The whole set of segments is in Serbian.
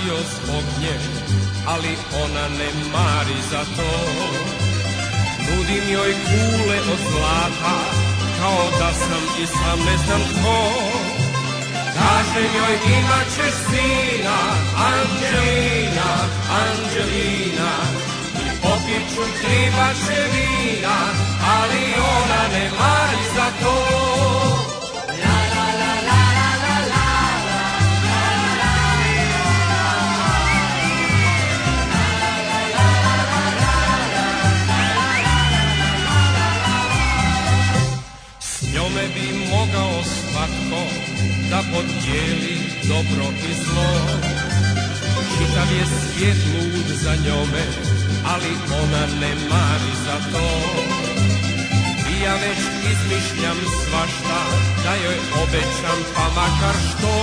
radio zbog nje, ali ona ne mari za to. Nudim joj kule od zlata, kao da sam i sam ne znam ko. Kažem joj imat ćeš sina, Anđelina, Anđelina, i popit ću 3 bače vina, ali ona ne mari za to. Njome bi mogao svatko da podijeli dobro i zlo. Čitav je svijet lud za njome, ali ona ne mari za to. I ja već izmišljam svašta, da joj obećam pa makar što.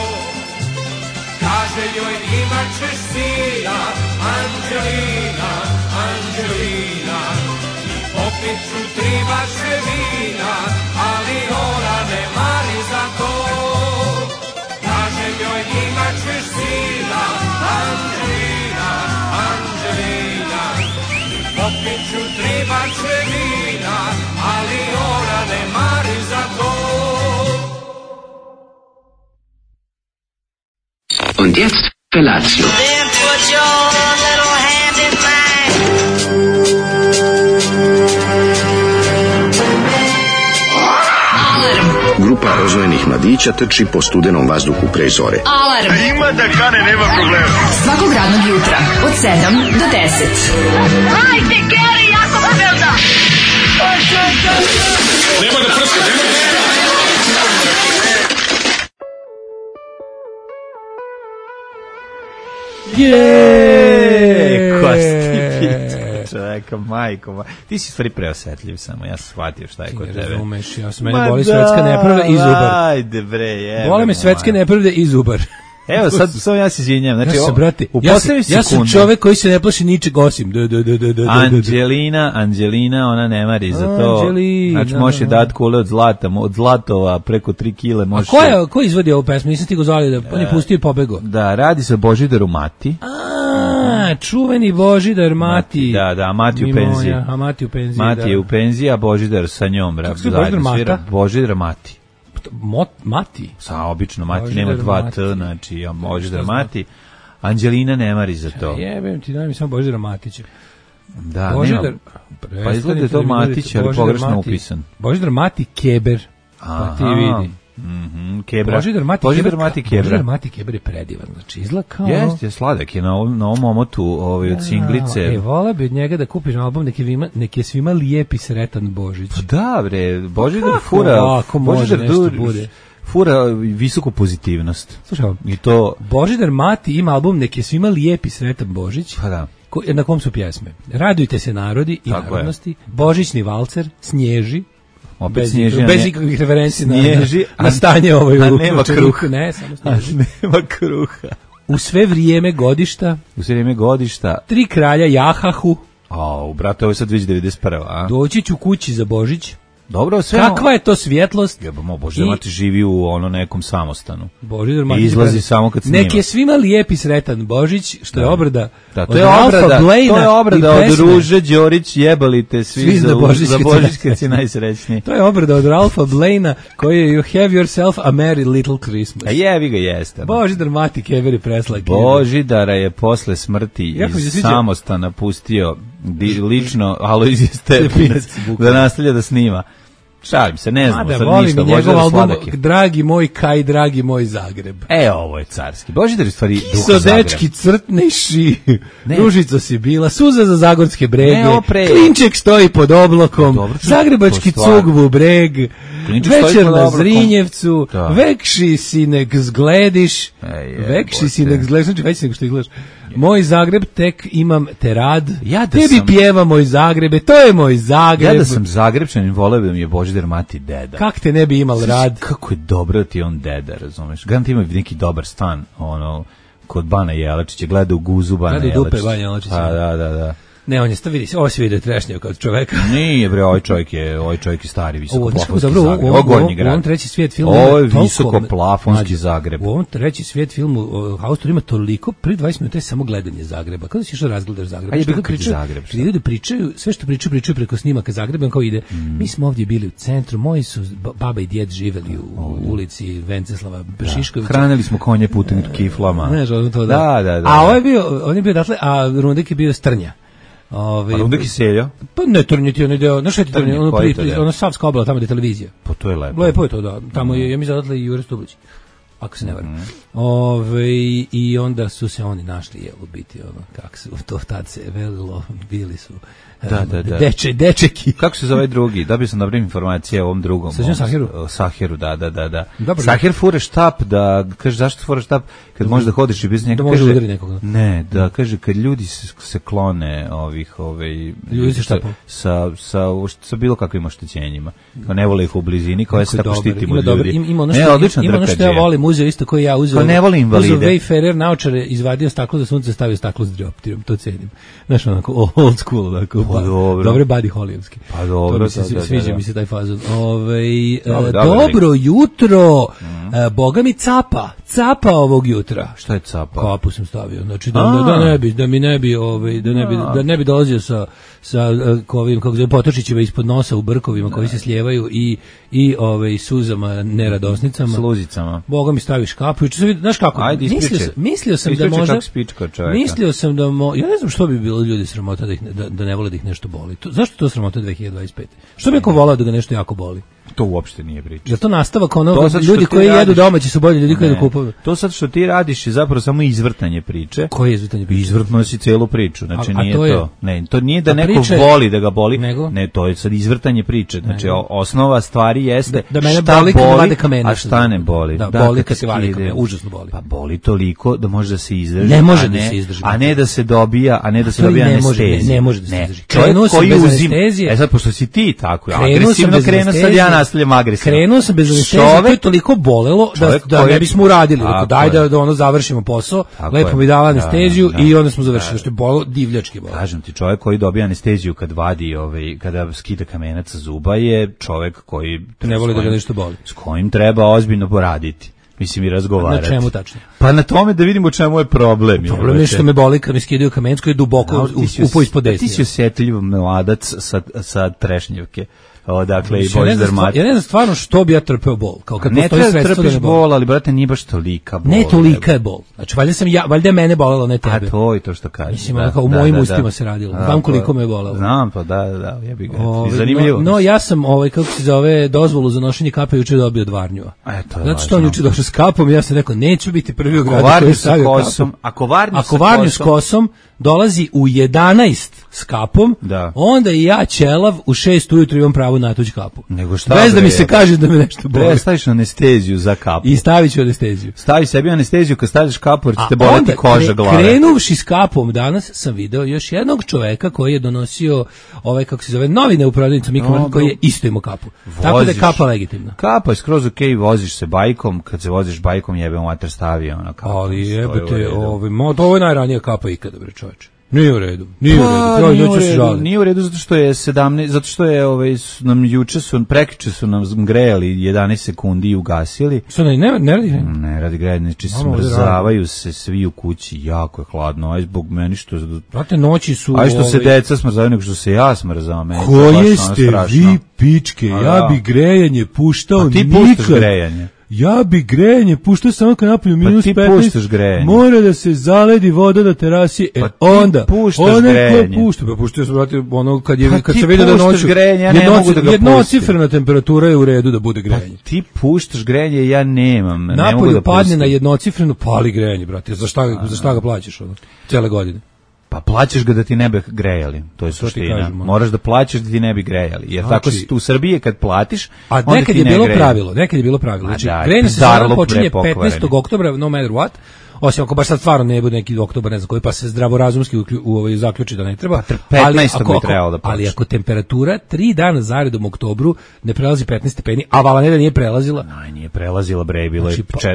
Kaže joj imat ćeš sina, Anđelina, Anđelina, i popit ću 3 bače vina, ali ona ne mari za to. Kažem joj imat ćeš sina, Anđelina, Anđelina, i popit ću 3 bače vina, ali ona ne mari za to. Und jetzt Felatio. Then put your little hand in mine. Grupa rozvojenih mladića trči po studenom vazduhu pre zore. Alarm. Ima da kane, nema problema. Svakog radnog jutra od 7 do 10. Hajde, Geri, jako se velda. Nema da prska, nema da prska. Čoveka, majko, ti si stvari preosetljiv samo, ja sam shvatio šta je kod tebe. Razumeš, ja sam mene boli svetska nepravda i zubar. Ajde bre, jebe. Bole me svetske nepravde i zubar. Evo, sad samo ja se izvinjam. Znači, brate, ja sam čovek koji se ne plaši ničeg osim. Anđelina, ona ne mari za to. Anđelina, znači, može dati kule od zlata, od zlatova, preko 3 kile. Može. A ko izvodi ovu pesmu? Nisam ti go zvali da on je pustio i pobego. Da, radi se o Božidaru Mati. Čuveni Božidar Mati. Da, Mati u penziji. A Mati u penziji, Mati je u penziji, a Božidar sa njom. Kako se Božidar Mata? Božidar Mati. Mati? Sa obično Mati nema 2 T, znači ja Božidar Mati. Anđelina ne mari za to. Jebem ti, daj mi samo Božidara Matića. Da, Božidar, pa izgleda je to Matić, ali pogrešno upisan. Božidar Mati Keber. Pa ti vidi. Kebra. Božidar Mati Kebra. Božidar Mati Kebra je predivan, znači izgleda kao... Jeste, od omotu od singlice. Vola bi od njega da kupiš album nek je svima lijep i sretan Božić. Pa da bre, Božidar fura, fura visoku pozitivnost. Slušaj, i to... Božidar Mati ima album nek je svima lijep i sretan Božić. Pa da. Na kom su pjesme? Radujte se narodi i narodnosti, Božićni valcer, Snježi, bez ikakvih referenci na stanje ovoj a nema kruha. Ne, samo Snježi. Nema kruha. U sve vrijeme godišta. 3 kralja Jahahu. Brate, ovo je sad već 91. A? Doći ću kući za Božić. Dobro, sve. Kakva je to svjetlost? Jebamo, Božidar Mati živi u nekom samostanu. Božidar Mati i izlazi samo kad snima. Nek je svima lijep i sretan Božić, što je obrada. Da, to je obrada od Ruže Đorić, jebalite svi za Božić kad si najsrećniji. To je obrada od Ralfa Blaina koji je You have yourself a merry little Christmas. A jevi ga jeste. Božidar Mati Keber je preslak. Božidara je posle smrti iz samostana pustio lično Alojzije Stepinac da nastavlja da snima. Šalim se, ne znam, sad ništa. Njegov album, dragi moj Kaj, dragi moj Zagreb. Ovo je carski. Božidar je stvari duha Zagreb. Sodečki crtneši, ružico si bila, suza za zagorske brege, klinček stoji pod oblokom, zagrebački cugvu breg, večer na Zrinjevcu, vekši si nek zglediš, znači već nego što izgledaš. Moj Zagreb, tek imam te rad, tebi pjeva moj Zagrebe, to je moj Zagreb. Ja da sam Zagrebčanin, voleo bi mi je Božidar Mati deda. Kak te ne bi imal rad? Kako je dobro da ti on deda, razumeš? Garant ima neki dobar stan, kod Bana Jelačića, gleda u guzu Bana Jelačića. Gleda u dupe Bana Jelačića. Da. Ne, on je vidi se, ovo se vidi trešnjao kao čoveka. Nije bre, ovaj čovjek je stari visokoplafonski Zagreb. U ovom treći svijet filmu ovo je visokoplafonski Zagreb. U ovom treći svijet filmu Haustor ima toliko, pri 20 minuta je samo gledanje Zagreba. Kada si išao razgledaš Zagreb? A je bilo Zagreb. Ljudi pričaju, sve što pričaju preko snimaka Zagreba, kao ide. Mi smo ovdje bili u centru, moji su baba i djed živeli u ulici Venceslava Šiškovića. Hranili smo konje putem kiflama. Znaš, to da. A on je bio datle, a Rundik je bio Strnja. A Rundik je seljo? Pa ne, Trnjeti, on je deo, znaš šta je Trnje, ono Savska obala, tamo gdje je televizija. Pa to je lepo. Lepo je to, da. Tamo je, ja mi zadatle i Jure Stublić, ako se ne varam. I onda su se oni našli, u biti, kako su, to tad se velilo, bili su dečeki. Kako se zove drugi? Dobio sam dobre informacije o ovom drugom. Sahiru, da. Dobro, Sahir fure štap, da kaže zašto fure štap kad možeš da hodiš i bez njega. Da može udari nekoga. Ne, da kaže kad ljudi se klone ljudi se štapom sa bilo kakvim oštećenjima. Kao ne vole ih u blizini, kao se tako štitimo ljudi. Ima ono što ja volim, uzeo isto koji ja uzeo. Pa ne volim invalide. Uzeo Wayfarer naočare, izvadio staklo za sunce, stavio staklo s dioptrijom, to cenim. Znaš, onako old school, onako. Dobre Buddy Hollyovski. Pa dobro, sviđa mi se taj fazon. Dobro jutro. Boga mi capa ovog jutra. Šta je capa? Kapu sam stavio. Znači da ne bi dolazio sa ovim kako zove potočićima ispod nosa u brkovima koji se slijevaju i suzama neradosnicama. Sluzicama. Boga mi staviš kapu. Znaš kako? Ajde, mislio sam da možda ja ne znam što bi bilo ljudi sramota da ne vole da ih nešto boli. Zašto to sramota 2025? Što bi neko volao da ga nešto jako boli? To uopšte nije priča. Jel to nastavak ljudi koji jedu domaći su bolji ljudi koji jedu kupuju? To sad što ti radiš je zapravo samo izvrtanje priče. Koje je izvrtanje priče? Izvrtno si celu priču, znači nije to. Ne, to nije da neko voli da ga boli. Ne, to je sad izvrtanje priče. Znači osnova stvari jeste da mene boli kad vade kamene. A šta ne boli? Da, boli kad se vade kamene, užasno boli. Pa boli toliko da može da se izdrži. Ne može da se izdrži. A ne da se dobija, anestezija. Ne može da se izdrži. Čovjek koji uzima, sad pošto si ti tako, agresivno krene, sad ja nastavljam agresivno. Krenuo sam bez anestezije, to je toliko bolelo da ne bismo uradili. Rekao, daj da ono završimo posao, lepo mi dala anesteziju i onda smo završili, što je bolelo, divljački bolelo. Kažem ti, čovjek koji dobija anesteziju kad vadi, kada skida kamenac sa zuba je čovjek koji ne voli da ga nešto boli. S kojim treba ozbiljno poraditi. Mislim i razgovarati. Na čemu tačno? Pa na tome da vidimo čemu je problem. Problem je što me boli kad mi skidaju kamenac koji je duboko upo ispod desnje. Ti si osjetljiv mladac sa trešnjevke. Dakle i Boris Dermat. Ja ne znam stvarno što bi ja trpeo bol. Kao kad ne treba trpiš bol, ali brate nije baš tolika bol. Ne tolika je bol. Znači valjda je mene bolelo, ne tebe. A to je to što kažeš. Mislim kao u mojim ustima se radilo. Znam koliko me je bolelo. Znam pa da, jebi ga. Zanimljivo. No ja sam kako se zove dozvolu za nošenje kape juče dobio od Varnjua. Znači što on juče došao s kapom, ja sam rekao neću biti prvi u gradu koji stavio kapu. Ako Varnju s kosom dolazi u 11 s kapom, onda i ja ćelav u 6 ujutru imam pravo na tuđu kapu. Bez da mi se kaže da me nešto boli. Staviš anesteziju za kapu. I stavit ću anesteziju. Stavi sebi anesteziju kad staviš kapu jer će te boleti koža glave. Krenuvši s kapom danas sam video još jednog čoveka koji je donosio kako se zove novine u prodavnicu Mikromarket koji je isto imao kapu. Tako da je kapa legitimna. Kapa je skroz okej, voziš se bajkom, kad se voziš bajkom jebe mater stavi ona kapu. Ali jebete, ovo je najranija kapa ikada, bre čoveče. Nije u redu. Nije u redu zato što je 17, zato što je prekjuče su nam grejali 11 sekundi i ugasili. Što ne radi? Ne radi grejanje, znači smrzavaju se svi u kući, jako je hladno, aj zbog meni što brate noći su aj što se deca smrzavaju nego što se ja smrzavam. Koje ste vi pičke? Ja bi grejanje puštao nikad. Ti puštaš grejanje. Ja bi grejanje puštao samo kad napolju minus 15, mora da se zaledi voda na terasi, onda puštao sam, brate, ono kad se vidi da noću jednocifrena temperatura je u redu da bude grejanje. Ti puštaš grejanje, ja nemam. Napolju padne na jednocifrenu, pali grejanje, brate, za šta ga plaćaš cijele godine? Pa plaćaš ga da ti ne bi grejali, to je suština. Moraš da plaćaš da ti ne bi grejali. Jer tako si tu u Srbiji kad platiš, onda nekad je bilo pravilo. Znači, grejanje se sada počinje 15. oktobra, no matter what, osim ako baš sad stvarno ne bude neki oktobar, ne znam koji, pa se zdravorazumski zaključi da ne treba. 15. bi trebalo da počne. Ali ako temperatura 3 dana zaredom u oktobru ne prelazi 15 stepeni, a Valaneda nije prelazila. Nije prelazila, bre,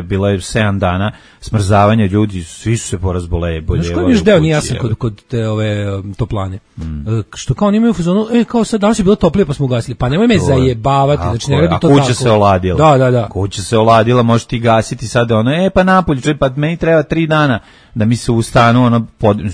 bilo je 7 dana smrzavanja, ljudi, svi su se porazboleli. Znaš koji mi još deo nije jasan kod te toplane? Što kao oni imaju u fazonu, kao sad danas je bilo toplije pa smo ugasili. Pa nemoj me zajebavati, znači ne radi to tako. A kuća se oladila. Da. Kuća se oladila, možeš ti gasiti sad pa napolju, pa meni treba 3 dana da mi se u stanu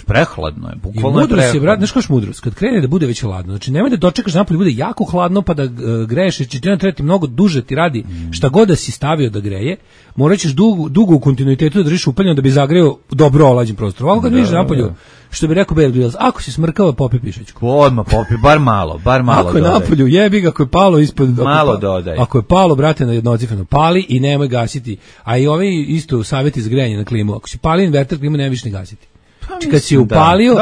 prehladno je, bukvalno je prehladno. Brate, znaš kaš mudrost, kad krene da bude već hladno, znači nemoj da dočekaš napolju bude jako hladno pa da greješ, jer će ti trebati mnogo duže ti radi šta god da si stavio da greje, morat ćeš dugo u kontinuitetu da držiš upaljeno da bi zagreo dobro olađen prostor. Ovako kad vidiš napolju, što bi rekao Bear Grylls, ako si smrkava, popi pišačku. Odmah popi, bar malo. Ako je napolju, jebi ga, ako je palo ispod... Malo dodaj. Ako je palo, brate, na jednocifreno, pali i nemoj gasiti. A i ovi isto savjeti za grejanje na klimu. Ako si pali inverter, klimu nema više ne gasiti. Kad si upalio,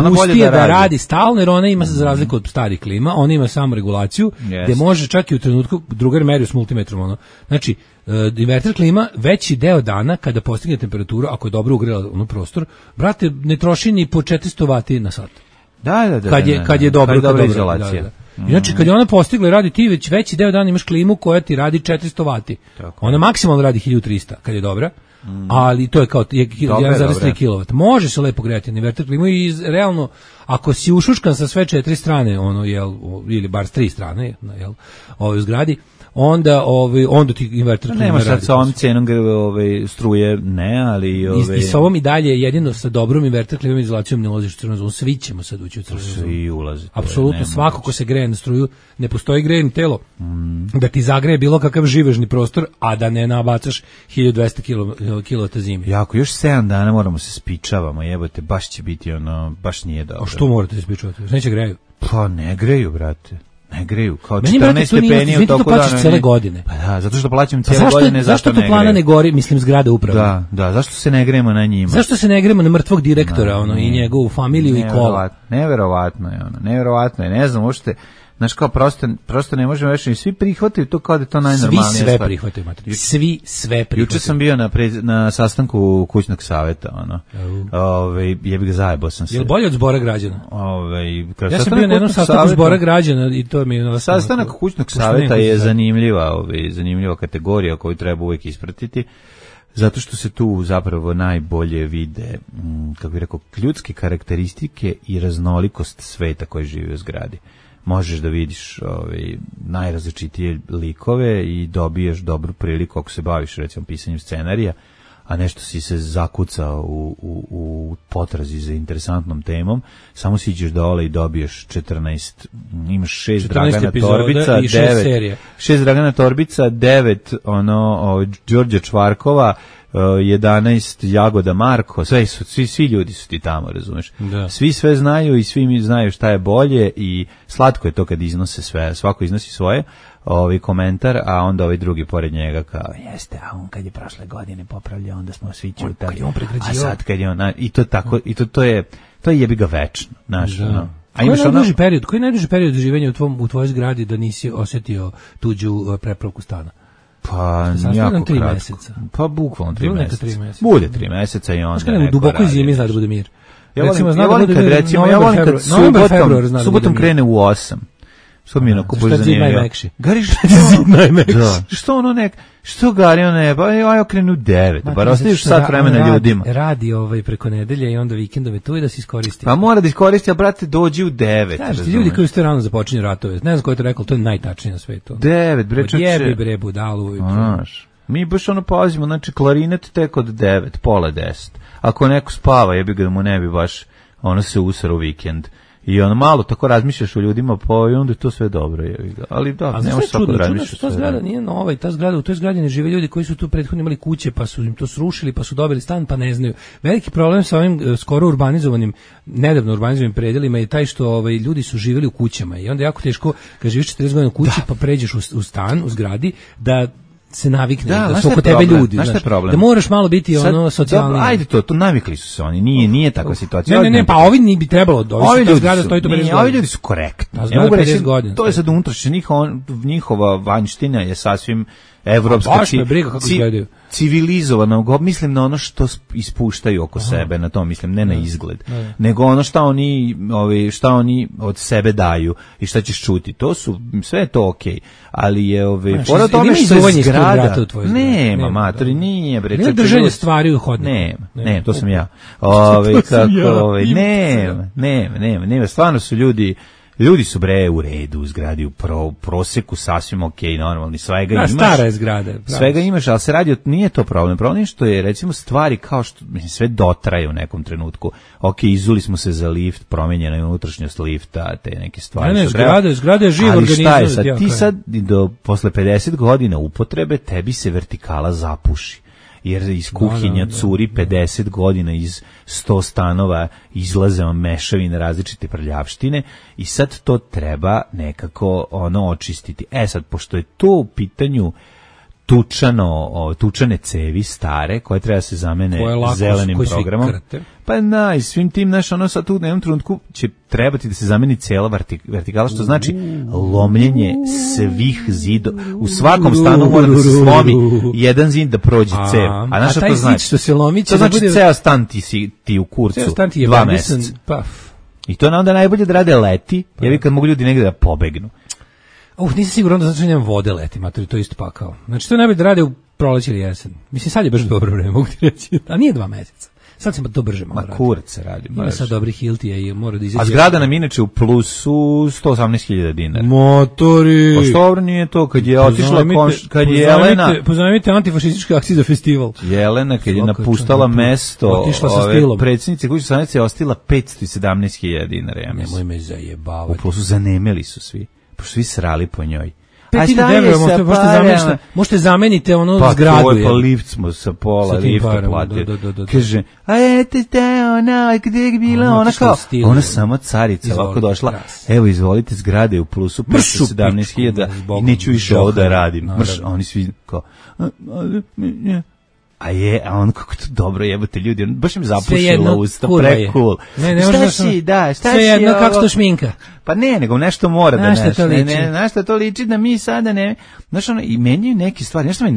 pusti je da radi stalno, jer ona ima za razliku od starih klima, ona ima samo regulaciju, gde može čak i u trenutku, drugar merio s multimetrom, znači, inverter klima veći deo dana kada postigne temperaturu, ako je dobro ugrela prostor, brate, ne troši ni po 400 vati na sat. Da. Kad je dobra izolacija. Znači, kad je ona postigla i radi, ti već veći deo dana imaš klimu koja ti radi 400 vati. Ona maksimalno radi 1300 kad je dobra. Ali to je kao 1,3 kW. Može se lepo grejati na inverter klimu i realno, ako si ušuškan sa sve 4 strane, ili bar s 3 strane, u zgradi, onda ti inverter klima nema sad sa ovom cenom struje, ne, ali... I sa ovom i dalje, jedino sa dobrom inverter klimom izolacijom ne ulaziš u crvenu zonu, svi ćemo sad ući u crvenu zonu. Svi ulazi. Apsolutno, svako ko se greje na struju, ne postoji grejeno telo da ti zagreje bilo kakav živežni prostor, a da ne nabacaš 1200 kW zime. Jako, još 7 dana moramo se spičavamo, jebote, baš će biti baš nije dobro. A što morate se spičavati? Neće greju? Pa ne greju, brate. Ne greju, kao 14 stepeni u toku dana. Plaćaš cele godine. Pa da, zato što plaćam cele godine, zašto to plana ne gori, mislim zgrada upravo. Da, zašto se ne grejemo na njima? Zašto se ne grejemo na mrtvog direktora, i njegovu familiju i kola? Neverovatno je, ne znam, uopšte, znaš kao, prosto ne možemo reći, svi prihvataju to kao da je to najnormalnije. Svi sve prihvataju, Matri. Svi sve prihvataju. Juče sam bio na sastanku kućnog saveta, jebi ga, zajebao sam se. Je li bolje od zbora građana? Ja sam bio na jednom sastanku zbora građana i to mi je... Sastanak kućnog saveta je zanimljiva kategorija koju treba uvijek ispratiti, zato što se tu zapravo najbolje vide, kako bih rekao, ljudske karakteristike i raznolikost sveta koji živi u zgradi. Možeš da vidiš najrazličitije likove i dobiješ dobru priliku ako se baviš recimo pisanjem scenarija, a nešto si se zakucao u potrazi za interesantnom temom, samo siđeš dole i dobiješ 14, imaš 6 Dragana Torbica, 6 Dragana Torbica, 9 Đorđe Čvarkova, 11 Jagoda Marko, svi ljudi su ti tamo, razumeš? Da. Svi sve znaju i svi mi znaju šta je bolje i slatko je to kad iznose sve, svako iznosi svoje komentar, a onda drugi pored njega kao, jeste, a on kad je prošle godine popravljao, onda smo svi čutali, a sad kad je on, i to tako, i to je jebi ga večno, znaš, Koji je najduži period življenja u tvojoj zgradi da nisi osjetio tuđu prepravku stana? Pa jako kratko. Meseca. Pa bukvalno 3 meseca. Bude 3 meseca i onda neko duboko zimi zna da bude mir. Ja volim kad subotom krene u 8. Što mi je onako zanimljivo. Gari što gari ono pa ja krenu u 9, bar ostaviš sat vremena ljudima. Radi preko nedelje i onda vikendove tu i da se iskoristi. Pa mora da iskoristi, a brate dođi u 9. Znaš, ljudi koji ste rano započinju ratove, ne znam ko je to rekao, to je najtačnije na svetu. 9, bre, čoče. Jebi bre budalu. Mi baš pazimo, znači klarinet tek od 9, pola 10. Ako neko spava, jebi ga da mu ne bi baš se usara u vikend. I malo tako razmišljaš o ljudima, pa i onda je to sve dobro. Ali da, ne možeš svako razmišljati. Ta zgrada nije nova i u toj zgradi ne žive ljudi koji su tu prethodno imali kuće, pa su im to srušili, pa su dobili stan, pa ne znaju. Veliki problem sa ovim skoro nedavno urbanizovanim predelima je taj što ljudi su živjeli u kućama i onda je jako teško, kad živiš 40 godina u kući, pa pređeš u stan, u zgradi, da se navikne, da su oko tebe ljudi, da moraš malo biti socijalni. Ajde to navikli su se oni, nije takva situacija. Ne, pa ovi ni bi trebalo, ovi ljudi su korektni. To je sad unutrašnje, njihova vanjština je sasvim evropska, baš me briga kako izgledaju. Civilizovano, mislim na ono što ispuštaju oko sebe, na to mislim, ne na izgled, nego ono šta oni od sebe daju i šta ćeš čuti. To su, sve je to okej, ali je pored tome što je zgrada, nema matori, nije bre. Ne držanje stvari u hodniku. Ne, to sam ja. Nema, stvarno su ljudi su bre u redu u zgradi, u proseku sasvim okej, normalni, svega imaš. Stara je zgrada. Svega imaš, ali se radi, nije to problem. Problem je što je, recimo, stvari kao što, mislim, sve dotraje u nekom trenutku. Okej, izuli smo se za lift, promenjena je unutrašnjost lifta, te neke stvari. Ne, zgrada je živ organizam. Ali šta je sad? Ti sad, posle 50 godina upotrebe, tebi se vertikala zapuši. Jer iz kuhinja curi 50 godina iz 100 stanova izlaze vam mešavine različite prljavštine i sad to treba nekako očistiti. Sad, pošto je to u pitanju tučane cevi stare koje treba se zamene zelenim programom. Pa i svim tim, sad tu u jednom trenutku će trebati da se zameni cela vertikala, što znači lomljenje svih zidova. U svakom stanu mora da se slomi jedan zid da prođe cev. A taj zid što se lomi će to znači ceo stan ti u kurcu 2 meseca. I to onda najbolje da rade leti, jer kad mogu ljudi negde da pobegnu. Nisam siguran da znači nemam vode leti, matori, to isto pakao. Znači to najbolje da rade u proleće ili jesen. Mislim, sad je baš dobro vreme, mogu ti reći. A nije 2 meseca. Sad se to brže malo radi. Kurac se radi. Ima sad dobri Hiltija i mora da izađe. A zgrada nam inače u plusu 118.000 dinara. Motori! Pa što dobro nije to, kad je otišla, kad je Jelena... Pozajmite antifašističke akcije za festival. Jelena, kad je napuštala mesto predsjednice kuće stanice, je ostila 517.000 dinara, ja mislim. Nemoj me zajebavati. U plusu zanemeli su svi, pošto svi srali po njoj. 5.000 možete zamenite zgradu. Pa lift smo sa pola lifta platili. Kaže, gdje je bila ona kao, ona sama carica, ovako došla, evo izvolite zgrade u plusu 517.000 i neću više ovo da radim. Oni svi kao, a on kako to dobro jebate ljudi, on baš im zapušila usta, pre-cool. Šta si, sve jedno kako što šminka. Pa nego nešto mora da znaš što to liči da mi sada ne, znaš i menjaju neke stvari, nešto me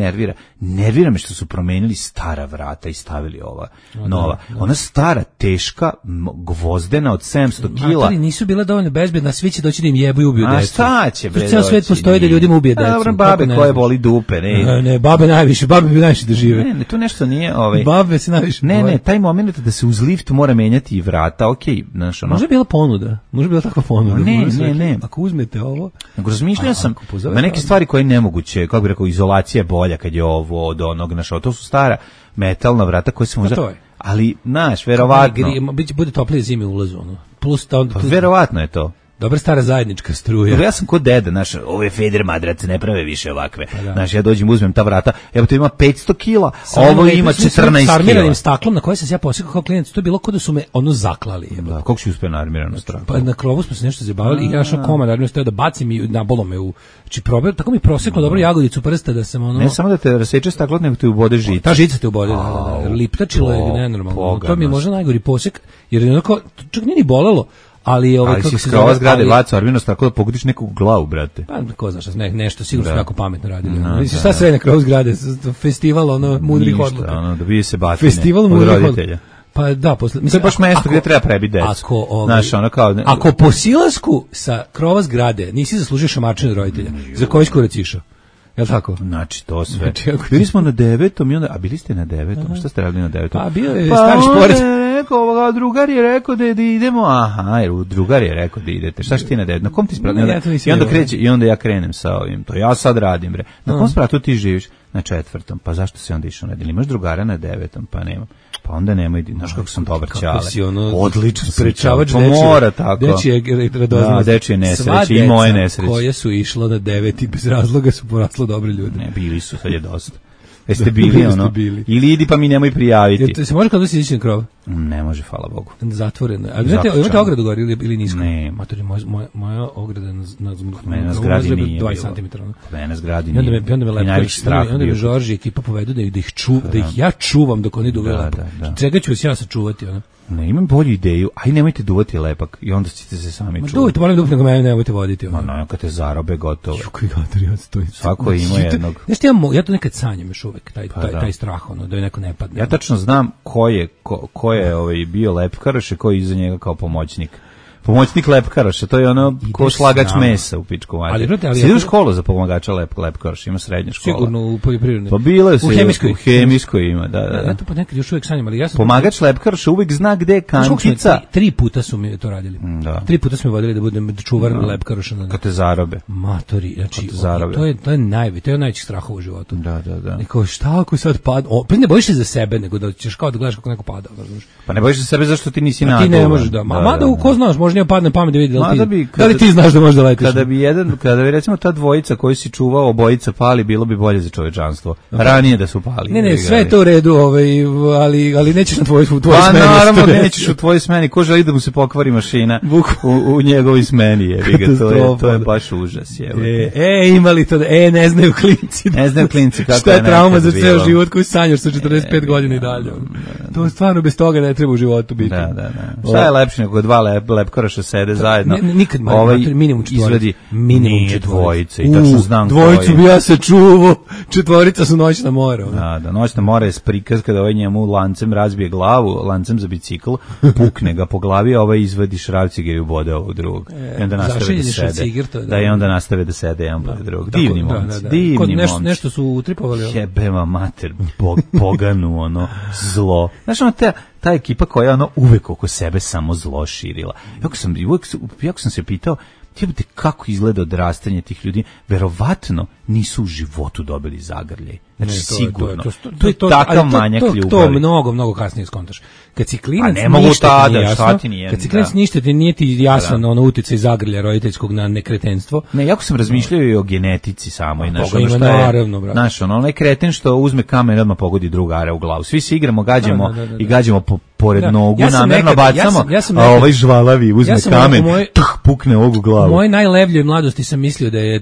nervira me što su promenili stara vrata i stavili ova nova, ona stara, teška, gvozdena od 700 kila. Ali nisu bile dovoljno bezbedna, svi će doći da im jebu i ubiju decu. A šta će bre doći? Ceo svet postoji da ljudima ubije decu. Dobro, babe koje boli dupe, ne, babe najviše, babe bi najviše da žive. Ne, tu nešto nije, babe se najviše. Ne, taj moment da se uz lift mora menjati i vrata, okej, znaš, Može bila ponuda, može bila takva ponuda. Ne. Ako uzmete ovo... Razmišljao sam na neke stvari koje je nemoguće, kako bih rekao, izolacija je bolja kad je ovo od onog, znaš, to su stara metalna vrata koje se možda... Ali, znaš, verovatno... Bude toplije zime u ulazu, plus... Verovatno je to. Dobra stara zajednička struja. Ja sam kod deda, znaš, ove Feder madrace ne prave više ovakve. Znaš, ja dođem, uzmem ta vrata, evo to ima 500 kila, a ovo ima 14 kila. Sa armiranim staklom na koje sam se ja posekao kao klijent, to je bilo kao da su me zaklali. Da, kako si uspio na armirano staklo? Pa na krovu smo se nešto zabavili i ja šao komad, armirano staklo da bacim i nabolo me u... Znači, tako mi proseklo dobro jagodicu prsta da sam Ne samo da te raseče staklo, nego te ubode žica. Ta žica te ubode, liptačilo je nenormalno. To mi je možda najgori posek, jer je onako, čak nije ni bolelo. Ali si skrova zgrade bacio armirnost tako da pogodiš neku glavu, brate. Pa ko znaš, nešto sigurno su jako pametno radili. Mislim, šta sve na krov zgrade, festival mudrih odluka. Da bi se batine festival od roditelja. Pa da, to je baš mesto gdje treba prebiti decu. Ako po silasku sa krova zgrade nisi zaslužio šamarčine od roditelja, za koji skurac išao? Jel' tako? Znači, to sve. Bili smo na 9. i onda, a bili ste na 9. Šta ste radili na 9? Pa bio je stari šporet. Drugar je rekao da idemo, jer drugar je rekao da idete. Šta ti na 9? Na kom ti spratu? I onda ja krenem sa ovim. To ja sad radim, bre. Na kom spratu ti živiš? Na 4. Pa zašto si onda išao na 9? Imaš drugara na 9. Pa nemam. Pa onda nemoj, znaš kako sam dobar ćale. Odlično sprečavač mora tako. Dečije nesreće i moje nesreće. Koje su išlo na 9 i bez razloga su poraslo dobri ljudi. Ne, bili su, sad je dosta. Jeste bili, ili idi pa mi nemoj prijaviti. Se može kada si ići na krov? Ne može, hvala Bogu. Zatvoreno. A imate ogradu gore ili nisko? Ne. Matori, moja ograda na zgradi nije 20 cm. Na zgradi nije. I onda me lepo, onda me Žorži ekipa povedu da ih ja čuvam dok oni duvaju lepo. Čega ću vas ja sačuvati, ona? Ne, imam bolju ideju, aj nemojte duvati lepak i onda ćete se sami čuvati. Duvajte, molim dupne ga mene, nemojte voditi. Kad te zarobe, gotovo. Svako ima jednog. Znaš, ja to nekad sanjam još uvek, taj strah, da je neko ne padne. Ja tačno znam ko je bio lepkaroš i ko je iza njega kao pomoćnik. Pomoćnik lepkaroša, to je ono ko slagač mesa u pičku mater. Sidi u školu za pomagača lepkaroša, ima srednja škola. Sigurno u poljoprivrednoj. Pa bilo je u hemijskoj ima, da. Ja to nekad još uvijek sanjam, ali ja sam... Pomagač lepkaroša uvijek zna gde je kančica. 3 puta su mi to radili. 3 puta su mi vodili da budem čuvar lepkaroša. Kad te zarobe. Matori, znači, to je najveći strah u životu. Da. Neko, šta ako sad pada? Ne bojiš se za sebe, nego da ćeš kao da gledaš kako neko pada. Pa ne bojiš se za sebe zašto ti nisi nagovan. Ti ne možeš da. Mada ko znaš, možda nije padne pamet da vidi da li ti znaš da možeš da letiš. Kada bi recimo ta dvojica koju si čuvao, obojica pali, bilo bi bolje za čovečanstvo. Ranije da su pali. Ne, sve je to u redu, ali nećeš na tvojoj smeni. Pa naravno nećeš u tvojoj smeni. Ko želi da mu se pokvari mašina u njegovoj smeni, to je baš užas. Imali to, ne znaju klinci. Ne znaju klinci kako je nekad bilo. Šta je trauma za ceo život koji sanjaš sa 45 godina i dalje. To stvarno bez toga ne treba u životu biti. Da. Šta je lepše nego dva lepkaroša sede zajedno? Nikad minimum izvedi nije dvojice i tačno znam dvojicu bi ja se čuvao, četvorica su noćna mora. Da, noćna mora je prikaz kada ovaj njemu lancem razbije glavu, lancem za bicikl, pukne ga po glavi, a ovaj izvadi šravci ga i ubode ovog drugog. I onda nastave da sede. I onda nastave da sede jedan pored drugog. Divni momci, divni momci. Nešto su utripovali. Jebema mater, poganu, zlo. Znaš, ta ekipa koja je uvek oko sebe samo zlo širila. Jako sam se pitao, kako izgleda odrastanje tih ljudi, verovatno nisu u životu dobili zagrljaj. Znači, sigurno. To je takav manjak ljubavi. To mnogo kasnije skontaš. Kad si klinac, kad si klinac ništa ti nije ti jasno na ono uticaj zagrlja roditeljskog na nekretenstvo. Ne, jako sam razmišljao i o genetici samo. Znaš, onaj kreten što uzme kamen i odmah pogodi drugara u glavu. Svi se igramo, gađamo pored nogu, namerno bacamo, a ovaj žvalavi uzme kamen, pukne ovog u glavu. U mojoj najlevljoj mladosti sam mislio da je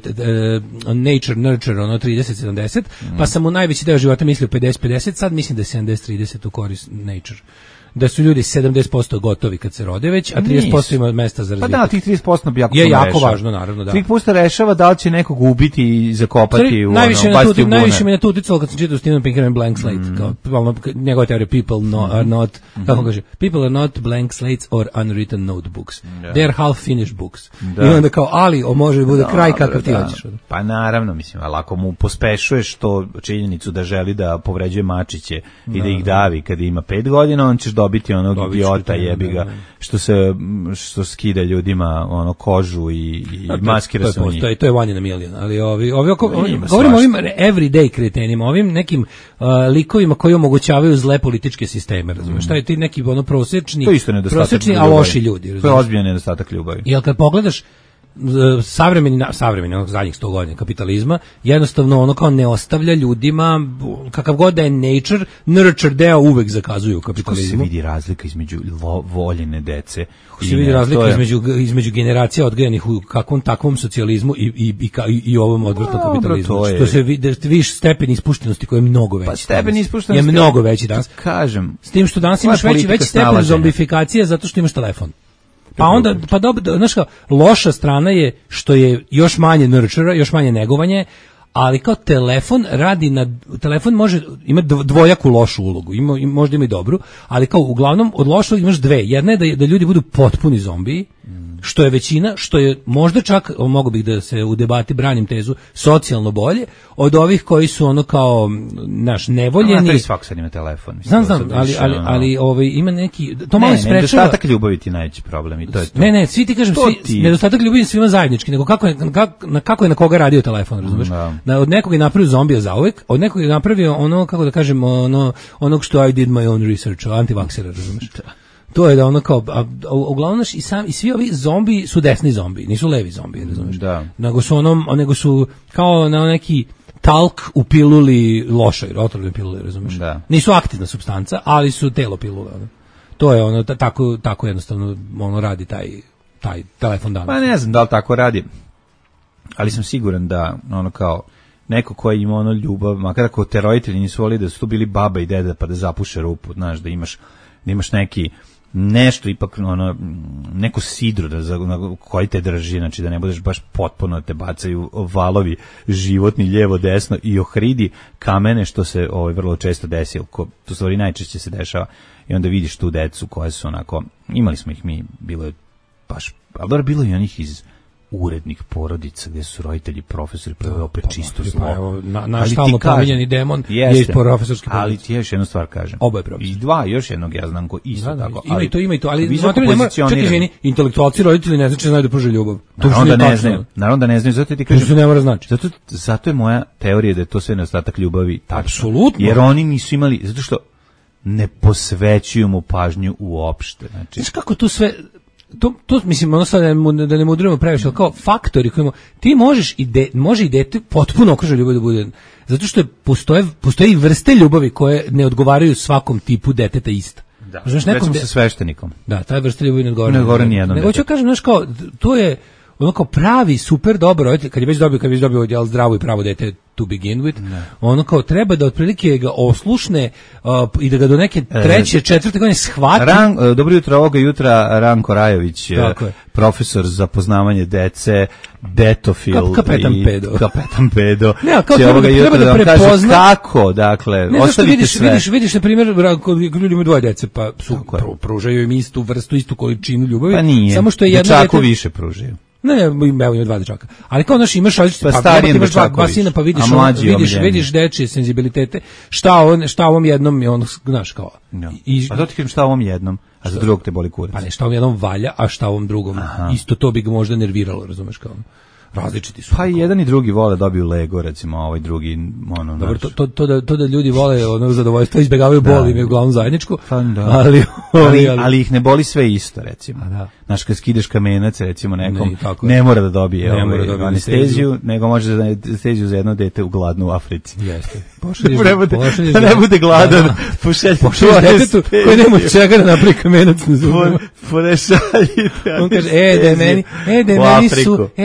nature, nurture, 30-70, pa sam u najveći deo života mislio 50-50, sad mislim da je 70-30 u korist nature. Da su ljudi 70% gotovi kad se rode već, a 30% ima mesta za razvitak. Pa da, tih 30% bi je jako važno, naravno, da. 30% rešava da li će nekog ubiti i zakopati u basti u bune. Najviše me na to uticalo kad sam čitao Steven Pinker Blank Slate, kao njegova teorija people are not, kako kaže, people are not blank slates or unwritten notebooks. They are half finished books. I onda kao, ali može bude kraj kakav ti hoćeš. Pa naravno, mislim, ali ako mu pospešuješ to činjenicu da želi da povređuje mačiće i da ih davi kada ima 5 godina, on ćeš dobiti onog idiota jebiga što skida ljudima kožu i maskira se u njih. To je one in a million, ali govorimo o ovim everyday kretenima, ovim nekim likovima koji omogućavaju zle političke sisteme, razumiješ? Šta je ti neki prosječni, a loši ljudi. To je ozbiljan nedostatak ljubavi. Jel kad pogledaš savremeni zadnjih 100 godina kapitalizma, jednostavno kao ne ostavlja ljudima, kakav god da je nature, nurture deo uvek zakazuje u kapitalizmu. Kako se vidi razlika između voljene dece? Kako se vidi razlika između generacija odgajanih u kakvom takvom socijalizmu i ovom odvrtnom kapitalizmu? Što se vidiš stepen ispuštenosti koji je mnogo veći. Pa stepen ispuštenosti je mnogo veći danas. Kažem. S tim što danas imaš veći stepen zombifikacije zato što imaš telefon. Pa onda, znaš kao, loša strana je što je još manje nurture, još manje negovanje, ali kao telefon može imati dvojaku lošu ulogu, možda ima i dobru, ali kao uglavnom od lošeg imaš dve. Jedna je da ljudi budu potpuni zombiji, što je većina, što je možda čak, mogu bih da se u debati branim tezu, socijalno bolje, od ovih koji su kao, nevoljeni. Ali svak sad ima telefon. Znam, ali ima neki, to malo sprečava. Nedostatak ljubavi ti najveći problem i to je to. Ne, svi ti kažem, nedostatak ljubavi svima zajednički, nego kako je na koga radio telefon, razumiješ? Od nekog je napravio zombija zauvek, od nekog je napravio kako da kažem, onog što I did my own research, antivaksera, razumiješ? To je da kao, uglavnom i svi ovi zombi su desni zombi, nisu levi zombi, razumiješ? Da. Nego su kao na neki talk u piluli lošoj, otrovnoj piluli, razumiješ? Da. Nisu aktivna supstanca, ali su telo pilule. To je ono, tako jednostavno ono radi taj telefon danas. Pa ne znam da li tako radi, ali sam siguran da ono kao neko ko ima ono ljubav, makar ako te roditelji nisu volili da su tu bili baba i deda pa da zapuše rupu, znaš, da imaš neki nešto ipak ono neko sidro na koji te drži, znači da ne budeš baš potpuno te bacaju valovi životni lijevo desno i ohridi kamene, što se vrlo često desi, to stvari najčešće se dešava, i onda vidiš tu decu koje su onako, imali smo ih mi, bilo je baš, ali bilo je onih iz urednih porodica gdje su roditelji profesori, prvo je opet čisto zlo. Naš stalno pominjeni demon je iz profesorski porodica. Ali ti još jednu stvar kažem. Oba je profesor. I dva, još jednog ja znam ko isto tako. Ima i to, ali čekaj, ženi, intelektualci roditelji ne znači znaju da pruže ljubav. Naravno da ne znaju, zato ti kažem. To se ne mora znači. Zato je moja teorija da je to sve nedostatak ljubavi tačno. Apsolutno. Jer oni nisu imali, zato što ne posvećuju mu pažnju uopšte. Znači, znaš kako to sve... To mislim, ono sad da ne mudrujemo previše, ali kao faktori kojima ti može i dete potpuno okruženo ljubav da bude, zato što postoje vrste ljubavi koje ne odgovaraju svakom tipu deteta ista. Da, recimo sa sveštenikom. Da, ta vrsta ljubavi ne odgovara. Ne odgovara nijednom. Nego ću kažem, znaš kao, to je ono kao pravi, super dobar roditelj, kad je već dobio zdravo i pravo dete to begin with, ono kao treba da otprilike ga oslušne i da ga do neke treće, četvrte godine shvati. Dobro jutro, ovoga jutra Ranko Rajović, profesor za poznavanje dece, detofil kapetan pedo. Ne, kao treba da prepozna kako, dakle, ostavite sve. Vidiš na primjer, kod ljudi imaju dvoje dece, pa pružaju im istu vrstu, istu količinu ljubavi. Pa nije, samo što je jedno dečaku više pružaju. Ne, ima dva dečaka. Ali kao naš imaš različite, imaš dva sina, pa vidiš dečije senzibilitete. Šta ovom jednom je on, znaš kao. A to ti kažem šta ovom jednom, a za drugog te boli kurac. Pa ne, šta ovom jednom valja, a šta ovom drugom. Isto to bi ga možda nerviralo, razumeš kao. Različiti su. Pa i jedan i drugi vole dobiju Lego, recimo, a ovaj drugi ono. Dobro, to da ljudi vole ono zadovoljstvo, izbegavaju bol, imaju uglavnom zajedničku. Pa da. Ali ih ne boli sve isto, recimo. Znaš, kad skideš kamenac, recimo, nekom, ne mora da dobije anesteziju, nego može da anesteziju za jedno dete u gladnu u Africi. Jeste. Da ne bude gladan, pošaljite detetu koji nema čega da napravi kamenac na zubima. Pošaljite. On kaže,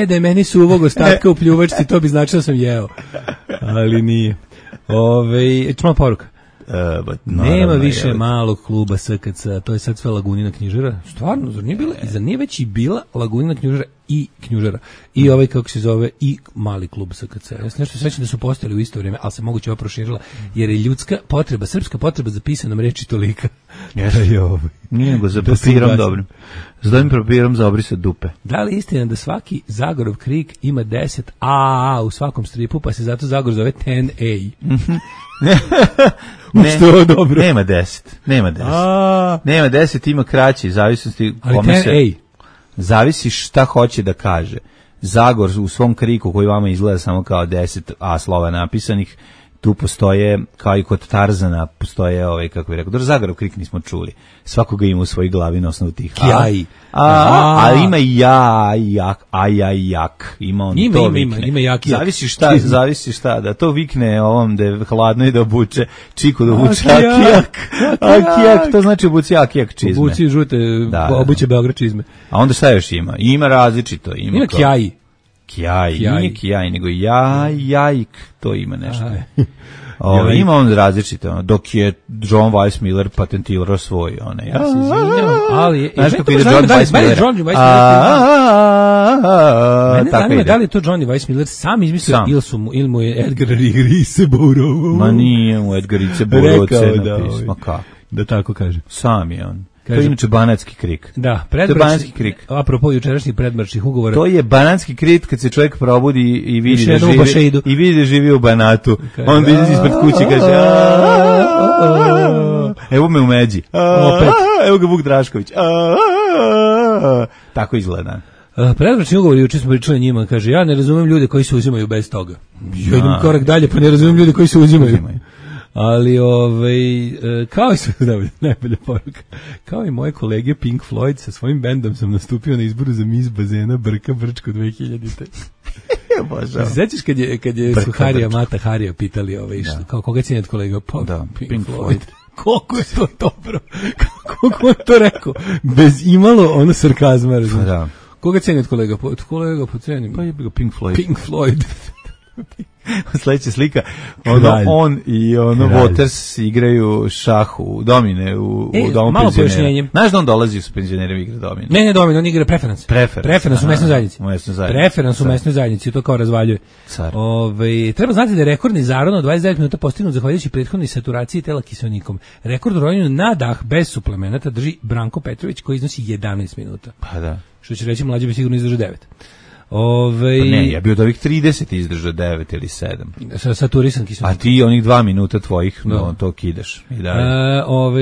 da meni su uvog ostatka u pljuvačci, to bi značilo da sam jeo. Ali nije. Čuma poruka. Nema više malog kluba SKC, to je sad sve Lagunina knjižara. Stvarno, zar nije već i bila Lagunina knjižara i knjižara? I ovaj, kako se zove, i mali klub SKC. Ja sam nešto svećam da su postojali u isto vrijeme, ali se moguće ova proširila, jer je ljudska potreba, srpska potreba za pisanom reči tolika. Nije nego za papirom dobrim. S dobrim papirom za obrisat dupe. Da li istina da svaki Zagorov krik ima 10 A u svakom stripu, pa se zato Zagor zove 10A? Ne, dobro. Nema 10. Nema 10, ima kraći, zavisnosti kome se... Zavisi šta hoće da kaže. Zagor u svom kriku koji vama izgleda samo kao 10 A slova napisanih, tu postoje, kao i kod Tarzana, postoje, kako bih rekao, dobro, Zagorov krik nismo čuli. Svakoga ima u svojoj glavi na osnovu tih Kjaj. Ali ima jak. Ima on to vikne. Ima jak. Zavisi šta, da to vikne ovom da je hladno i da obuče čiku, da obuče akijak. To znači obuci akijak čizme. Obuci žute, obuće Beograd čizme. A onda šta još ima? Ima različito. Ima kjaj. Nije kjaj, nego jajk, to ima nešto. Ima on različito, dok je John Weissmuller patentirao svoj, ja se izvinjam, ali znaš kako ide John Weissmuller? Mene zanima da li je to Johnny Weissmuller sam izmislio ili mu je Edgar Rice Burrow. Ma nije mu Edgar Rice Burrow napisao, da tako kaže. Sam je on. To je inače banatski krik. Da, predbračni krik. Apropo jučerašnjih predbračnih ugovora. To je banatski krik kad se čovjek probudi i vidi da živi u Banatu. Onda ide ispred kuće i kaže evo me u Međi. Evo ga Vuk Drašković. Tako izgleda. Predbračni ugovor, juče smo pričali njima, kaže, ja ne razumijem ljude koji se uzimaju bez toga. Ja idem korak dalje, pa ne razumijem ljude koji se uzimaju. Ali, kao i sve, najbolja poruka, kao i moje kolege Pink Floyd, sa svojim bendom sam nastupio na izboru za Miss Bazena Brka Brčko 2000-te. Sećaš kad je su Harija Mata Harija pitali kao koga cijenjate kolega? Pa, da, Pink Floyd. Koliko je to dobro. Kako je to rekao? Bez imalo ono sarkazma. Pa da. Koga ceni od kolega? Kolega po ceni. Pa je bio Pink Floyd. Pink Floyd. Sledeća slika, on i Waters igraju šah u domine u domu malo penzionera. Znaš da on dolazi s penzionerima igra domine? Ne domine, on igra preferans. Preferans u mesnoj zajednici. Preferans u mesnoj zajednici, to kao razvaljuje. Treba znati da je rekordni zaron od 29 minuta postignut zahvaljujući prethodnoj saturaciji tela kiseonikom. Rekord u ronjenju na dah bez suplemenata drži Branko Petrović koji iznosi 11 minuta. Pa da. Što će reći, mlađi bi sigurno izdržao 9. Ne, ja bi od ovih 30 izdržao 9 ili 7. Saturisan kiseonik. A ti onih 2 minuta tvojih, to kidaš. I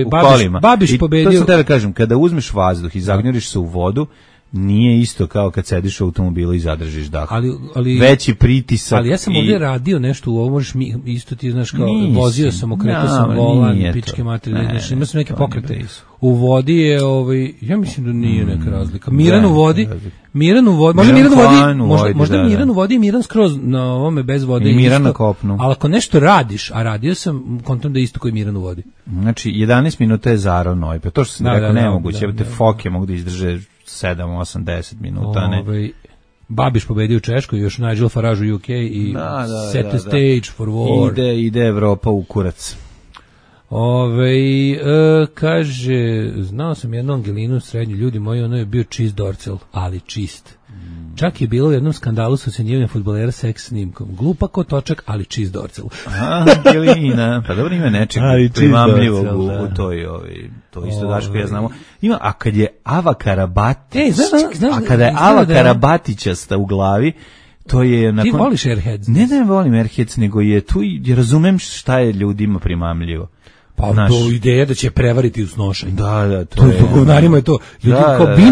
u kolima. Babiš pobedio. To sam tebe kažem, kada uzmeš vazduh i zagnjuriš se u vodu, nije isto kao kad sediš u automobilu i zadržiš dah. Ali veći pritisak. Ali ja sam ovdje radio nešto u ovo, možeš mi isto ti znaš kao vozio sam, okretao sam volan, pičke materije, ima sam neke pokrete. U vodi je ja mislim da nije neka razlika. Miran u vodi, možda Miran u vodi i Miran skroz na ovome bez vode i Miran na kopnu. Ali ako nešto radiš, a radio sam, kontam da je isto koji Miran u vodi. Znači 11 minuta je Zaro Nojpe. To što sam rekao nemoguće, te foke mogu da izdrže 7, 8, 10 minuta, ne. Babiš pobedio u Češkoj, još Nigel Farage u UK i set the stage for war. Ide Evropa u kurac. Kaže, znao sam jednu Angelinu srednju, ljudi moji, ono je bio čist dorcel, ali čist. Čak je bilo u jednom skandalu s ocenjivanjem fudbalera seks snimkom. Glupa ko točak, ali čist dorcel. Angelina, pa dobro ima nečeg primamljivog u toj, to isto Daško ja znamo. Ima, a kad je Ava Karabatić, Karabatićasta u glavi, to je nakon... Ti voliš Airheads? Ne volim Airheads, nego je tu, razumem šta je ljudima primamljivo. Pa to ideja da će prevariti u snošenju. Da, to je. Govnarima je to. Ljudi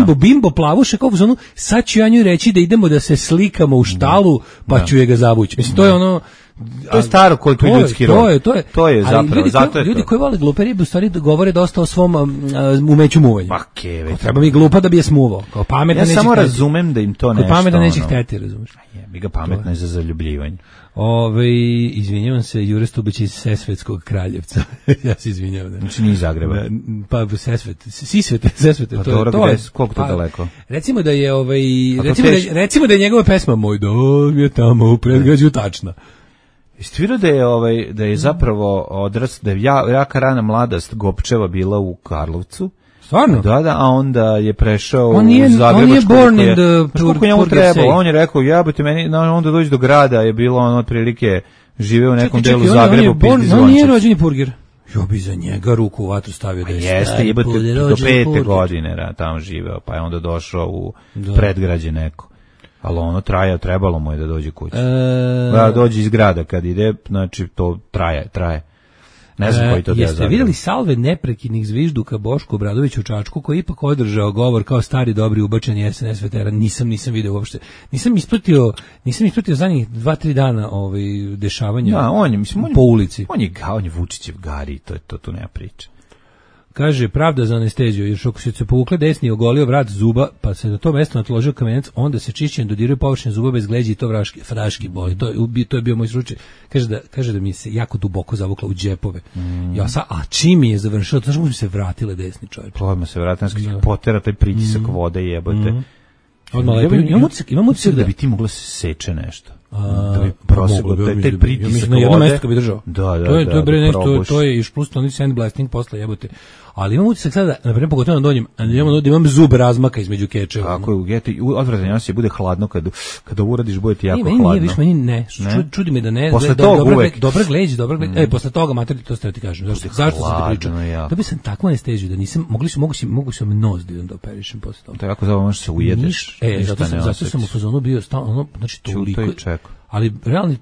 kao bimbo plavuše, kao ono, sad ću ja nju reći da idemo da se slikamo u štalu, pa ću je ga zavući. Mislim, to je ono... To je staro koji tu ljudski rod. To je zapravo. Ljudi koji vole glupe ribe u stvari govore dosta o svom umeću muvanja. Pa keve. Treba mi glupa da bi je smuvao. Kao pametna neće. Ja samo razumem da im to nešto. Pametna neće hteti, razumeš. Bi ga pametna je za zaljubljivanje. Izvinjavam se, Jure Stubić iz Sesvetskog Kraljevca. Ja se izvinjavam. Znači nije iz Zagreba. Pa Sesvete. Pa koliko to daleko? Recimo da je recimo da je njegova pesma Moj dom je tamo u predgrađu tačna. Istvira da je zapravo odrast, da je jaka rana mladost Gopčeva bila u Karlovcu. Stvarno? Da, a onda je prešao u On Zagrebačku. je born in the Purger. On je rekao, jebote meni, onda dođi do grada, je bilo on otprilike živeo u nekom delu Zagrebu, pizdi zvončić. On nije rođeni Purger. Jo bi za njega ruku u vatru stavio da je jeste, jebote, do 5. godine tamo živeo, pa je onda došao u predgrađe neko. Ali ono trebalo mu je da dođe kući. Da dođe iz grada kad ide, znači to traje. Ne znam koji to deo. Jeste vidjeli salve neprekidnih zvižduka Bošku Obradoviću u Čačku koji ipak održao govor kao stari dobri ubačeni SNS veteran. Nisam vidio uopšte. Nisam ispratio zadnjih 2-3 dana dešavanja po ulici. On je Vučićev Gari, to tu nema priče. Kaže, pravda za anesteziju, jer ako se povukle desni i ogolio vrat zuba, pa se na to mesto natložio kamenac, onda se čišćenjem dodiruje površine zuba bez gleđa i to fraški boli. To je bio moj slučaj. Kaže da mi se jako duboko zavukla u džepove. A čim mi je završilo, to što mi se vratile desni čovječ. Odmah se vratile, potera taj pritisak vode jebote. Imam utisak da bi ti mogla se seče nešto. Da bi proseglo taj pritisak na jedno mesto bi držao. To je još plus oni sandblasting posle jebote. Ali imam utisak sada, na primjer, pogotovo na donjem, da imam zub razmaka između kečeva. Kako je u geti, odvratan se bude hladno, kada uradiš, bude ti jako hladno. Nije, meni ne. Čudi me da ne. Posle toga uvek. Dobra gleđ. Posle toga, materi, to ste ti kažem. Zašto sam ti pričao? Da bi sam takvu anesteziju, da nisam, mogu sam nos da operišem posle toga. To je jako zapravo, možeš se ujedeš. Zato sam u fazonu bio stalno, znači toliko. Ali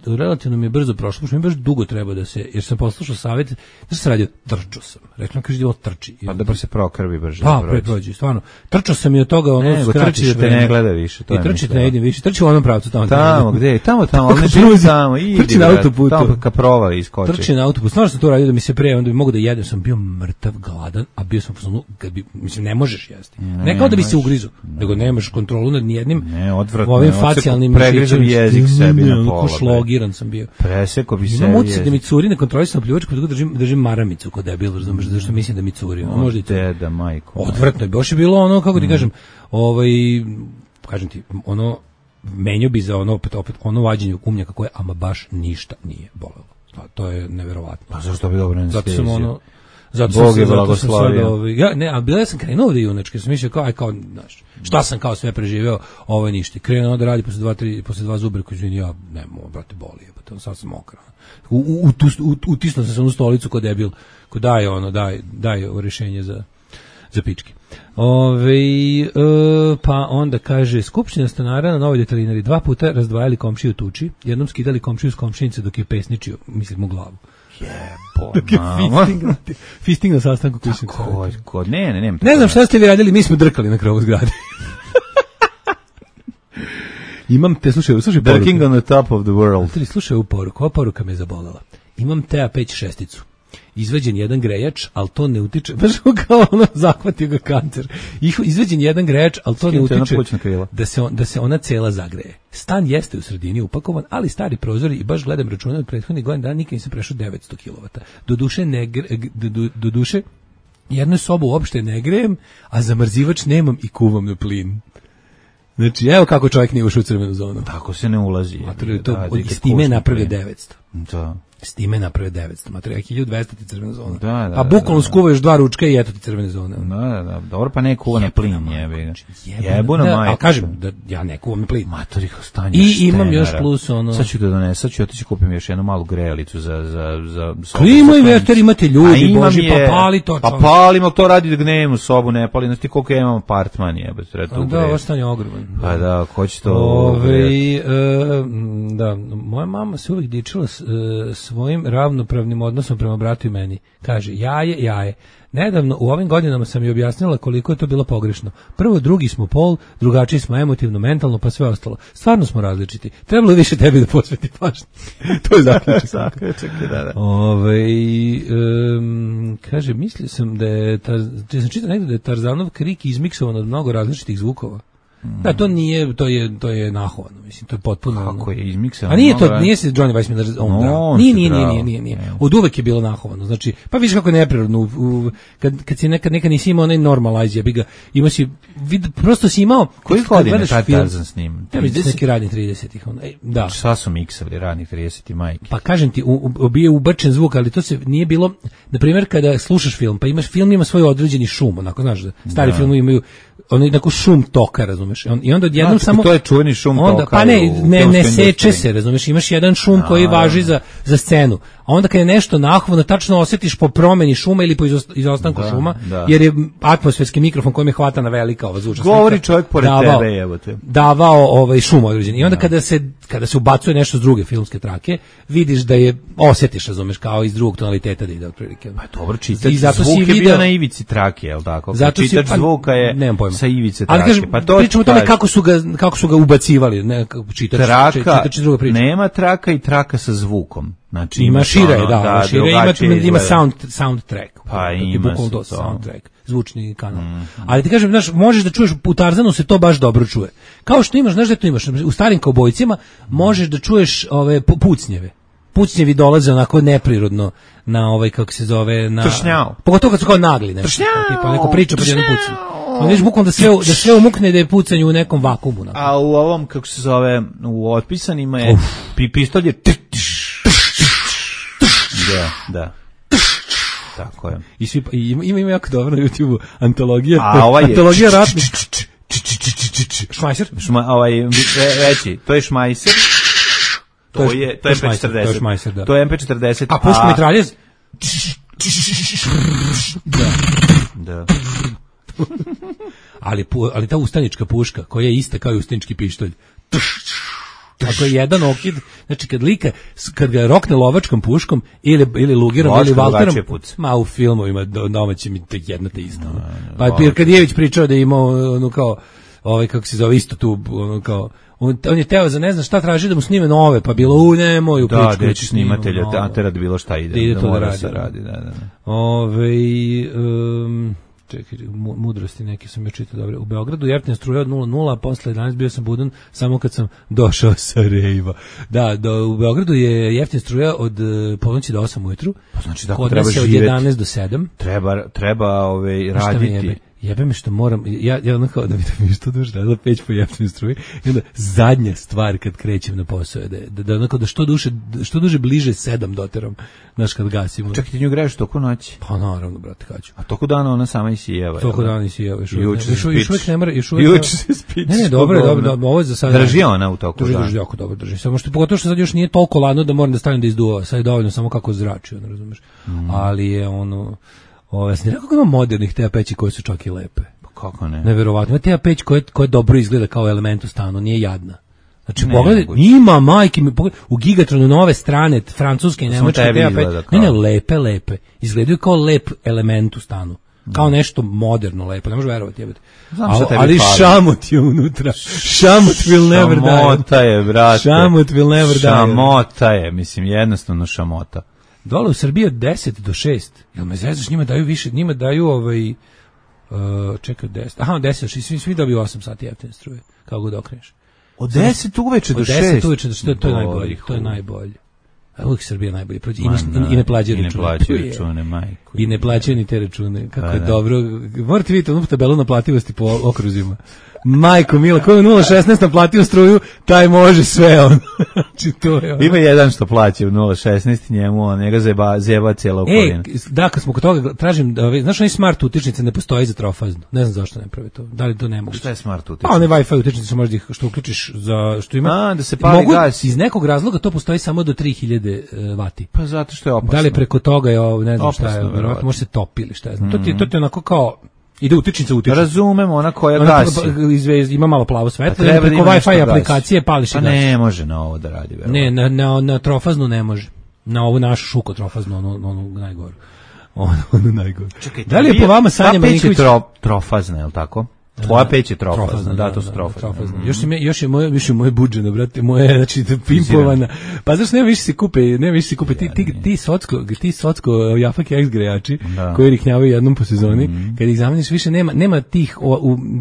relativno mi je brzo prošlo, pošto mi baš dugo treba da se, jer sam poslušao savjet, da se radio, trčao sam. Reklam, kaže, ovo trči. Pa da se prokrvi brže. Pa, prođi, stvarno. Trčao sam i od toga, skraćiš vreme. Trči da te ne gleda više. I trči ne idem više, trči u onom pravcu tamo. Tamo, gde? Tamo, ne živi tamo. Trči na autoputu. Tamo kaprova iskoči. Trči na autoput. Stvarno sam to radio da mi se pre, onda bi mogu da jedem, sam bio mrtav, gladan, a bio sam mislim, ne možeš jesti. Ne kao da bi se ugrizu, nego nemaš kontrolu nad nijednim ovim facijalnim pregrizam jezik sebi na onako šlogiran sam bio. Preseko bi se. Imam utisak da mi curi nekontrolisano pljuvačka, pa držim maramicu kod debil, razumeš, zašto mislim da mi curi. Možda i deda, majko. Odvratno je, baš je bilo ono, kako ti kažem, kažem ti, ono, menio bi za ono, opet ono vađenje kumnjaka koje, ama baš ništa nije bolelo. To je neverovatno. Pa zašto bi dobro ne zato sam ono, Bog je blagoslovio. A bila sam krenuo da junački, sam mislio kao, znaš, šta sam kao sve preživeo, ovo je ništa. Krenuo da radi posle dva zubra, koji izvini, ja, nemo, brate, boli je, pa sad sam mokra. Utisnuo sam se u stolicu kod debil, ko daje rješenje za pičke. Pa onda kaže, skupština stanara na Novoj Detelinari 2 puta razdvajali komšiju tuči, jednom skidali komšiju s komšinice dok je pesničio, mislim u glavu. Fisting na sastanku koji sam ne znam šta ste vi radili, mi smo drkali na krovu zgrade. Imam te, slušaj poruku. Drking on the top of the world. Slušaj ovu poruku, ova poruka me zabolela. Imam TA5-6, izveđen jedan grejač, ali to ne utiče, baš kao ono, zahvatio ga kancer. Izveđen jedan grejač, ali to ne utiče da se ona cela zagreje. Stan jeste u sredini upakovan, ali stari prozori i baš gledam račune od prethodnih godina dana, nikad nisam prešao 900 kW. Doduše, jednu sobu uopšte ne grejem, a zamrzivač nemam i kuvam na plin. Znači, evo kako čovjek nije ušao u crvenu zonu. Tako se ne ulazi. S time je napravio 900. Da. S time napravio 900. Materijal 1200 ti crvena zona. Pa bukvalno skuva još 2 ručka i eto ti crvene zone. Da. Dobro, pa ne kuva na plin. Jebu na majku. A kažem, da ja ne kuvam na plin. Matorih ostanje. I imam još plus ono. Sad ću da donesem, sad ću otići kupim još jednu malu grejalicu za klimu i veter imate ljudi, bože, pa pali to. Pa palim, ali to radi da gnevim u sobu, ne pali. Znaš ti koliko ja imam apartman, jebate. Da, ostanje ogroman. Pa da, ko će to... Da, moja mama se uvijek dičila svojim ravnopravnim odnosom prema bratu i meni. Kaže, jaje. Nedavno, u ovim godinama sam joj objasnila koliko je to bilo pogrešno. Prvo, drugi smo pol, drugačiji smo emotivno, mentalno, pa sve ostalo. Stvarno smo različiti. Trebalo je više tebi da posveti pažnju. To je zaključak. Kaže, mislio sam da je, sam čitao negdje da je Tarzanov krik izmiksovan od mnogo različitih zvukova. Da, to nije, to je nahovano, mislim, to je potpuno... Kako je izmiksano? A nije se Johnny Weissmuller Nije. Od uvek je bilo nahovano, znači, pa vidiš kako je neprirodno, kad si nekad nisi imao onaj normalize, imao si, prosto si imao... Koji godine taj Tarzan s njim? Neki radni 30-ih, da. Šta su miksali radnih 30-ih majke? Pa kažem ti, bio je ubačen zvuk, ali to se nije bilo, na primjer, kada slušaš film, pa film ima svoj određeni šum, onako, znaš, stari filmovi imaju on je tako šum toka, razumeš? I onda odjednom samo... To je čuveni šum toka. Pa ne seče se, razumeš? Imaš jedan šum koji važi za scenu. A onda kad je nešto nahovno, tačno osjetiš po promeni šuma ili po izostanku šuma, jer je atmosferski mikrofon kojem je hvatana velika ova zvučna slika. Govori čovjek pored tebe, evo te. Davao šum određeni. I onda kada se ubacuje nešto s druge filmske trake, vidiš da je, osjetiš, razumeš, kao iz drugog tonaliteta da ide otprilike. Pa dobro, čitač zvuk je bio na ivici trake, je li tako? Čitač zvuka je sa ivice trake. Ali kažem, pričamo o tome kako su ga ubacivali. Čitač druga priča. Nema traka i traka sa zvukom. Znači, ima šire, ima soundtrack. Pa ima soundtrack, zvučni kanal. Ali ti kažem, znaš, možeš da čuješ, u Tarzanu se to baš dobro čuje. Kao što imaš, znaš da to imaš, u starim kaubojcima možeš da čuješ ove pucnjeve. Pucnjevi dolaze onako neprirodno na kako se zove, na... Tršnjao. Pogotovo kad su kao nagli, nešto. Tipa neko priča pod jednom pucanju. On viš bukvalno da sve umukne da je pucanje u nekom vakumu. A u ovom, kako se zove, u otpisanima je pištolj je... Da. Tako je. Ima jako dobro na YouTube antologija. A ovaj je... Antologija ratnih. Šmajser? Veći, to je Šmajser. To je MP40. To je MP40. A puška mitraljez? Da. Ali ta ustanička puška, koja je ista kao i ustanički pištolj. Ako je jedan okid, znači kad ga rokne lovačkom puškom ili lugirom ili valterom, ma u filmovima domaćim je tek jedna te isto. Pa Pirkadijević pričao da je imao ono kao, kako se zove, isto tu, ono kao, on je teo za ne znam šta traži da mu snime nove, pa bilo nemoj u pičku. Da, deći snimatelja, tera da bilo šta ide. Da ide to da radi. Da. čekaj, mudrosti neke sam ja čitao dobre. U Beogradu jeftina struja od 0,0, a posle 11 bio sam budan samo kad sam došao sa rejva. Da, u Beogradu je jeftina struja od ponoći do 8 ujutru. Pa znači da treba živjeti. Od 11 do 7. Treba raditi. Jebe me što moram, ja ono kao da mi što duže radila peć po jeftinoj struji i onda zadnja stvar kad krećem na posao je da onako da što duže bliže 7 doteram, znaš kad gasimo. Čekaj, ti nju greješ toku noći? Pa naravno, brate, kaću. A toku dana ona sama isijeva. Toku dana isijeva. Još uvijek ne mora, Juče se spiči. Ne, dobro, ovo je za sada. Drži ona u toku dana. Drži, jako dobro drži. Samo što pogotovo što sad još nije toliko ladno da moram da stavim da izduva. Sad je dovoljno samo kako zrači, ono, razumeš. Ali je ono ja sam rekao ima modernih te peći koje su čak i lepe. Pa kako ne? Neverovatno. Ima te peć koja dobro izgleda kao element u stanu, nije jadna. Znači, pogledaj, ima majke mi, u Gigatronu nove strane, francuske i nemačke te peć. Ne, lepe. Izgledaju kao lep element u stanu. Kao nešto moderno lepo, ne možeš verovati, jebate. Ali šamot je unutra. Šamot will never die. Šamota je, brate. Šamot will never die. Šamota je, mislim, jednostavno šamota. Dole u Srbiji od 10 do 6. Jel me zezaš, njima daju više, njima daju čekaj, 10. Aha, 10, svi dobiju 8 sati jeftine struje, kako god okreneš. Od 10 uveče do 6? Od 10 uveče do 6, to je najbolje, to je najbolje. A uvijek Srbija najbolje prođe. I ne plaćaju račune, majku. I ne plaćaju ni te račune. Kako je dobro. Morate vidjeti onu tabelu naplativosti po okruzima. Majko mila, ko je 0,16 naplatio struju, taj može sve on. Znači, to je ono. Ima jedan što plaća u 0,16 njemu, njega zjeba cijela okolina. Da, kad smo kod toga, tražim, znaš onaj smart utičnice ne postoji za trofaznu. Ne znam zašto ne pravi to. Da li to ne mogu? Šta je smart utičnica? Pa one Wi-Fi utičnice možda ih što uključiš za što ima. Da se pali gas. Iz nekog razloga to postoji samo do 3000 vati. Pa zato što je opasno. Da li preko toga je ne znam šta je, verovatno može se topi ili šta je. To ti je onako kao ide utičnica. Razumemo, ona koja gasi. Ima malo plavo svetlo, preko Wi-Fi aplikacije pališ i gasi. Pa ne može na ovo da radi. Ne, na trofaznu ne može. Na ovu našu šuko trofaznu, onu najgoru. Ono najgoru. Da li je po vama Sanja Marinković? Ta peć je trofazna, je li tako? Tvoja peć je trofazna, da, to su trofazne. Još je moje budženo, brate, moje, znači, pimpovana. Pa znaš, ne više se kupe, ti socko Jafak X grejači, koji riknjavaju jednom po sezoni, kad ih zameniš više nema tih,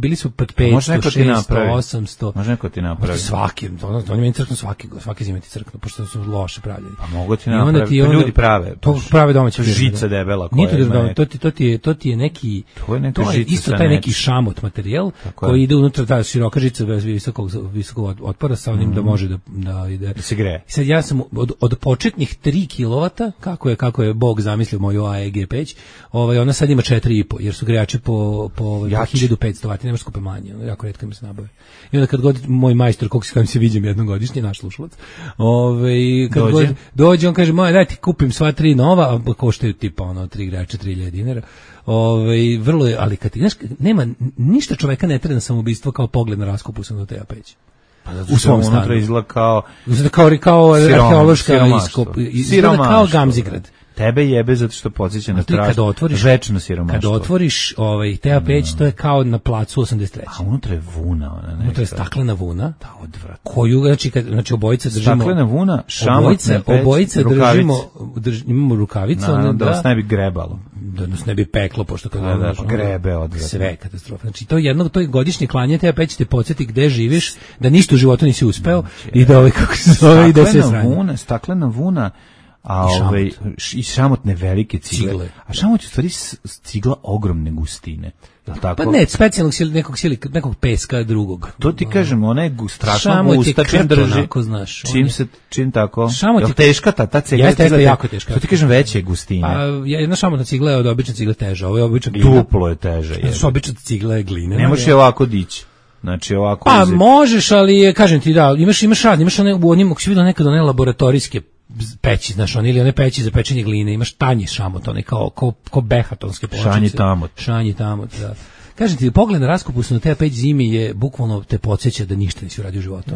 bili su pod 500, 600, 800. Može neko ti napravi. Svaki, oni meni crknu svaki zime ti crknu, pošto su loše pravljeni. Pa mogu ti napraviti, ljudi prave. To prave domaće firme. Žica debela. To ti je neki, to je isto taj neki šamot materijal koji ide unutra, ta široka žica visokog otpora sa onim da može da ide. Da se greje. Sad ja sam od početnih 3 kW, kako je Bog zamislio moju AEG peć, ona sad ima 4,5, jer su grejači po 1500 vati, nemaš skupe manje, jako retko mi se nabave. I onda kad god moj majstor, kog se viđem jednom godišnje, naš slušalac, kad dođe, on kaže, daj ti kupim sva 3 nova, a koštaju tipa 3 grejača, 3.000 dinara. Vrlo je, ali kad znaš, nema ništa čoveka ne trene samoubistvo kao pogled na raskopusanu teja peć. Pa u svom stanu. Unutra izgleda kao arheološka iskop, izgleda kao Gamzigrad. Tebe jebe zato što podsjeća na večno siromaštvo. Kad otvoriš teja peć, to je kao na placu 83. A unutra je vuna. Unutra je staklena vuna. Da, odvratno. Koju, znači obojica držimo. Staklena vuna, šamotne peć, obojica imamo rukavice. Da vas ne bi grebalo. Da nas ne bi peklo, pošto kad grebe odvratno. Sve katastrofa. Znači to je godišnje klanje teja peć te podsjeti gde živiš, da ništa u životu nisi uspeo i da kako se zove i da se sranje. Staklena vuna. I šamotne velike cigle. A šamot je u stvari cigla ogromne gustine. Tako? Pa ne, specijalnog nekog peska drugog. To ti kažem, ona je strašno gusta, čim drži. Onako, znaš, čim tako. Je teška ta cigla? Jeste jako teška. To ti kažem, veće gustine. A jedna šamotna cigla je od obične cigle teža. Ovo je obična glina. Duplo je teže. Obična cigla je glina. Ne možeš je ovako dići. Znači ovako. Pa možeš, ali kažem ti da, imaš rad, imaš one u onim, ako si vidio nekad one laboratorijske peći, znaš, ili one peći za pečenje gline, imaš tanji šamot, one kao behatonske pločice. Šanji tamot, da. Kažem ti, pogled na raskopusnu te peć zimi je bukvalno te podsjeća da ništa nisi uradio u životu.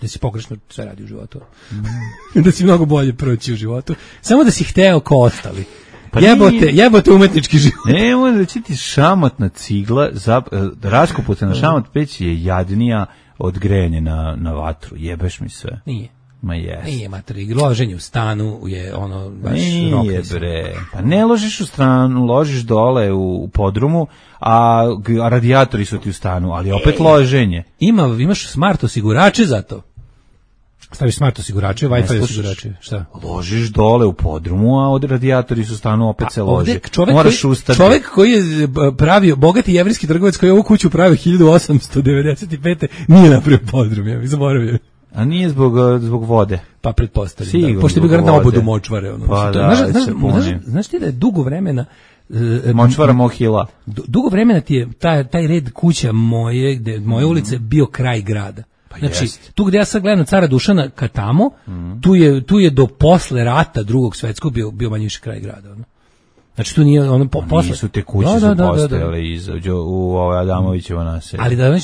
Da si pogrešno sve radi u životu. Da si mnogo bolje proći u životu. Samo da si hteo ko ostali. Pa jebote umetnički život. Ne, možda da će ti šamotna cigla, raskopusna šamot peć je jadnija od grejanja na vatru. Jebeš mi sve. Nije. Ma jes. Nije materi, loženje u stanu je ono baš nije bre. Pa ne ložiš u stanu, ložiš dole u podrumu, a radijatori su ti u stanu, ali opet loženje. Imaš smart osigurače za to. Staviš smart osigurače, Wi-Fi osigurače, šta? Ložiš dole u podrumu, a od radijatori su u stanu, opet se lože. Moraš ustati. Čovjek koji je pravio, bogati jevrijski trgovac koji je ovu kuću pravio 1895. nije napravio podrum, ja bih zaboravio. A nije zbog vode? Pa pretpostavljam, da. Pošto je bio garant na obodu močvare. Ono. Pa da, znaš ti da je dugo vremena... Močvara Mohila. Dugo vremena ti je taj red kuća moje ulice bio kraj grada. Pa znači, jest. tu gde ja sad gledam Cara Dušana ka tamo, tu je do posle rata Drugog svetskog bio manje više kraj grada. Ono. Znači tu nije ono posle. Nisu te kuće su postojale u Adamovićevo naselje. Ali da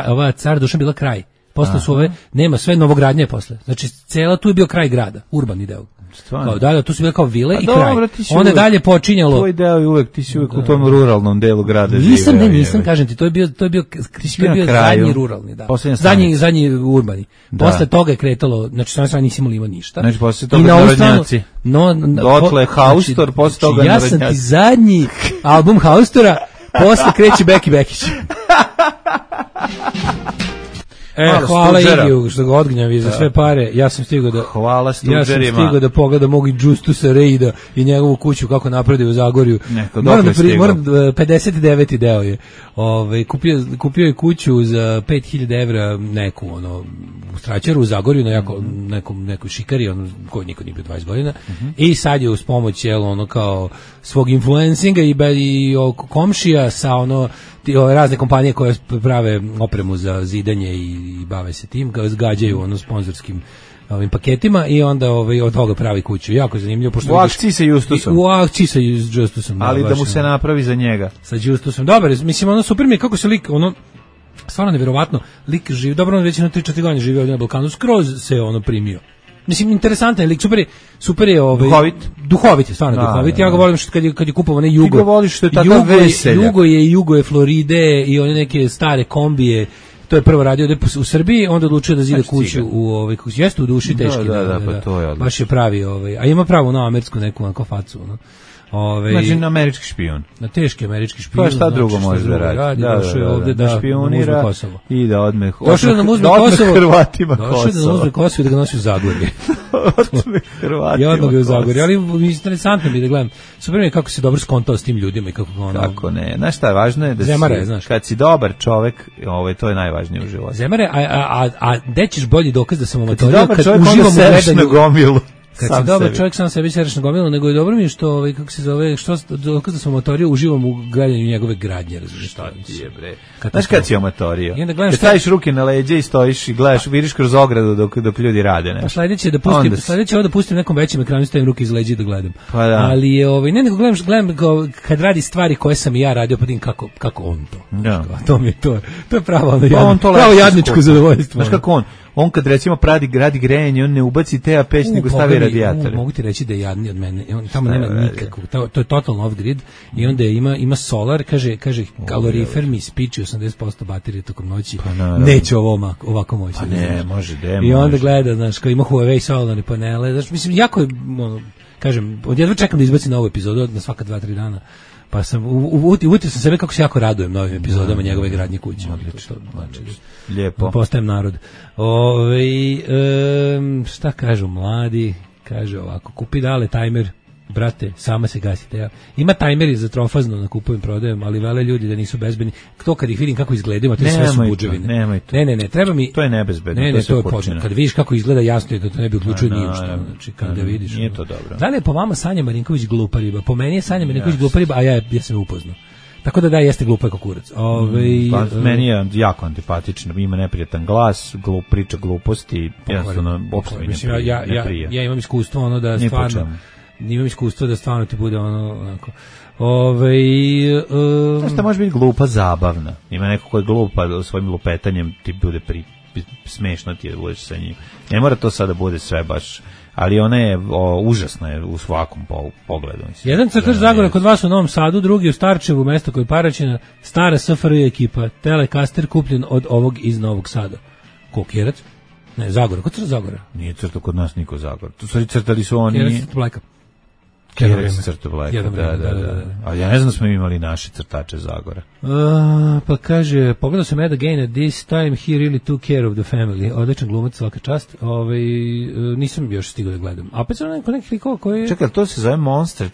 ova Cara Dušan bila kraj. Posle su nema sve novogradnje posle. Znači cela tu je bio kraj grada, urbani deo. Kao dalje, tu su bile kao vile i kraj. Onda dalje počinjalo. Tvoj deo je uvek, ti si uvek u tom ruralnom delu grada živeo. Nisam, kažem ti, to je bio zadnji ruralni, da. Zadnji urbani. Posle toga je kretalo, znači sa strane nisi imao ništa. Znači posle toga narodnjaci. Dotle Haustor, posle toga narodnjaci. Ja sam ti zadnji album Haustora, posle kreće Beki Bekić. Hvala Igiju što ga odgnjavi za sve pare. Ja sam stigao da pogledam mog Justusa Reida i njegovu kuću kako napravio u Zagorju. Moram 59. deo je. Kupio je kuću za 5000 evra neku u Straćaru u Zagorju na nekoj šikari koji niko nije bio 20 godina. I sad je uz pomoć kao svog influencinga i komšija sa razne kompanije koje prave opremu za zidanje i bave se tim, gađaju sponzorskim ovim paketima i onda od toga pravi kuću. Jako je zanimljivo. U akciji sa Justusom. U akciji sa Justusom. Ali da mu se napravi za njega. Sa Justusom. Dobar, mislim, super mi je kako se lik, stvarno nevjerovatno, lik živi, dobro, on već na 3-4 godine živio ovdje na Balkanu, skroz se primio. Mislim, interesantan je lik, super je duhovit je, stvarno duhovit. Ja ga volim što kad je kupovao Jugo. Ti ga voliš što je takav veselja. Jugo je Floride i one neke stare kombije. To je prvo radio u Srbiji, onda odlučio da zida kuću jeste u duši teški. Da, pa to je odlično. Baš je pravi, a ima pravu na američku neku onako facu, znači na američki špijun. Na teški američki špijun. Pa šta drugo može da radi? Došao je ovde da špionira i da odme Hrvatima Kosovo. Došao je da uzme Kosovo i da ga nosi u Zagorje. Odme Hrvatima. I odmah ga u Zagorje, ali interesantno mi da gledam. Super mi je kako se dobro skontao s tim ljudima i kako ne. Znaš šta je važno je da kad si dobar čovek, to je najvažnije u životu. Zemare, a gde ćeš bolji dokaz da sam amatorio kad uživam u gledanju? Kad si dobar čovjek sam sebi sereš na gomilu, nego je dobro mi što kako se zove, što dokaz da sam amatorio, uživam u gledanju njegove gradnje, razumiješ šta ti je bre. Znaš kad si amatorio? Kad staviš ruke na leđa i stojiš i gledaš, vidiš kroz ogradu dok ljudi rade, ne? Pa sledeće da pustim nekom većem ekranu, stavim ruke iz leđa da gledam. Pa da. Ali je ne nego gledam kad radi stvari koje sam i ja radio, pa kako on to. Da. To mi je to je pravo jadničko zadovoljstvo. Znaš kako on kad recimo radi grejanje, on ne ubaci te peć, nego stavi radijatore. Mogu ti reći da je jadniji od mene. On tamo nema nikakvog. To je totalno off-grid i onda ima solar, kaže kalorifer mi spiči 80% baterije tokom noći. Neće ovako moći. Pa ne, može. I onda gleda, znaš, kao ima Huawei solarne panele. Znaš, mislim, jako je, kažem, odjedva čekam da izbaci novu epizodu na svaka 2-3 dana. Pa sam uvutio sam sebe kako se jako radujem novim epizodama njegove gradnje kuće. Lijepo. Postajem narod. Šta kažu mladi? Kaže ovako, kupi dale tajmer, brate, sama se gasite. Ima tajmeri za trofazno na kupujem, prodajem, ali vele ljudi da nisu bezbedni. To kad ih vidim kako izgledaju, to sve su budževine. Ne, treba mi. To je nebezbedno. Ne, to je počinje. Kad vidiš kako izgleda, jasno je da to ne bi uključio ništa. Znači kada vidiš. Nije to dobro. Da li je po vama Sanja Marinković glupa riba? Po meni je Sanja Marinković glupa riba, a ja sam je upoznao. Tako da jeste glupa kao kurac. Meni je jako antipatično, ima neprijatan glas, priča gluposti, jednostavno uopšte mi ne prija. Ja imam iskustvo da stvarno ti bude onako. Šta može biti glupa zabavna? Ima neko ko je glupa svojim lupetanjem ti bude smešno ti je da budeš sa njim. Ne mora to sada bude sve baš, ali ona je užasna je u svakom pogledu. Mislim. Jedan crtač Zagora kod vas u Novom Sadu, drugi u Starčevu, mesto koje je Paraćina, stara SFRJ ekipa, Telekaster kupljen od ovog iz Novog Sada. Kokjerac? Ne, Zagora, kod crta Zagora? Nije crto kod nas niko Zagora. Tu stvari crtali su oni... Kjerac Blajka. Kjerac crto Blajka, da. Ali ja ne znam da smo imali naše crtače Zagora. Pa kaže, pogledao sam Ed again at this time, he really took care of the family. Odličan glumac, svaka čast. Nisam još stigao da gledam. A opet sam neki likova koji... Čekaj, to se zove Monster.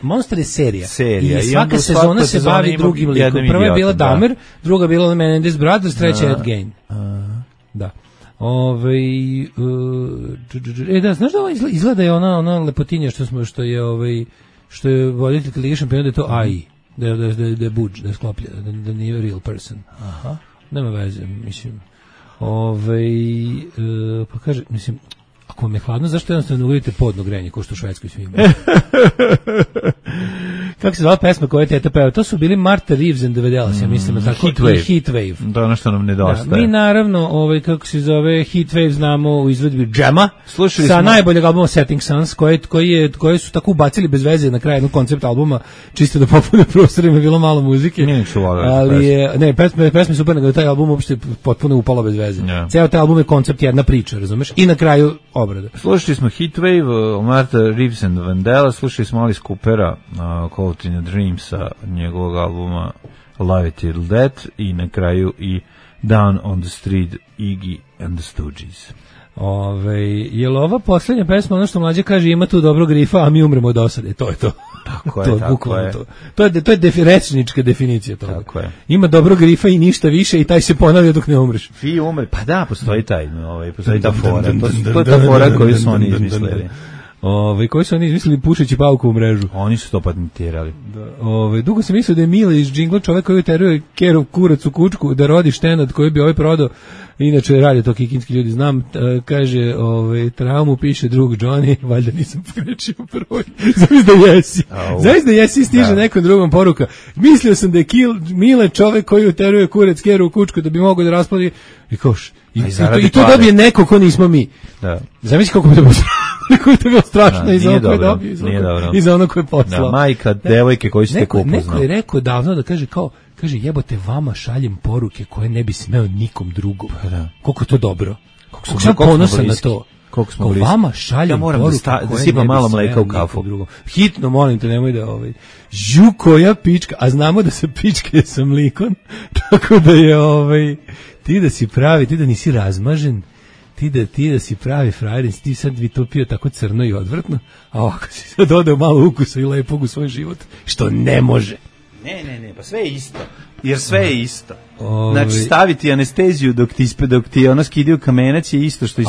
Monster je serija. I svaka sezona se bavi drugim likom. Prva je bila Dahmer, druga bila Menendez Brothers, treća Ed Gein. Da. Da, znaš da ovo izgleda je ona lepotinja što je voditelj Lige šampiona, da je to AI, da je budž, da je skloplja, da nije real person. Aha. Nema veze, mislim. Pa kaže, mislim, ako vam je hladno, zašto jednostavno ne uvedite podno grenje, kao što u Švedskoj svi imaju? Kako se zvala pesma koja je teta peva? To su bili Martha Reeves and the Vandellas, ja mislim, tako Heat Wave. To je ono što nam nedostaje. Da, mi naravno, kako se zove, Heat Wave znamo u izvedbi Džema, sa najboljeg albuma Setting Suns, koje su tako ubacili bez veze na kraju jednog koncept albuma, čisto da popune prostor, ima bilo malo muzike. Pesme super, nego taj album uopšte potpuno upalo bez veze. Ceo taj album je koncept jedna priča, razumeš? I na kraju obrada. Slušali smo Heat Wave, Martha Reeves and Vandellas, slušali smo Alice Coopera, Caught in a Dream sa njegovog albuma Love It Till Death i na kraju i Down on the Street Iggy and the Stooges. Je li ova posljednja pesma, ono što mlađe kaže, ima tu dobrog rifa, a mi umremo od osade, to je to. Tako je, tako je. To je rečnička definicija toga. Tako je. Ima dobrog rifa i ništa više i taj se ponavlja dok ne umreš. Vi umre, pa da, postoji ta fora. To je ta fora koju su oni izmislili. Koji su oni izmislili pušeći pauku u mrežu. Oni su to patentirali. Dugo sam mislio da je Mile iz džingla čovek koji uteruje Kerov kurac u kučku da rodi štenad koji bi prodao. Inače radi to kikinski ljudi, znam, kaže, traumu piše drug Johnny, valjda nisam pogrešio prvoj. Zavis da jesi stiže nekom drugom poruka. Mislio sam da je Mile čovek koji uteruje kurac Kerov u kučku da bi mogao da rasplodi i koš. I to dobije neko ko nismo mi. Da. Zamisli koliko bi to bilo strašno i za ono koje dobio i za ono koje je poslao. Da, majka, devojke koji ste ko upoznao. Neko je rekao davno da kaže jebote, vama šaljem poruke koje ne bi smeo nikom drugom. Koliko je to dobro. Koliko sam ponosan na to. Koliko smo bliski. Vama šaljem poruke da sipam malo mleka u kafu. Hitno molim te, nemoj da koja pička, a znamo da se pičke sa mlikom, tako da je ti da si pravi, ti da nisi razmažen, ti da si pravi frajer, ti sad bi to pio tako crno i odvrtno, a ovako si sad dodao malo ukusa i lepog u svoj život, što ne može. Ne, pa sve je isto. Jer sve je isto. Znači staviti anesteziju dok ti ono skidaju kamenac je isto što i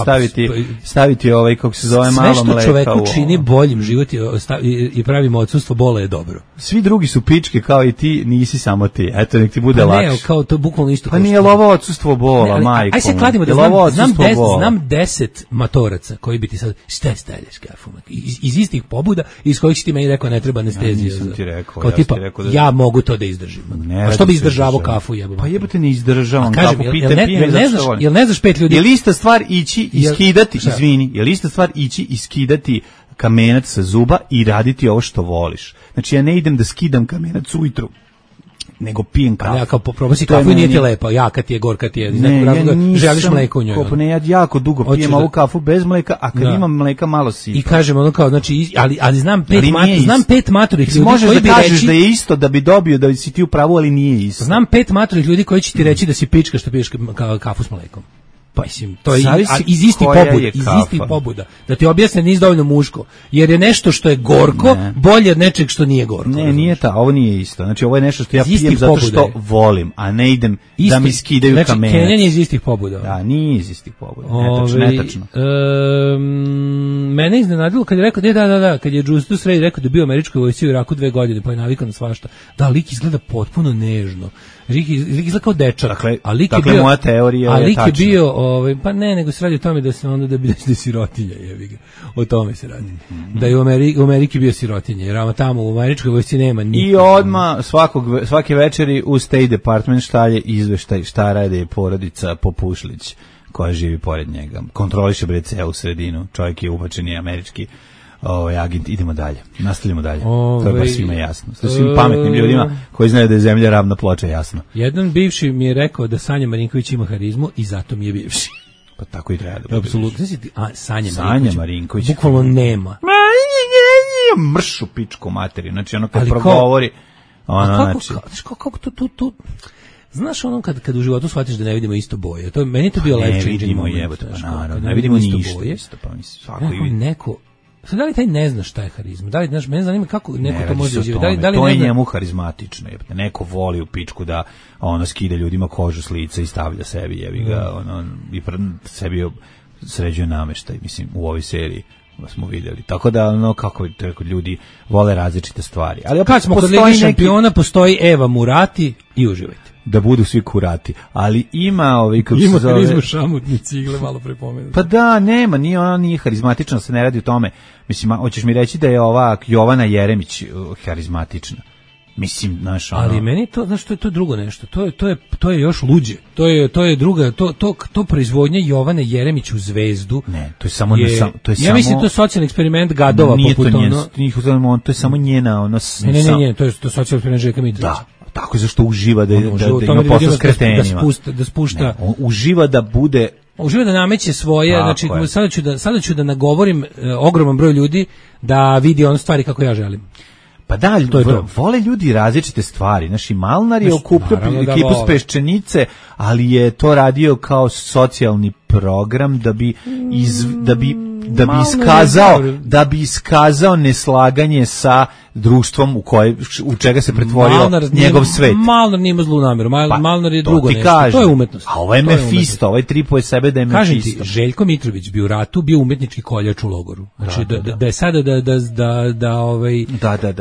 staviti kako se zove malo mleka. Sve što čoveku čini boljim život i pravimo odsustvo bola je dobro. Svi drugi su pičke kao i ti, nisi samo ti. Eto, nek ti bude lakše. Ne, kao to bukvalno isto. Pa nije ovo odsustvo bola, majko. Aj se kladimo da znam 10 matoraca koji bi ti sad, šta stavljaš kafu? Iz istih pobuda, iz kojih si ti meni rekao ne treba anestezija. Ja nisam ti rekao. Kao tipa, ja mogu to da izdržim. A što bi izdržavao kafu jebom? Pa jebote ne izdržavam kafu, pijem zašto. Jel ne znaš 5 ljudi? Je li ista stvar ići iskidati, izvini, je li ista stvar ići iskidati kamenac sa zuba i raditi ovo što voliš? Znači ja ne idem da skidam kamenac ujutru, nego pijem kafu. Ja kao probasi kafu i nije ti lepo, jaka ti je, gorka ti je, iz nekog razloga želiš mleko u njoj. Ne, ja jako dugo pijem ovu kafu bez mleka, a kad imam mleka malo sipam. I kažem ono kao, znači, ali znam pet maturih ljudi možeš da kažeš da je isto, da bi dobio, da si ti u pravu, ali nije isto. Znam 5 maturih ljudi koji će ti reći da si pička što piješ kafu s mlekom. Pa mislim, to je iz istih pobuda. Da ti objasne nisi dovoljno muško. Jer je nešto što je gorko bolje od nečeg što nije gorko. Ne, nije ovo nije isto. Znači ovo je nešto što ja pijem zato što volim, a ne idem da mi skidaju kamenac. Znači, kenjanje iz istih pobuda. Da, nije iz istih pobuda. Netačno. Mene iznenadilo kad je rekao, kad je Justus Ray rekao da je bio u američkoj vojsci u Iraku 2 godine, pa je navikao na svašta. Da, lik izgleda potpuno nežno. Lik izgleda kao dečak. Dakle, moja teorija je tačna. A lik je bio, pa ne, nego se radi o tome da se onda da je sirotinja, jebi ga. O tome se radi. Da je u Ameriki bio sirotinja, jer tamo u američkoj vojsci nema nikog. I odmah svake večeri u State Department šalje izveštaj šta radi porodica Popušlić koja živi pored njega. Kontroliše celu sredinu. Čovjek je ubačen i američki agent. Idemo dalje. Nastavljamo dalje. To je baš svima jasno. To svim pametnim ljudima koji znaju da je zemlja ravna ploča jasno. Jedan bivši mi je rekao da Sanja Marinković ima harizmu i zato mi je bivši. Pa tako i treba da bude. Apsolutno. Sanja Marinković. Bukvalno nema. Mršu pičku materiju. Znači ono kad progovori... Kako to... Znaš ono kad u životu shvatiš da ne vidimo isto boje. To meni to bio life changing moment. Ne vidimo ništa isto, pa mislim svako i neko. Sad da li taj ne zna šta je harizma? Da li znaš, mene zanima kako neko to može doživjeti. Da li to je njemu harizmatično, je. Neko voli u pičku da ono skida ljudima kožu s lica i stavlja sebi, jebi ga, ono i sebi sređuje nameštaj, mislim u ovoj seriji smo vidjeli. Tako da ono kako ljudi vole različite stvari. Ali kad smo kod Lige šampiona postoji Eva Murati i uživajte. Da budu svi kurati. Ali ima kako se zove... Ima harizmu šamutni cigle, malo prepomenuti. Pa da, nema, nije harizmatično, se ne radi o tome. Mislim, hoćeš mi reći da je ova Jovana Jeremić harizmatična. Mislim, znaš, ono... Ali meni to, znaš, to je to drugo nešto. To je još luđe. To je druga, to proizvodnja Jovane Jeremić u Zvezdu. Ne, to je samo ja mislim to je socijalni eksperiment gadova poput ono. To je samo njena ono. Ne, to je socijalni eksperiment Željka Mitrovića. Da. Tako zašto uživa da ima posao s kretenima. Da spušta. Ne, on uživa da bude... Uživa da nameće svoje, znači sada ću da nagovorim ogroman broj ljudi da vidi one stvari kako ja želim. Pa da, vole ljudi različite stvari. Znači, Malnar je okupio ekipu s Peščenice, ali je to radio kao socijalni program da bi iskazao neslaganje sa društvom u čega se pretvorio njegov svet. Malnar nije ima zlu namjeru. Malnar je drugo nešto. To je umetnost. A ovo je Mefisto, ovaj tripuje sebe da je Mefisto. Kažem ti, Željko Mitrović bi u ratu bio umetnički koljač u logoru. Znači da je sada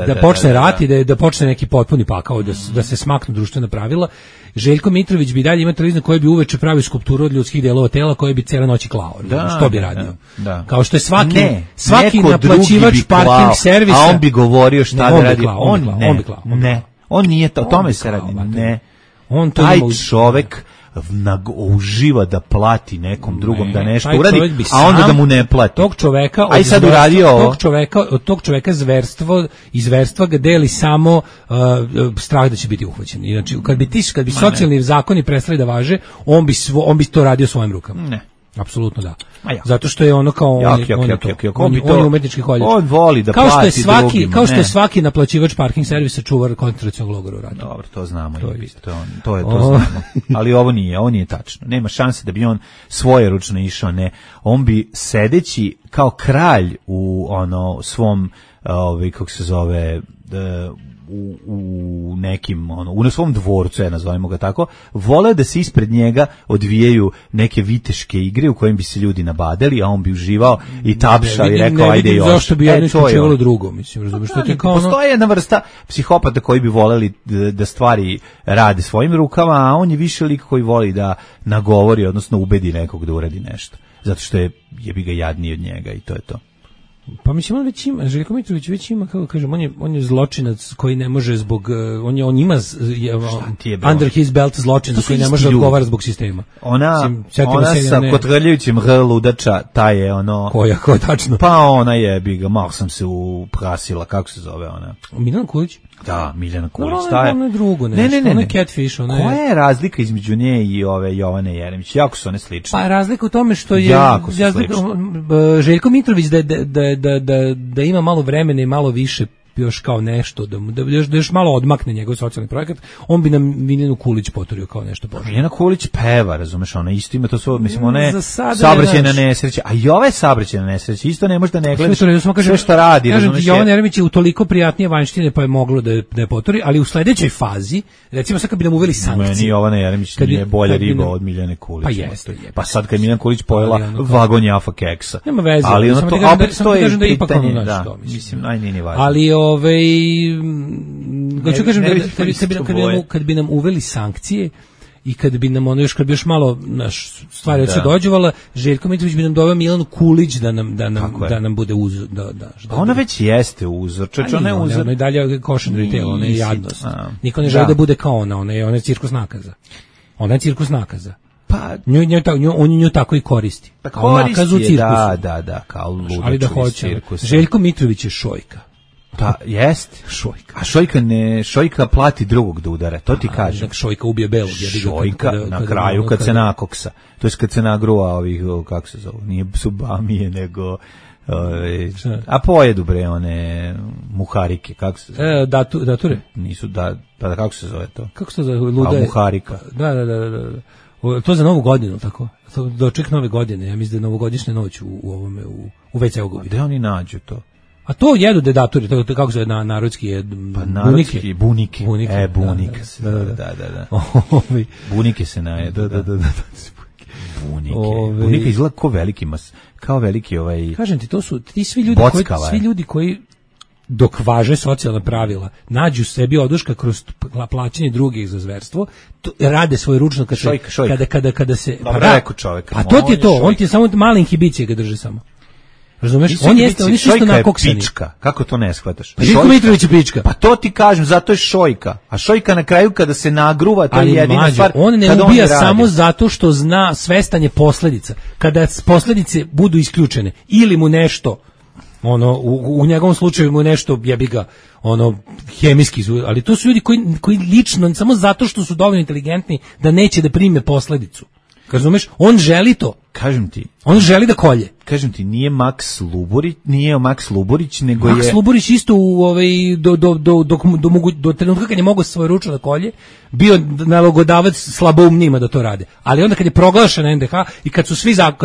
da počne rat i da počne neki potpuni pakao, da se smaknu društvena pravila. Željko Mitrović bi dalje imao televiziju koji bi uveče pravio skulpturu od ljudskih delova tela koje bi cijela noć klao. Što bi radio? Kao što je svaki naplaćivač parking servisa. A on bi govorio šta da radi. On nije to, o tome se radi. Ne. Taj čovek uživa da plati nekom drugom da nešto uradi, a onda da mu ne plati. Tog čoveka, tog čoveka zverstva ga deli samo strah da će biti uhvaćen. Znači, kad bi socijalni zakoni prestali da važe, on bi to radio svojim rukama. Ne. Apsolutno da. Zato što je ono kao on je umetnički koljač. On voli da plati drugim. Kao što je svaki naplaćivač parking servisa čuvar koncentracionog logora uradio. Dobro, to znamo. To znamo. Ali ovo nije tačno. Nema šanse da bi on svoje ručno išao, ne. On bi sedeći kao kralj u svom kako se zove u nekim u svom dvorcu, nazovimo ga tako, vole da se ispred njega odvijaju neke viteške igre u kojim bi se ljudi nabadali, a on bi uživao i tapšao i rekao ajde još. Zašto bi jedno isključivalo drugo, mislim, razumiješ, što ti kao postoji jedna vrsta psihopata koji bi voleli da stvari rade svojim rukama, a on je više lik koji voli da nagovori, odnosno ubedi nekog da uradi nešto, zato što je jebi ga jadniji od njega i to je to. Pa mislim, on već ima, Željko Mitrović već ima, kako kažem, on je zločinac koji ne može zbog, on ima under his belt zločinac koji ne može odgovara zbog sistema. Ona sa kotrljajućim ludača, ta je Ko tačno? Pa ona je, malo sam se uprasila, kako se zove ona? Miljana Kulić? Da, Miljana Kulić. Ono je drugo nešto, ono je catfish. Koja je razlika između nje i ove Jovane Jeremić? Jako su one slične. Pa razlika u tome što je Željko Mitrović da ima malo vremena i malo više još kao nešto, da još malo odmakne njegov socijalni projekat, on bi nam Miljanu Kulić poturio kao nešto bože. Miljana Kulić peva, razumeš, ona isto ima to svoje, mislim, ona je saobraćajna nesreća, a i ova je saobraćajna nesreća, isto ne može da ne gledaš sve što radi, razumeš. Jovan Jeremić je u toliko prijatnije vanjštine, pa je moglo da je poturi, ali u sledećoj fazi, recimo sad kad bi nam uveli sankcije. Meni Jovana Jeremić nije bolja riba od Miljane Kulić. Pa jeste. Pa sad kad Miljana Kulić pojela vagon Jafa keksa. Nema veze, ali ono to opet to je pitanje, da, mislim, nije važno. Ali hoću kažem kad bi nam uveli sankcije i kad bi nam kad bi još malo stvari od se dođevala, Željko Mitrović bi nam doveo Milanu Kulić da nam bude uzor. Ona već jeste uzor. Ona je uzor. Ona je dalje cautionary tale, ona je jadnost. Niko ne želi da bude kao ona je cirkus nakaza. Ona je cirkus nakaza. Pa on nju tako i koristi. Kao nakazu cirkusu. Da, kao ludaču cirkus. Željko Mitrović je šojka. Da, jest. Šojka. A Šojka plati drugog da udara, to ti kažem. Šojka ubije belog. Šojka na kraju kad se nakoksa. To je kad se nagruva ovih, kako se zove, nije subamije, nego... a pojedu bre one muharike, kako se zove? Dature? Nisu, kako se zove to? Kako se zove? Luda muharika. Da. To za Novu godinu, tako? Doček Nove godine, ja mislim da je novogodišnja noć u ovome, u WC-u. Gde oni nađu to? A to jedu dedaturi, to kako se na narodski je bunike. Bunike. Da. Bunike se najedu. Da. Bunike izgleda kao veliki Kažem ti, to su ti svi ljudi koji dok važe socijalna pravila, nađu sebi oduška kroz plaćanje drugih za zverstvo, rade svoje ručno kada se čovjek. A to ti je to, on ti je samo male inhibicije ga drže samo. Razumeš? Oni su isto nakoksani. Pička. Kako to ne shvataš? Željko Mitrović je pička. Pa to ti kažem, zato je Šojka. A Šojka na kraju kada se nagruva, to je jedina stvar. On ne ubija samo zato što zna svestanje posledica. Kada posledice budu isključene ili mu nešto u njegovom slučaju mu nešto jebi ga hemijski, ali to su ljudi koji lično samo zato što su dovoljno inteligentni da neće da prime posledicu. Razumeš? On želi to. Kažem ti. On želi da kolje. Kažem ti, nije Max Luburić, nego Max Luburić isto do trenutka kad je mogao svoje ručno da kolje, bio nalogodavac slaboumnima da to rade. Ali onda kad je proglašena NDH i kad su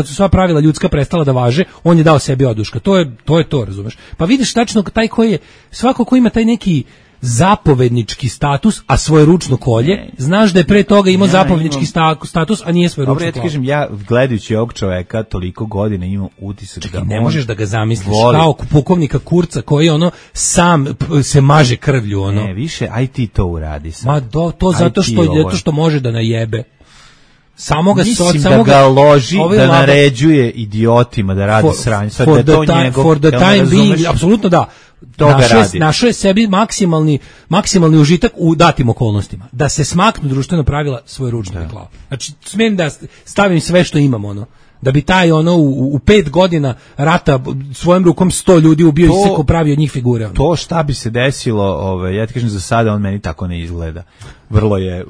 sva pravila ljudska prestala da važe, on je dao sebi oduška. To je to, razumeš? Pa vidiš tačno taj koji je, svako ko ima taj neki zapovednički status, a svoje ručno kolje, znaš da je pre toga imao zapovednički status, a nije svoje ručno kolje. Ja ti kažem, ja gledajući ovog čoveka toliko godina imam utisak da ne možeš da ga zamisliš kao pukovnika Kurca koji sam se maže krvlju. Ne, više, aj ti to uradi sam. Ma to zato što može da najebe. Mislim da ga loži, da naređuje idiotima da radi sranje. For the time being, apsolutno da. Našao je sebi maksimalni užitak u datim okolnostima. Da se smaknu društveno pravila svoje ručne reklame. Znači, smijem da stavim sve što imam, da bi taj u 5 godina rata svojom rukom 100 ljudi ubio i sve ko pravi od njih figure. To šta bi se desilo, ja ti kažem za sada, on meni tako ne izgleda. Vrlo je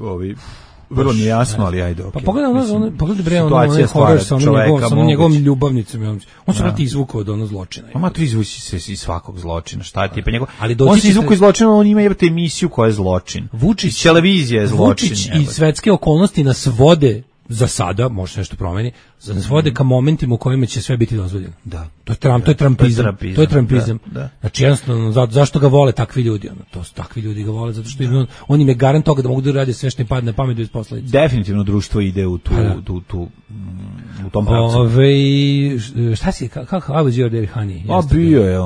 vrlo mi je jasno, ali ajde, okej. Pa pogledaj bre, horor sa njegovom ljubavnicom. On se vrati izvukao od zločina. Ma to izvući se iz svakog zločina, šta ti? Pa on se izvukao iz zločina, on ima jebate emisiju koja je zločin. Vučić, televizija je zločin. Vučić i svetske okolnosti nas vode za sada, može se nešto promeni, nas vode ka momentima u kojima će sve biti dozvoljeno. Da. To je trampizam. Da. Znači jednostavno, zašto ga vole takvi ljudi? Takvi ljudi ga vole zato što on im je garant toga da mogu da rade sve što im padne na pamet bez posledica. Definitivno društvo ide u tom pravcu. Šta si, how was your day, honey? Bio je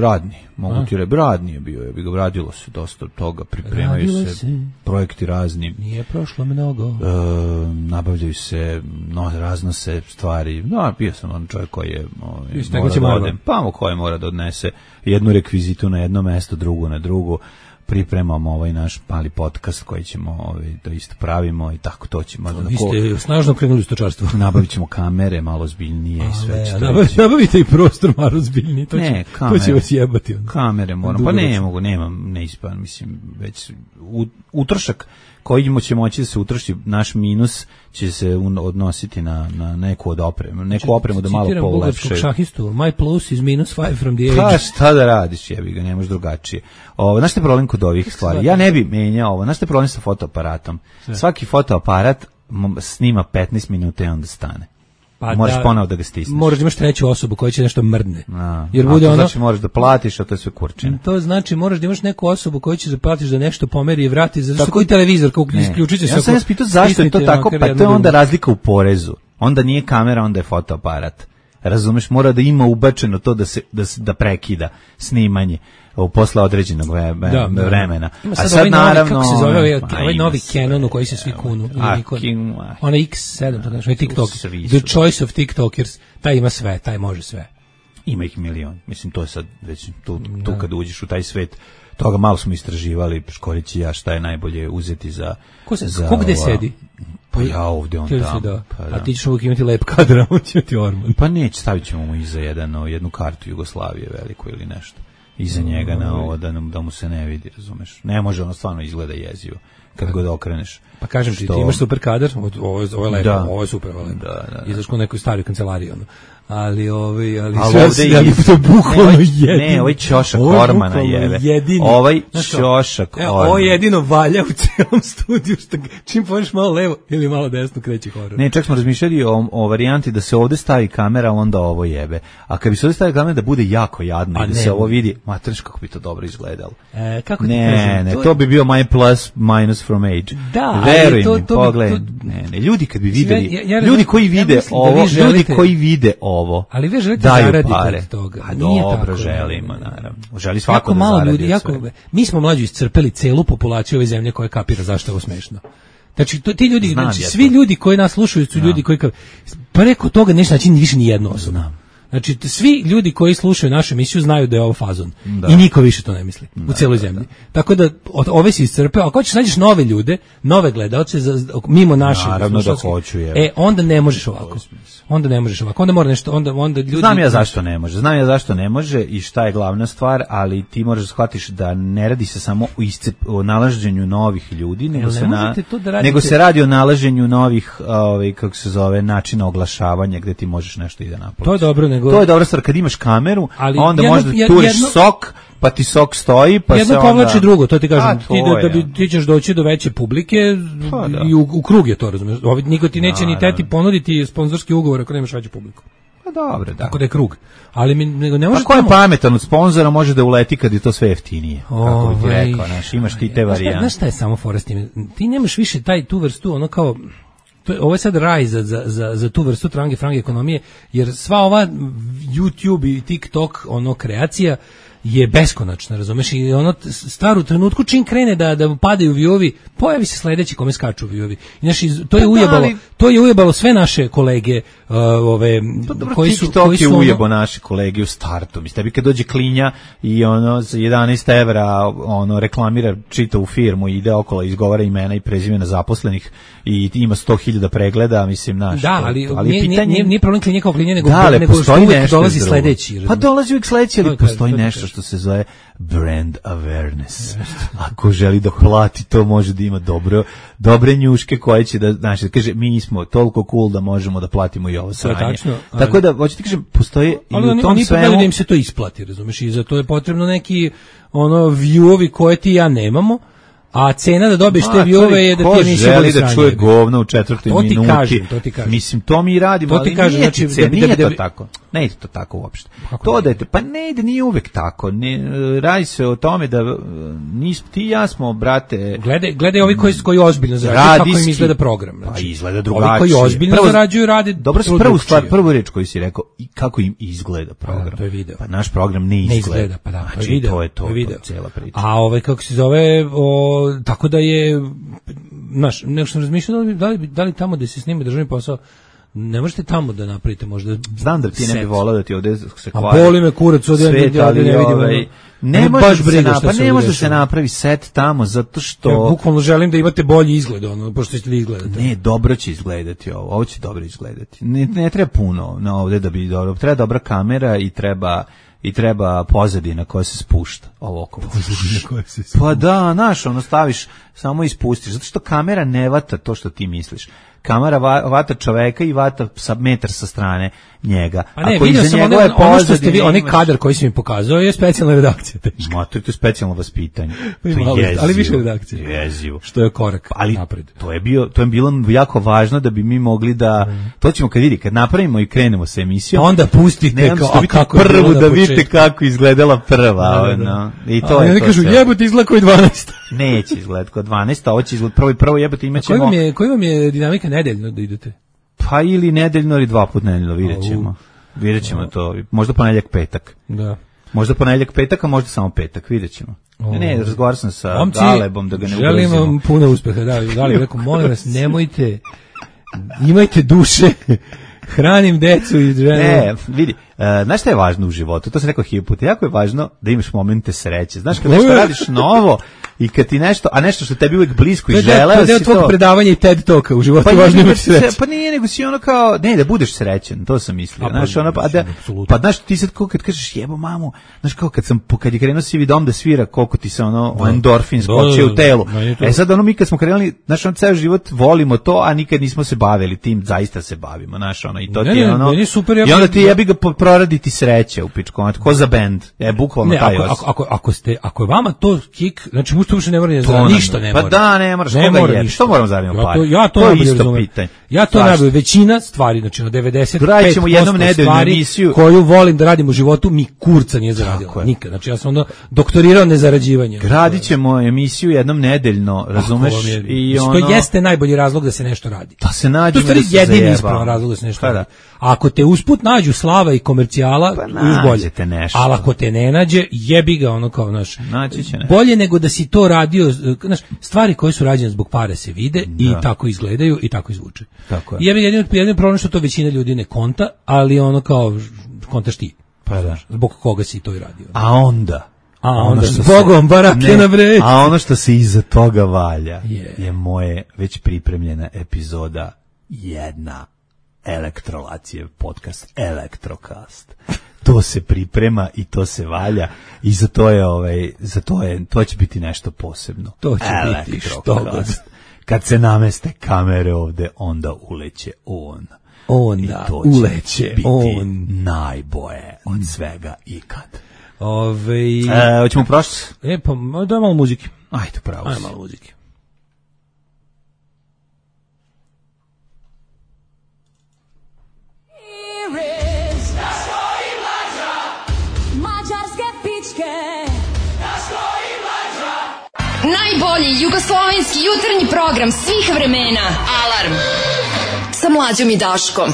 radni, mogu ti reći, radni je bio, radilo se dosta toga, pripremaju se projekti razni. Nije prošlo mnogo. Nabavljaju se, raznose stvari. Bio sam čovjek koji je koji mora da odnese jednu rekvizitu na jedno mesto, drugu na drugo. Pripremamo ovaj naš mali podcast koji ćemo da isto pravimo i tako to ćemo. Vi ste snažno krenuli u stočarstvo. Nabavit ćemo kamere malo zbiljnije i sve. Nabavite i prostor malo zbiljniji. To će vas jebati. Kamere moram. Pa ne ispan, mislim, već utrošak koji će moći da se utroši, naš minus će se odnositi na neku od opremu. Neku opremu da malo polepše. Citiram bugarskog šahistu, my plus is -5 from the age. Pa šta da radiš, jebi ga, ne možeš drugačije. Znaš šta je problem kod ovih stvari? Ja ne bi menjao ovo. Znaš šta je problem sa fotoaparatom? Svaki fotoaparat snima 15 minuta i onda stane. Pa moraš ponovo da ga stisneš. Moraš da imaš treću osobu koja će nešto mrdne. Jer bude znači moraš da platiš, a to je sve kurčine. To znači moraš da imaš neku osobu koju će da platiš da nešto pomeri i vrati, zato što koji televizor kako isključit će se. Ja sam pitao zašto je to tako, pa to je onda razlika u porezu. Onda nije kamera, onda je fotoaparat. Razumeš, mora da ima ubačeno to da prekida snimanje posle određenog vremena. A sad naravno kako se zove ovaj novi Canon u koji se svi kunu, onaj X7, to znači TikTok, the choice of TikTokers, taj ima sve, taj može sve. Ima ih milion. Mislim, to je sad već tu kad uđeš u taj svet, toga malo smo istraživali, Škorić i ja, šta je najbolje uzeti za... Ko gde sedi? Pa ja ovdje, on tamo. A ti ćeš uvijek imati lep kadra, on će ti Orman. Pa neće, stavit ćemo mu iza jednu kartu Jugoslavije veliku ili nešto. iza njega na ovo da mu se ne vidi, razumeš. Ne može, ono stvarno izgleda jezivo kad god okreneš. Pa kažem ti imaš super kadar, ovo je lepo, ovo je super, ovo je lepo. Izaš u nekoj staroj kancelariji, ono. Ali ovdje je bukvalno jedino. Ne, ovaj Ćoša Kormana jebe. Ovaj Ćoša Kormana. Ovo jedino valja u celom studiju, što čim pođeš malo levo ili malo desno kreće horor. Ne, čak smo razmišljali o varijanti da se ovde stavi kamera, onda ovo jebe. A kad bi se ovde stavila kamera da bude jako jadno i da se ovo vidi, materš kako bi to dobro izgledalo. Kako ti kažem? Ne, to bi bio my plus minus from age. Da, veruj mi, pogledaj. Ne, ljudi kad bi videli, ljudi koji vide ovo, ljudi koji vide ovo, ali vi želite zaraditi od toga. A dobro, želimo, naravno. Želi svako da zaradi ljudi, mi smo mlađi iscrpeli celu populaciju ove zemlje koja kapira zašto je ovo smešno. Znači, ti ljudi, svi ljudi koji nas slušaju su ljudi koji preko toga nešto znači više ni jedno osobno. Znači, svi ljudi koji slušaju našu emisiju znaju da je ovo fazon. I niko više to ne misli u celoj zemlji. Tako da, ove si iscrpeo. Ako hoćeš nađeš nove ljude, nove gledaoce, mimo naše. Naravno da hoću, onda ne možeš ovako. Onda ne možeš ovako. Onda mora nešto, onda ljudi... Znam ja zašto ne može i šta je glavna stvar, ali ti moraš da shvatiš da ne radi se samo o nalaženju novih ljudi, nego se radi o nalaženju novih, kako se zove, načina oglašavanja gde ti možeš nešto i da naplaćaš. To je dobro, to je dobra stvar, kad imaš kameru, ali onda možda turiš sok, pa ti sok stoji, pa jedno povlači drugo, to ti kažem, ti ćeš doći do veće publike i u krug je to, razumiješ. Niko ti neće ni teti ponuditi sponzorski ugovor ako nemaš veću publiku. Pa dobro, da. Tako da je krug. Ali ne može. Ako je pametan od sponzora, može da uleti kad je to sve jeftinije. Kako bi ti rekao, imaš ti te varijante. Znaš šta je samo fora s tim? Ti nemaš više tu vrstu, ono kao... Ovo je sad raj za tu vrstu frange ekonomije, jer sva ova YouTube i TikTok kreacija je beskonačna, razumeš, i staru trenutku čim krene da padaju viewovi, pojavi se sledeći kome skaču viewovi. Znači, to je ujebalo sve naše kolege, koji su TikTok je ujebo naše kolege u startu. Mislim, tebi kad dođe klinja i za 11 evra reklamira čitavu firmu i ide okolo, izgovara imena i prezimena zaposlenih i ima 100.000 pregleda, mislim, naš. Da, ali nije problem klinja kao klinja, nego što uvijek dolazi sledeći. Pa dolazi uvijek sledeći, ali postoji nešto što se zove brand awareness. Ako želi da plati, to može da ima dobre njuške koje će da kaže, mi smo toliko cool da možemo da platimo i ovo sranje. Tako da, hoću ti kažem, postoje i u tom svemu... da im se to isplati, razumeš, i za to je potrebno neki viewovi koje ti ja nemamo, a cena da dobiješ te viewove je da ti nisi želi da čuje govno u 4. minuti. To ti kažem. Mislim, to mi radimo, ali nije to tako. Ne ide to tako uopšte. To da je, pa ne ide, nije uvek tako. Radi se o tome da ti i ja smo, brate... Gledaj ovi koji ozbiljno zarađuju, kako im izgleda program. Pa izgleda drugačije. Ovi koji ozbiljno zarađuju, rade... Dobro, prvu reč koju si rekao, kako im izgleda program. To je video. Pa naš program ne izgleda. Pa da, to je video. To je to, cijela priča. A kako se zove... Tako da je, znaš, nešto sam razmišljao da li tamo da se snima državni posao, ne možete tamo da napravite možda. Znam da ti ne bi volao da ti ovde se kvari. A boli me kurac, ovde ne vidimo. Ne može da se napravi set tamo, zato što... Ja bukvalno želim da imate bolji izgled, pošto ćete izgledati. Ne, dobro će izgledati ovo će dobro izgledati. Ne treba puno na ovde da bi dobro, treba dobra kamera i treba pozadina koja se spušta. Pa da, znaš, staviš, samo ispustiš, zato što kamera ne vata to što ti misliš. Kamera vata čoveka i vata metar sa strane njega. A ne, vidio sam ono što ste vi, onaj kadar koji si mi pokazao je specijalna redakcija. Ma, to je specijalno vaspitanje. To je jezivo. Ali više redakcije. Jezivo. Što je korak napred. To je bilo jako važno da bi mi mogli da, to ćemo kad napravimo i krenemo sa emisijom. Onda pustite kako prvu da vidite kako izgledala prva. I to je to. Oni kažu, jebote izgleda koji 12. Neće izgledati kao 12, a ovo će izgledati prvo jebote imaćemo... Koji vam je dinamika nedeljno da idete? Pa ili nedeljno ili 2 puta nedeljno, vidjet ćemo to. Možda ponedjeljak, petak. Da. Možda ponedjeljak, petak, a možda samo petak, vidjet ćemo. Ne, razgovaram sam sa Galebom da ga ne ugrozimo. Želim vam puno uspeha, Galeb rekao, molim vas, nemojte, imajte duše, hranim decu i ženu. Ne, vidi, Znaš šta je važno u životu? To sam rekao hiljadu puta. Jako je važno da imaš momente sreće. Znaš, kad nešto radiš novo i kad ti nešto, a nešto što tebi uvijek blisko i želeo si to... To je tvojeg predavanja i TED Talka u životu, važno imati sreće. Pa nije, nego si ono kao, ne, da budeš srećen, to sam mislio. Znaš, ono, pa znaš, ti sad kad kažeš jebo mamu, znaš kao kad je krenuo Sivi dom da svira, koliko ti se ono endorfin skoči u telu. Sad ono mi kad smo krenuli, znaš, on ceo život volimo to, a nikad nismo se bavili tim, zaista se bavimo, znaš, ono, i to ti je ono, i onda ti jebi ga proraditi sreće u pičku, ko za bend, bukvalno taj os. Ako je vama to kik, znači mu uopšte ne mora ništa ne mora. Pa da, ne moraš, koga je, što moramo zaraditi pare? To je isto pitanje. Ja to najbolje, većina stvari, znači na 95% stvari koju volim da radim u životu, mi kurca nije zaradila, nikad. Znači ja sam onda doktorirao nezarađivanje. Gradit ćemo emisiju jednom nedeljno, razumeš? I to jeste najbolji razlog da se nešto radi. Da se nađemo, da se zajeba. To je jedini ispravan razlog da se nešto radi. A ako te usput nađu slava i komercijala, bolje. Ali ako te ne nađe, jebi ga ono kao, znaš, bolje nego da si to radio, znaš, stvari koje su rađene zbog pare se vide i tako izgledaju i tako izvuče. I jebi ga jedino problem što to većina ljudi ne konta, ali ono kao, kontaš ti. Pa da. Zbog koga si to i radio. A onda s Bogom, barake na bre. A ono što se iza toga valja je moje već pripremljena epizoda jedna Elektrolacije podcast Elektrokast. To se priprema i to se valja i to će biti nešto posebno. To će biti što god. Kad se nameste kamere ovde, onda uleće on. Onda uleće on. Najboje od svega ikad. Hoćemo prošlost? Pa da malo muzike. Ajde, pravo. Ajde malo muzike. Najbolji jugoslovenski jutarnji program svih vremena. Alarm sa Mlađom i Daškom.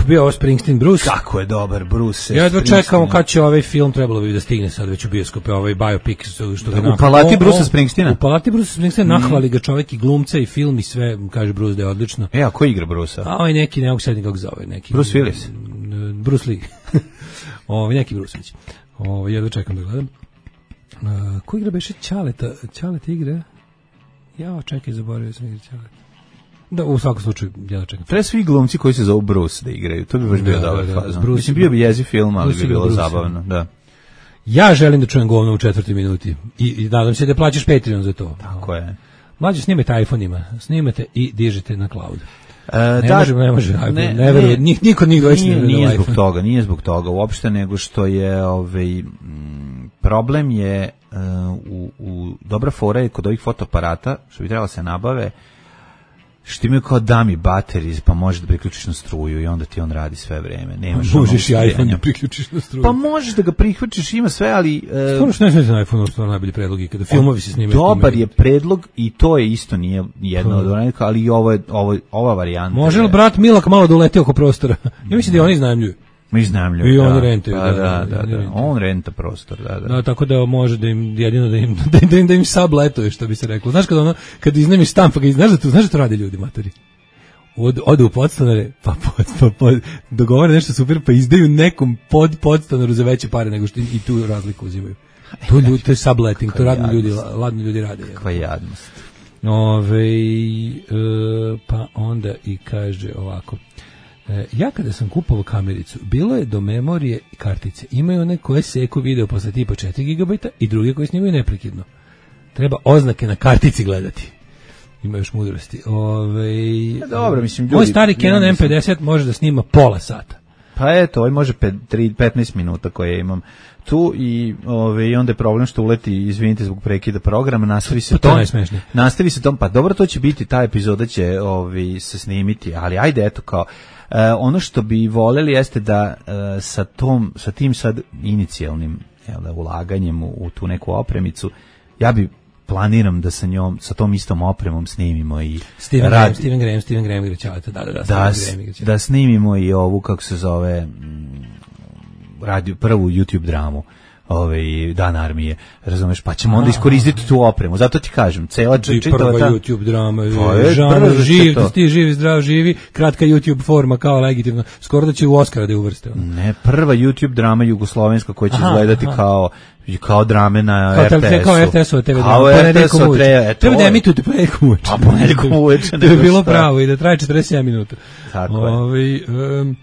Bio ovo Springsteen Bruce. Kako je dobar Bruce. Ja jedva čekamo kad će ovaj film, trebalo bi da stigne sad već u bioskope, ovaj biopic što ga u Palati Bruce Springsteena. U Palati Bruce Springsteena nahvali ga čovjek i glumca i film i sve, kaže Bruce da je odlično. A ko igra Bruce-a? A ovaj neki, ne mogu sad nikog zove, neki. Bruce Willis. Bruce Lee. Neki Bruce-vić. Jedva čekam da gledam. Ko igra beše Ćaleta? Ćaleta igra? Čekaj, zaboravio sam igra Ćaleta. Da, u svakom slučaju, ja čekam. Treba svi glumci koji se zovu Bruce da igraju, to bi baš bio dobar fazon. Mislim, bio bi jezi film, ali bi bilo zabavno, da. Ja želim da čujem govno u 4. minuti i nadam se da plaćaš Patreon za to. Tako je. Mlađe, snimajte iPhone-ima, snimate i dižete na cloud. Ne može, ne verujem, niko već nije zbog toga uopšte, nego što je problem je u dobra fora je kod ovih fotoaparata, što bi trebalo se nabave, što imaju kao dummy batteries, pa možeš da priključiš na struju i onda ti on radi sve vreme. Možeš i iPhone da priključiš na struju. Pa možeš da ga priključiš, ima sve, ali... Stvarno što ne znam na iPhone, stvarno najbolji predlog i kada filmovi se snimaju. Dobar je predlog i to je isto nije jedno od onih, ali i ova varijanta. Može li brat Milak malo da uleti oko prostora? Ja mislim da oni iznajmljuju. Mi iznajmljuju. I oni rentaju. Da. On renta prostor, da. Da, tako da može da im jedino da im sabletuje, što bi se reklo. Znaš kad iznajmiš stan, pa ga znaš da to rade ljudi, matori. Odu u podstanare, pa dogovore nešto super, pa izdaju nekom podstanaru za veće pare nego što i tu razliku uzimaju. To je subletting, to ladni ljudi rade. Kakva jadnost. Pa onda i kaže ovako. Ja kada sam kupovao kamericu, bilo je do memorije kartice. Imaju one koje seku video posle tipa 4 GB i druge koje snimaju neprekidno. Treba oznake na kartici gledati. Ima još mudrosti. Dobro, mislim, ljudi... Moj stari Canon M50 može da snima pola sata. Pa eto, ovaj može 15 minuta koje imam tu i onda je problem što uleti, izvinite zbog prekida programa, nastavi se tom, pa dobro, to će biti, ta epizoda će se snimiti, ali ajde, eto kao, ono što bi voljeli jeste da sa tim sad inicijalnim ulaganjem u tu neku opremicu, ja bi planiram da sa tom istom opremom snimimo i Steven Graham igra Ćaleta, da snimimo i ovu, kako se zove, prvu YouTube dramu Dan armije, razumeš, pa ćemo onda iskoristiti tu opremu. Zato ti kažem, cela čitava ta YouTube drama, žanr živ, ti živi, zdrav, živi, kratka YouTube forma kao legitimno. Skoro da će u Oscara da je uvrste. Ne, prva YouTube drama jugoslovenska koja će izgledati kao drame na RTS-u. Kao RTS-ova TV drama. Kao RTS-ova TV. Treba da emitujete ponedjeljkom uveče. A ponedjeljkom uveče. To je bilo pravo i da traje 47 minuta. Tako je.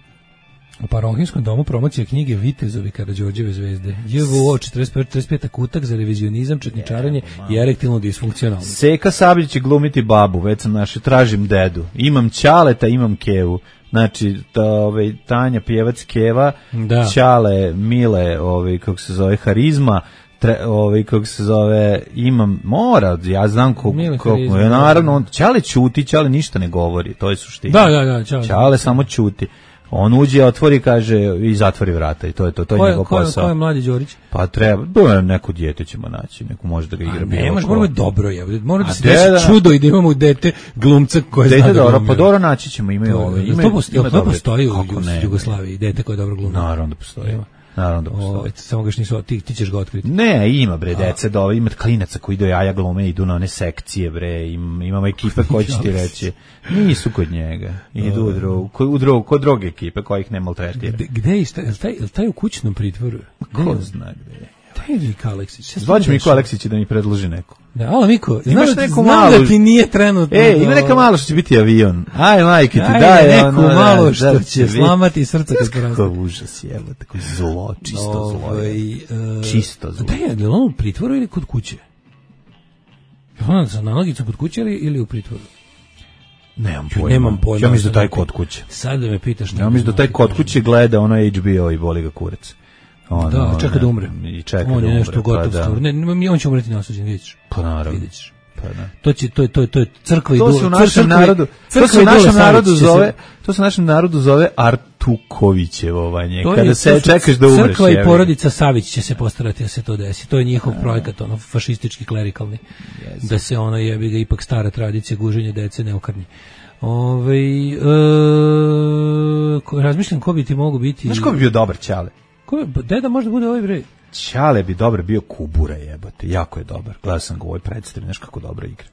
U Parohinskom domu promocija knjige Vitezovi Karađorđeve zvezde. JVO 45. kutak za revizionizam, četničarenje i erektilnu disfunkcionalnost. Seka Sabljić će glumiti babu, već sam tražim dedu. Imam Ćaleta, imam Kevu. Znači, Tanja pjevac Keva, Ćale, Mile, kako se zove, Harizma, kako se zove, imam, ja znam koliko, naravno, Ćale ćuti, Ćale ništa ne govori, to je suština. Da, Ćale samo ćuti. On uđe, otvori, kaže, i zatvori vrata i to je njegov posao. Ko je mladi Đorić? Pa treba, neko dijete ćemo naći, neko može da ga igra. Moramo je dobro, mora da se desi čudo i da imamo dete glumca koje zna da glumi. Pa dobro naći ćemo, imaju ove. To postoji u Jugoslaviji, dete koje dobro glumi. Naravno da postoji. Naravno da postoji. Samo ga nisu, ti ćeš ga otkriti. Ne, ima bre dece, ima klinaca koji do jaja glume, idu na one sekcije bre, imamo ekipe koje će ti reći. Nisu kod njega. Idu kod druge ekipe kojih ne maltretira. Gde je taj u kućnom pritvoru? Ko zna gde je? Taj je Miko Aleksić. Zvaću Miko Aleksić da mi predloži neko. Alo Miko, znam da ti nije trenutno. Ima neka malo što će biti avion. Aj majke ti, daj neku malo što će slamati srce kad se Kako užas je, tako zlo, čisto zlo. Čisto zlo. Da je on u pritvoru ili kod kuće? Je on sa nalogicom kod kuće ili u pritvoru? Nemam pojma. Ja mislim da taj kod kuće. Sad da me pitaš. Ja mislim da taj kod kuće gleda ono HBO i boli ga kurac. Da, čeka da umre. On je nešto gotov stvar. On će umreti nasljeđen, vidješ. Pa naravno. Pa da. To je crkva i to se u našem narodu, to se u našem narodu zove Artukovićevovanje. Kada se čekaš da umreš. Crkva i porodica Savić će se postarati da se to desi. To je njihov projekat, fašistički, klerikalni. Da se jebi ga ipak stara tradicija guženja dece ne okrnji. Razmišljam ko bi ti mogu biti. Znaš ko bi bio dobar Ćale? Deda možda bude ovaj bre. Ćale bi dobro bio Kubura, jebote, jako je dobar. Gledao sam ga u ovoj predstavi, znaš kako dobro igra.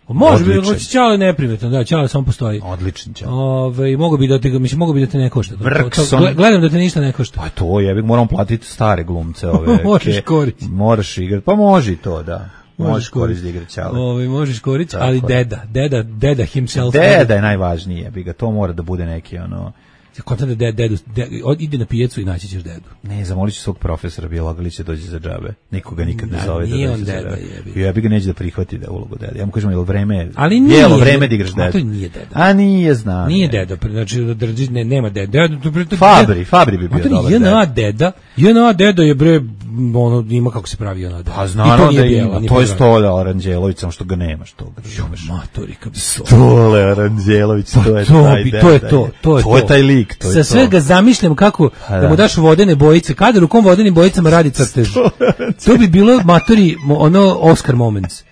Može bi, Ćale neprimetno, da, Ćale samo postoji. Odličan Ćale. Mogu bi da te ne košta. Gledam da te ništa ne košta. Pa to je, moramo platiti stare glumce ove. Možeš koristiti. Moraš igrati, pa može i to, da. Možeš koristiti igre Ćale. Možeš koristiti, ali deda himself. Deda je najvažniji, jebi ga, to mora da bude neki Kontam da dedu, ide na pijecu i naći ćeš dedu. Ne, zamolit ću svog profesora biologalića dođe za džabe. Nikoga nikad ne zove da dođe za deda. Ja bi ga neće da prihvati da ulogu deda. Ja mu kažem, jel vreme, bijelo vreme da igraš dedu. A to nije deda. A nije, znam. Nije deda, znači nema deda. Fabri bi bio dobar deda. JNA deda je bre, ima kako se pravi JNA deda. Pa znano da ima, to je Stole Aranđelović, samo što ga nemaš toga. Matorika bi Stole Aranđelović, to je taj deda. To je taj lik. Sa svega zamišljam kako da mu daš vodene bojice, kada rukom vodenim bojicama radi crtež. To bi bilo matori, Oscar moments.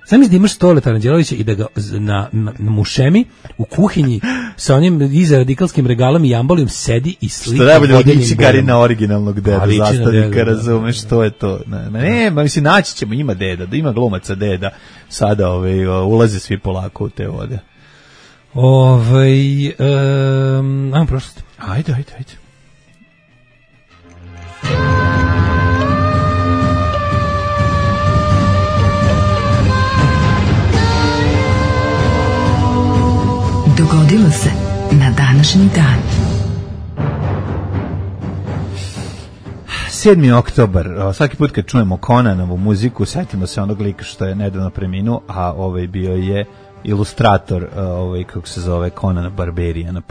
Zamisli da imaš Stole Aranđelovića i da ga na mušemi u kuhinji sa onim iza radikalskim regalom i jambolijom sedi i slika vodenim bojama. Što najbolje liči na originalnog deda, zastavnika, razumeš, to je to. Ne, mislim, naći ćemo, ima deda, da ima glumaca deda, sada ulaze svi polako u te vode. Ajmo prošlost. Ajde. Dogodilo se na današnji dan. 7. oktobar, svaki put kad čujemo Conanovu muziku, setimo se onog lika što je nedavno preminuo, a bio je ilustrator, kako se zove, Conan Barbarian,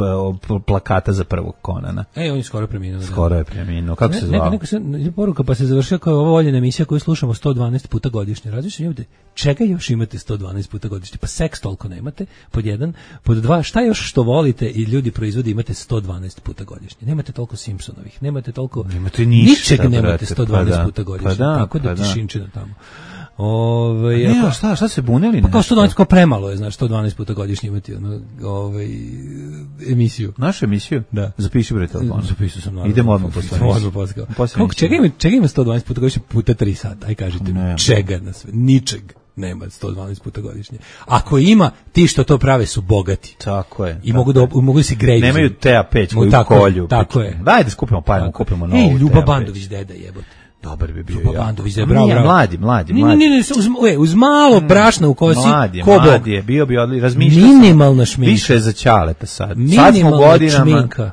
plakata za prvog Conana. On je skoro preminuo. Skoro je preminuo. Kako se zvao? Neka se poruka, pa se završila kao ova voljena emisija koju slušamo 112 puta godišnje. Različno imate, čega još imate 112 puta godišnje? Pa seks toliko nemate, pod jedan. Pod dva, šta još što volite i ljudi proizvodi imate 112 puta godišnje? Nemate toliko Simpsonovih, nemate toliko... Nemate ništa, ničeg nemate 112 puta godišnje. Tako da ti šinčina tamo. Šta se bunili? Pa kao 112, kao premalo je, znaš, 112 puta godišnje imati emisiju. Našu emisiju? Da. Zapiši bre telefon. Zapisao sam. Naravno. Idemo odmah posle. Kako, čega ima 112 puta godišnje puta 3 sata? Aj kažite mi, čega na sve? Ničeg nema 112 puta godišnje. Ako ima, ti što to prave su bogati. Tako je. I mogu da se greju. Nemaju TA5 koju kolju. Tako je. Dajde skupimo parama, kupimo novu. Ljuba Bandović deda jebote. Dobar bi bio. Ljuba Bandović deda, bravo. Mladi. Ne, uz malo brašna u kosi. Mladi je, bio bi razmišljao. Minimalna šminka. Više je za ćaleta sad. Minimalna sad smo godinama. šminka.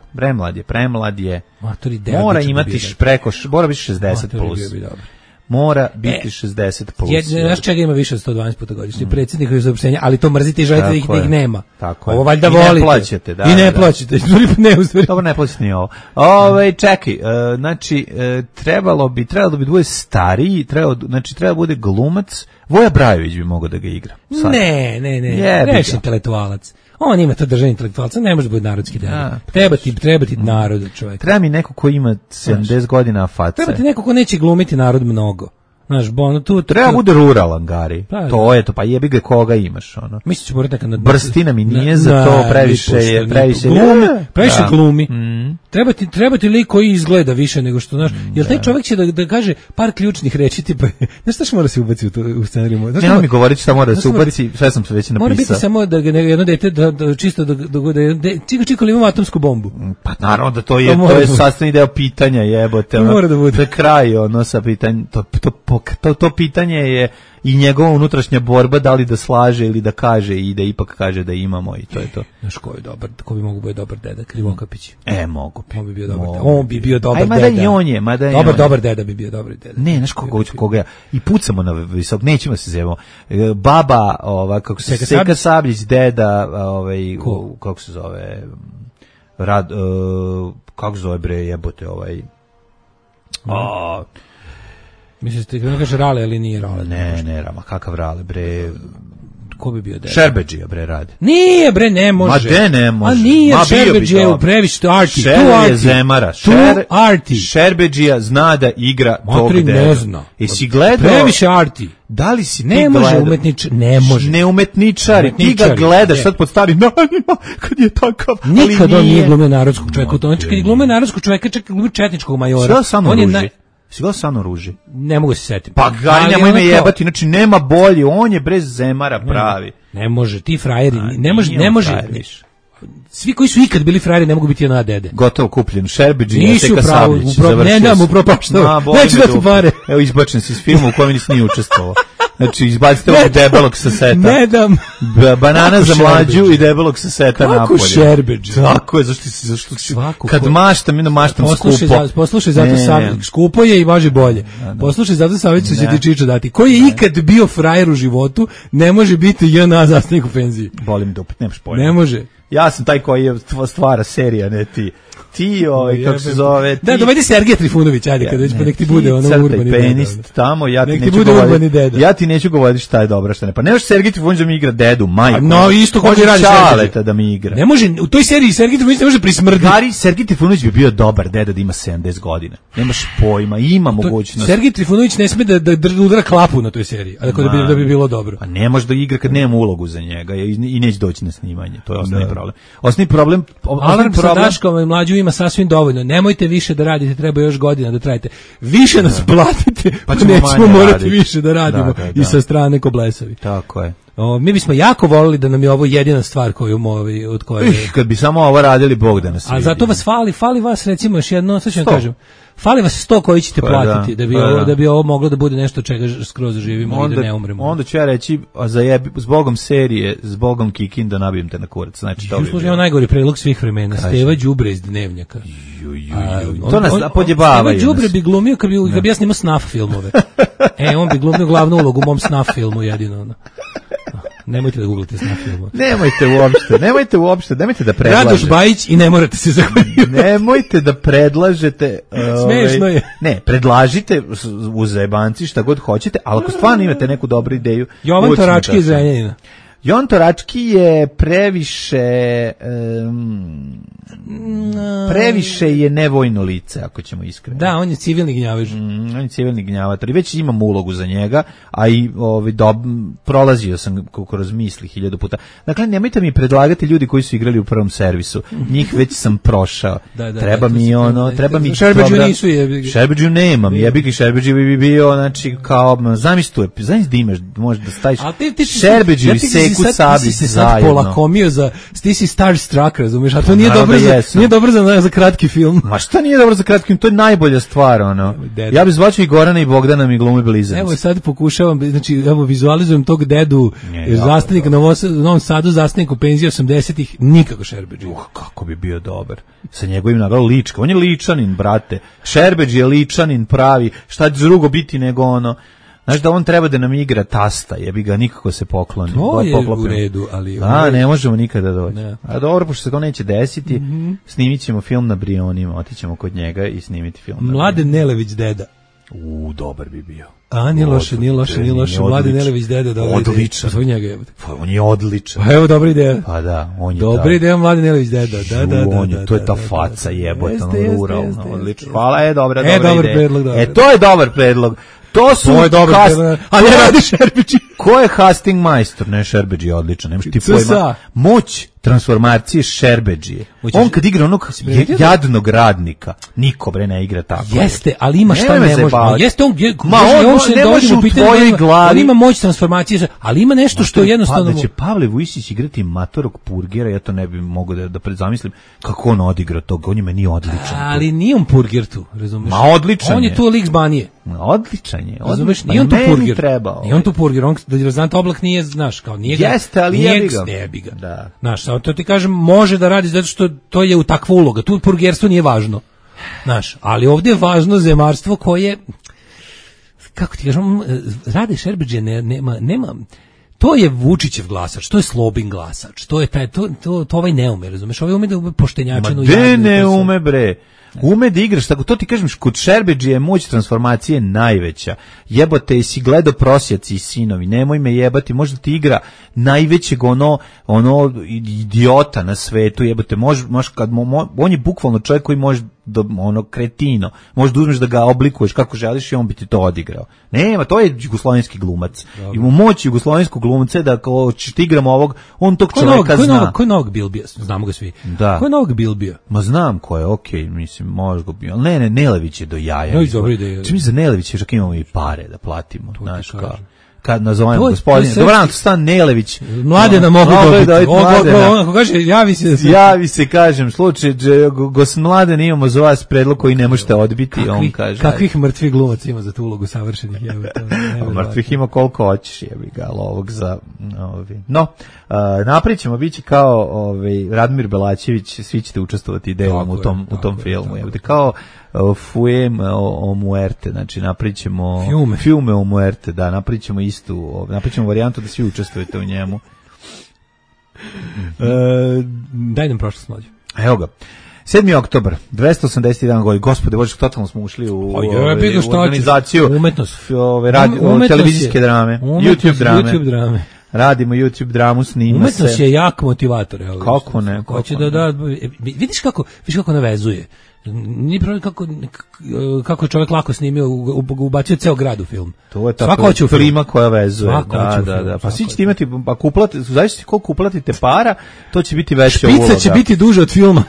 Premlad je. Matori, mora imati mora biti 60 plus. Mora biti 60 plus. Znaš čega ima više od 112 puta godišnje? Predsjednikovi saopštenja, ali to mrzite i želite da ih nema. Tako je. Ovo valjda volite. I ne plaćate, da. I ne plaćate. Dobro, ne plaćate ni ovo. Čekaj, znači, trebalo bi bude stariji, treba bude glumac. Voja Brajović bi mogao da ga igra. Ne. Reši intelektualac. On ima to držanje intelektualca, ne može biti narodski deda. Treba ti narod, čovjek. Treba mi neko ko ima 70 godina face. Treba ti neko ko neće glumiti narod mnogo. Znaš, tu treba bude ruralan, Gari. To je to, pa jebi ga koga imaš, ono. Mislim ću morati nekad Brstina mi nije za to, previše glumi. Treba ti lik koji izgleda više nego što, znaš. Jel taj čovjek će da kaže par ključnih reči, tipa, znaš šta mora se ubaci u scenariju? Ne, mi govoriti šta mora da se ubaci, sve sam se već napisao. Mora biti samo da jedno dete čisto da čiko li ima atomsku bombu. Pa naravno da to je sastavni deo pitanja, jebote. Mora da bude. To je kraj, ono, sa pitanjem, to pitanje je i njegova unutrašnja borba, da li da slaže ili da kaže i da ipak kaže da imamo, i to je to. Znaš ko je dobar, ko bi mogu biti dobar deda? Krivokapić. Mogu bi. On bi bio dobar deda. On bi bio dobar deda. Mada i on je. Dobar deda bi bio dobar deda. Ne, znaš koga ja. I pucamo na visok, nećemo se zjevamo. Baba, kako se Seka Sabljić, deda, kako se zove, kako se zove bre, jebote, Misliš ti kada kaže Rale, ali nije Rale? Ne, Rama, kakav Rale, bre. Ko bi bio deda? Šerbedžija, bre, radi. Nije, bre, ne može. Ma de ne može. A nije, Šerbedžija je previše arti. Šer je zemara. Arti. Šerbedžija zna da igra tog deda. Ne zna. Jesi gledao? Previše arti. Da li si ti ne može umetničar, ne može. Ne umetničari, ti ga gledaš sad pod starim danima, kad je takav. Nikad on nije glumio narodskog čovjeka. Kad je glumio narodskog čovjeka, čak glumio četničkog majora. On je Sigurno Sano Ruži. Ne mogu se setiti. Pa Gari, nemoj me jebati, znači nema bolje, on je brez zemara pravi. Ne može, ti frajeri, ne može. Svi koji su ikad bili frajeri ne mogu biti ona dede. Gotovo kupljen, Šerbedžija, Seka Sabljić. Ne dam u propaštao, neću da ti pare. Evo, izbačen si iz filma u kojem nisi nije učestvovao. Znači, izbacite ovog debelog sa seta. Ne dam. Banana za mlađu i debelog sa seta napolje. Kako Šerbedžija? Tako je, zašto si kad maštam skupo. Poslušaj, zato Savić, skupo je i može bolje. Poslušaj, zato Savić će ti Čičo dati. Ko je ikad bio frajer u životu, ne može biti JNA zastavnik u penziji. Bolim dupe, nemaš pojma. Ne može. Ja sam taj koji je stvara serija, ne ti. Ti, kako se zove... Da, dovedi Sergej Trifunović, ajde, kada već pa nek ti bude ono urbani deda. Penist tamo, ja ti neću govoriti šta je dobro, šta ne. Pa ne može Sergej Trifunović da mi igra dedu, majku. No, isto hoće radi Čaleta da mi igra. Ne može, u toj seriji Sergej Trifunović ne može prismrditi. Gari, Sergej Trifunović bi bio dobar deda da ima 70 godina. Nemaš pojma, ima mogućnost. Sergej Trifunović ne sme da udara klapu na toj seriji, a da bi bilo dobro. Pa ne može da igra kad nema ulogu za njega i neće doći na snimanje. To je osnovni problem. Osnovni problem... Alarm sa Daškom i Mlađu ima sasvim dovoljno. Nemojte više da radite, treba još godina da trajite. Više nas platite, pa nećemo morati više da radimo i sa strane ko blesavi. Tako je. Mi bismo jako volili da nam je ovo jedina stvar koju od koje... Kad bi samo ovo radili, Bog da nas vidi. A zato vas fali vas recimo još jedno, sad ću vam kažem. Fali vas 100 koji ćete platiti da bi ovo moglo da bude nešto čega skroz živimo i da ne umremo. Onda ću ja reći, s Bogom serije, s Bogom Kikin da nabijem te na kurac. Znači, to bi bilo. Najgori predlog svih vremena, Steva Đubre iz Dnevnjaka. To nas podjebavaju. Steva Đubre bi glumio kad bi ja snimao snaf filmove. On bi glumio glavnu ulogu u mom snaf filmu jedino. Nemojte da googlate snaf filmove. Nemojte uopšte, nemojte da predlažete. Radoš Bajić i ne morate se zahvaljivati. Nemojte da predlažete. Smešno je. Ne, predlažite u zajebanci šta god hoćete, ali ako stvarno imate neku dobru ideju. Jovan Torački iz Zrenjanina. Jontorački je previše je nevojno lice, ako ćemo iskreno. Da, on je civilni gnjavež. On je civilni gnjavator i već imam ulogu za njega, a i prolazio sam kroz misli 1000 puta. Dakle, nemojte mi predlagati ljudi koji su igrali u prvom servisu. Njih već sam prošao. Treba mi Šerbeđu nisu jebi. Šerbeđu nemam, jebi ga, Šerbeđu bi bio, znači, kao, zamisli da imaš, možda da staviš Šerbeđu i Seku Sabić zajedno. Polakomio ti si starstruck, razumiješ, a to nije dobro za kratki film. Ma šta nije dobro za kratki film, to je najbolja stvar, ono. Ja bih zvačio i Gorana i Bogdana mi glumi blizanci. Evo sad pokušavam, znači, vizualizujem tog dedu, zastavnika na Novom Sadu, zastavnik u penziji 80-ih, nikako Šerbeđi. Kako bi bio dobar. Sa njegovim nagledom lička. On je ličanin, brate. Šerbeđi je ličanin pravi. Šta će drugo biti nego ono. Znaš da on treba da nam igra tasta, jebi ga, nikako se pokloni. To je u redu, ali... ne možemo nikada doći. Ne. A dobro, pošto se to neće desiti, snimit ćemo film na Brionima, otićemo kod njega i snimiti film na Mladen Nelević deda. Dobar bi bio. Nije loše. Mladen Nelević deda, dobra ideja. Odličan. Pa on je odličan. Pa evo, dobra ideja. Pa da, on je dobra ideja, Mladen Nelević deda. Da. To je ta faca jebota, ruralna, odlično. Hvala, dobra predlog. To je dobar predlog. To je dobro, a ne radi Šerbeđi. Ko je casting majstor? Ne, Šerbeđi je odličan, nemaš ti pojma. Moć transformacije Šerbeđije. On kad igra onog jadnog radnika, niko ne igra tako. Jeste, ali ima šta ne može. Jeste on ne može u tvojoj glavi. Ima moć transformacije, ali ima nešto što jednostavno... Da će Pavle Vujsić igrati matorog purgera, ja to ne bi mogao da predzamislim kako on odigra toga, on je meni odličan. Ali nije on purger tu, razumiješ? Ma odličan je. On je tu lik z Banije. Odličan je. Razumeš, nije on tu purger. Nije on tu purger, on da Razant Oblak nije, znaš, kao nije ga. Jeste, ali jebi ga. Da. Znaš, to ti kažem, može da radi zato što to je u takva uloga. Tu purgerstvo nije važno. Znaš, ali ovdje je važno zemarstvo koje, kako ti kažem, Rade Šerbeđe nema, to je Vučićev glasač, to je Slobin glasač, to je taj, to ovaj ne ume, razumeš, ovaj ume da ume poštenjačinu. Ma de ne ume, bre. Ume da igraš, tako to ti kažem, kod Šerbeđi je moć transformacije najveća. Jebote, jesi gledao Prosjaci i sinovi, nemoj me jebati, možda ti igra najvećeg ono idiota na svetu, jebote, on je bukvalno čovjek koji može kretino, možda uzmeš da ga oblikuješ kako želiš i on bi ti to odigrao. Nema, to je jugoslovenski glumac. Ima moć jugoslovenskog glumca da ako ćeš ti igramo ovog, on tog čovjeka zna. Ko je Novog Bilbija? Znamo ga svi. Da. Ko je Novog Bilbija? Ma znam ko je, okej, mislim, možda ga bio. Ne, Nelević je do jaja. Čim za Nelević je čak imamo i pare da platimo. Znaš, kao kad nazovemo gospodine. Dobro, to Stan Nelević. Mladena mogu dobiti. Ako kaže, javi se, kažem, slučaj, Mladen, imamo za vas predlog koji ne možete odbiti. On kaže. Kakvih mrtvih glumaca ima za tu ulogu savršenih? Mrtvih ima koliko hoćeš, jebi ga, ali ovog za... No, napričamo, bit će kao Radmir Belačević, svi ćete učestvovati delom u tom filmu. Kao Fuem o muerte, znači napričamo Fiume o muerte, da, napričamo istu, napričamo varijantu da svi učestvujete u njemu. Daj nam prošlost, mlađe. Evo ga. 7. oktobar, 281 godina, gospode, Bože, totalno smo ušli u organizaciju televizijske drame, YouTube drame. Radimo YouTube dramu, snima se. Umetnost je jak motivator. Kako ne? Hoće da vidiš kako navezuje. Nije problem kako je čovjek lako snimio, ubacio ceo grad u film. To je ta prima koja vezuje. Da. Pa svi ćete imati, ako uplatite, zavisno koliko uplatite para, to će biti veća uloga. Špica će biti duže od filma.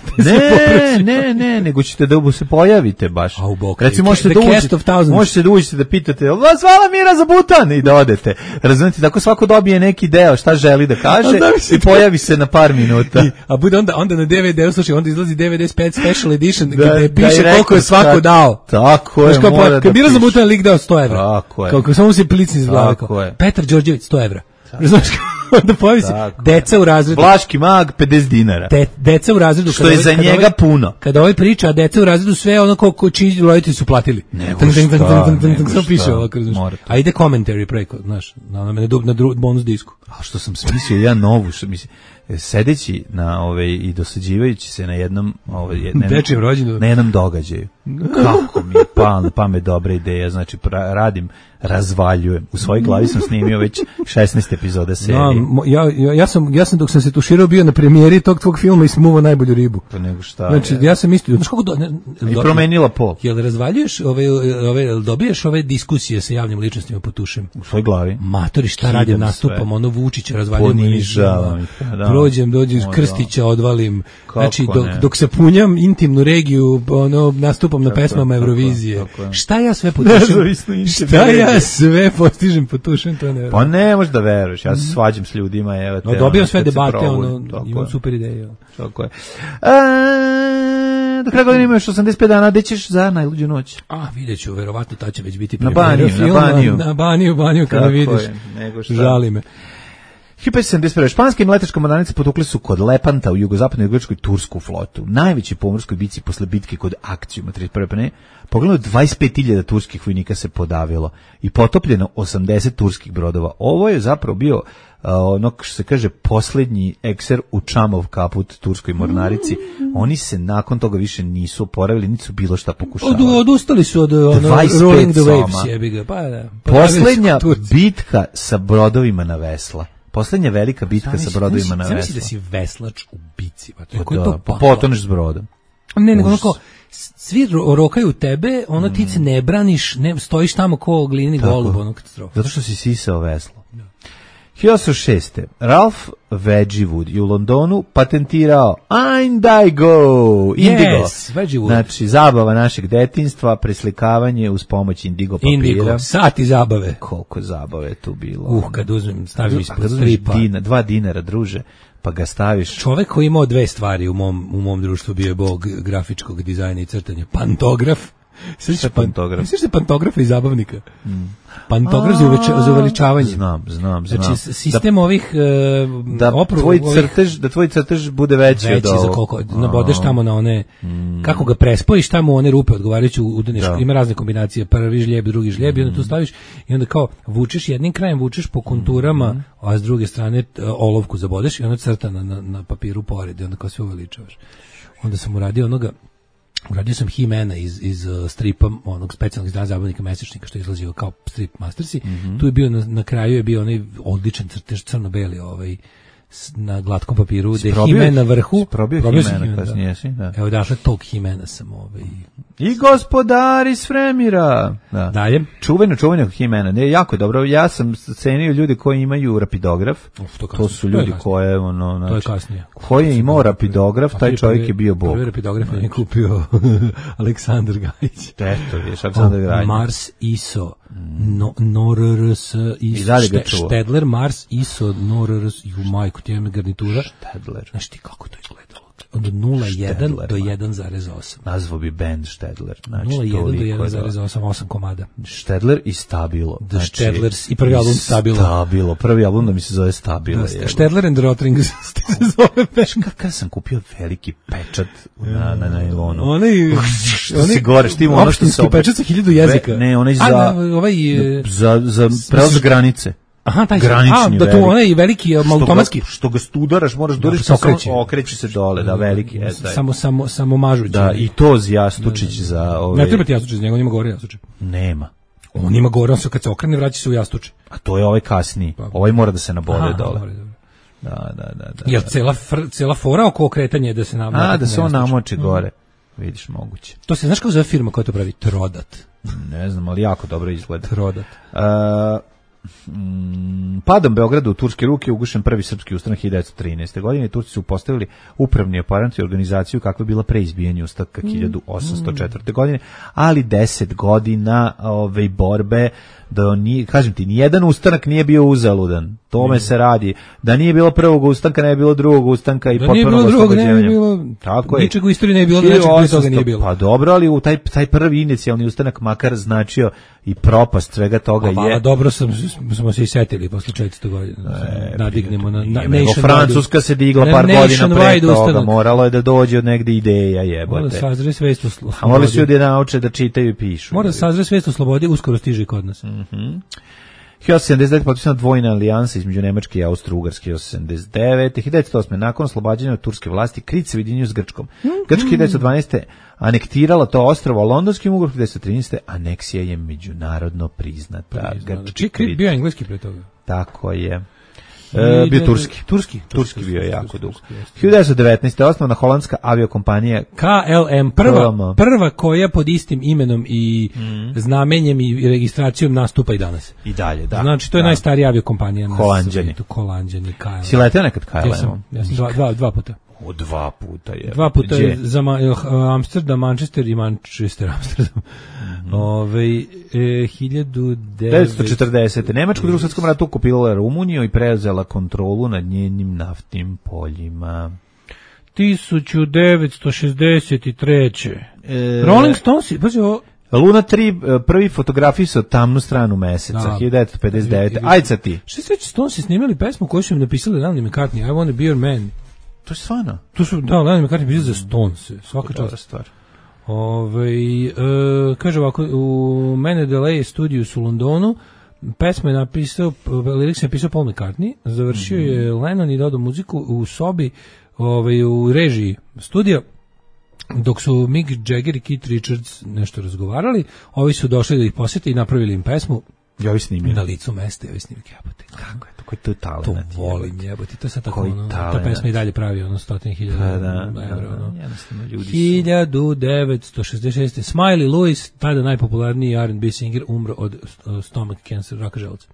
Ne, nego ćete da se pojavite baš. Recimo, možete da uđete da pitate, vas zvala Mira za Butan i da odete. Razumite, tako svako dobije neki deo šta želi da kaže i pojavi se na par minuta. A bude onda na DVD-u, slušaj, onda izlazi DVD Special Edition, gde piše koliko je svako dao. Tako je, mora da piše. Kad Mira za Butan lik dao 100 evra. Tako je. Kako samo se plicni iz glave. Petar Đorđević 100 evra. Znaš onda pojavi se deca u razredu. Vlaški mag 50 dinara. Deca u razredu. Što je za njega puno. Kada ovaj priča, a deca u razredu sve ono ko čiji roditelji su platili. Samo piše ovako. A ide commentary preko, znaš, na bonus disku. A što sam smislio ja novu, što mislim, sedeći na i dosađivajući se na jednom dečijem rođendu, na jednom događaju. Kako mi je palo na pamet dobra ideja, znači razvaljujem. U svojoj glavi sam snimio već 16 epizoda serije. Ja sam dok sam se tuširao bio na premijeri tog tvog filma i smuvao najbolju ribu. Pa nego šta. Znači, ja sam mislio, znaš kako i promenila pol. Jel razvaljuješ dobiješ ove diskusije sa javnim ličnostima po Tušem? U svojoj glavi. Matori, šta radim, nastupam, ono Vučića razvaljujem. Ponižavam. Dođem Krstića odvalim. Znači, dok se punjam intimnu regiju, nastupam na pesmama Eurovizije. Šta ja sve potušem? Šta ja sve postižem potušem, to ne. Pa ne možeš da veruješ, ja se svađam s ljudima, evo te. Dobijam sve debate, imam super ideje. Tako je. Do kraja godine ima još 85 dana, gde ćeš za najluđu noć? Vidjet ću, verovatno ta će već biti na Baniju, kada vidiš. Žali me. 1571. Španske mletačke mornarice potukle su kod Lepanta u jugozapadnoj Grčkoj tursku flotu. Najveći pomorskoj bici posle bitke kod Akcijuma 31. Pogledano 25.000 turskih vojnika se podavilo i potopljeno 80 turskih brodova. Ovo je zapravo bio ono što se kaže poslednji ekser u Čamov kaput turskoj mornarici. Oni se nakon toga više nisu oporavili, niti su bilo šta pokušavali. Odustali su od Rolling the Waves, jebiga. Poslednja bitka sa brodovima na vesla. Poslednja velika bitka sa brodovima na vesla. Zamisli da si veslač u bici. Pa potoneš s brodom. Ne, nego onako, svi rokaju tebe, ti se ne braniš, stojiš tamo ko glini golub, katastrofa. Zato što si sisao veslo. 1806. Ralph Wedgwood je u Londonu patentirao Indigo. Znači, zabava našeg detinjstva, preslikavanje uz pomoć indigo papira. Indigo, sati zabave. Koliko zabave je tu bilo. Kad uzmem, stavim ispod stripa. $2, druže, pa ga staviš. Čovek koji imao dve stvari u mom društvu bio je bog grafičkog dizajna i crtanja. Pantograf. Šta je pantograf? Misliš da je pantografa i zabavnika? Pantograf za uveličavanje. Znam. Znači, sistem ovih da tvoj crtež bude veći od za koliko, nabodeš tamo na one, kako ga prespojiš tamo u one rupe odgovarajući udeneš, ima razne kombinacije, prvi žljeb, drugi žljeb, i onda tu staviš i onda kao vučeš jednim krajem, vučeš po konturama, a s druge strane olovku zabodeš i onda crta na papiru pored i onda kao sve uveličavaš. Onda sam uradio sam He-Mana iz stripa, onog specijalnog izdanja zabavnika mesečnika što je izlazio kao strip Mastersi. Tu je bio, na kraju je bio onaj odličan crtež crno-beli na glatkom papiru, da je He-Man na vrhu. Probio He-Mana kasnije, da. Evo, dakle, tog He-Mana sam I gospodar iz Fremira. Da. Dalje. Čuveno He-Mana. Ne, jako je dobro. Ja sam cenio ljudi koji imaju rapidograf. To su ljudi koje, to je kasnije. Koji je imao rapidograf, taj čovjek je bio bog. Prvi rapidograf je kupio Aleksandar Gajić. Eto, viš, Aleksandar Gajić. Mars ISO, NORRS, Štedler, Mars ISO, NORRS, majku, ti imam garnitura. Štedler. Znaš ti kako to izgledalo? Od 0,1 do 1,8. Nazvo bi band Štedler. Znači, 0,1 do 1,8, 8 komada. Štedler i Stabilo. The Štedlers i prvi album Stabilo. Prvi album da mi se zove Stabilo. Štedler and Rotrings se zove band. Kada sam kupio veliki pečat na najlonu. Što si gore, štimo ono što se opet. Pečat sa 1000 jezika. Ne, onaj za prelaz granice. Aha, taj granični da to onaj veliki automatski što ga studaraš, moraš da okreće se dole, da veliki je taj. Samo mažući. Da, i to jastučić za Ne treba ti jastučić, njega ima gore jastučić. Nema. On ima gore, on se kad se okrene vraća se u jastučić. A to je ovaj kasniji. Ovaj mora da se nabode dole. Da. Jer cela fora oko okretanja je da se namoči. Da se on namoči gore. Vidiš, moguće. To se, znaš kako zove firma koja to pravi? Trodat. Ne znam, ali jako dobro izgleda. Trodat. Padom Beograda u turske ruke ugušen prvi srpski ustanak 1913. godine. Turci su postavili upravni aparat i organizaciju kakva je bila pre izbijanja ustanka 1804. godine, ali 10 godina borbe da nije, kažem ti, nijedan ustanak nije bio uzaludan. Tome se radi. Da nije bilo prvog ustanka, ne je bilo drugog ustanka i potpuno oslobođenja. Tako je. Ničeg u istoriji ne bilo, nečeg prije toga nije bilo. Pa dobro, ali u taj prvi inicijalni ustanak makar značio i propast svega toga je. Dobro smo se i setili posle 400 godina. Nadignemo na nation. Francuska se digla par godina pre toga. Moralo je da dođe od negde ideja, jebote. Mora da sazre svest o slobodi. A morali su ljudi da nauče da čitaju i pišu. Mora da sazre svest o slobodi, uskoro stiže i kod nas. 1979. potpisana dvojna alijansa između Nemačke i Austro-Ugarske 1989. 1908. nakon oslobađanja od turske vlasti Krit se ujedinio s Grčkom. Grčka 1912. anektirala to ostrvo, a londonskim ugovorom 1913. aneksija je međunarodno priznata. Krit bio engleski pre toga. Tako je. Bio turski bio jako dugo. 1919. je osnovana holandska aviokompanija KLM, prva koja pod istim imenom i znamenjem i registracijom nastupa i danas. I dalje, da. Znači, to je najstarija aviokompanija na svijetu. Holanđani, KLM. Si leteo nekad KLM? Ja sam dva puta. Dva puta je. Dva puta je za Amsterdam, Manchester i Manchester, Amsterdam. 1940. Nemačka u Drugom svjetskom ratu okupirala Rumuniju i preuzela kontrolu nad njenim naftnim poljima. 1963. Rolling Stones, pazi ovo. Luna 3 prvi fotografisao tamnu stranu meseca, 1959. Ajde sa ti. Što se Stones snimali pesmu koju su im napisali Lennon McCartney, I Want to Be Your Man. To je stvarno. To su, da, Lennon McCartney pisao za Stones, svaka čast. Stvar. Kaže ovako, u Mene Delay studiju u Londonu, pesma je napisao, lirik se napisao Paul McCartney, završio je Lennon i dodao muziku u sobi, u režiji studija, dok su Mick Jagger i Keith Richards nešto razgovarali, ovi su došli da ih posjete i napravili im pesmu. Ja vi snimili. Na licu mesta, ja vi snimili, jebote. Kako je to? Koji to je talent? To volim, jebote. To je sad tako, ono, ta pesma i dalje pravi, 100.000 evra. 1966. Smiley Lewis, tada najpopularniji R&B singer, umro od stomach cancer, raka želuca.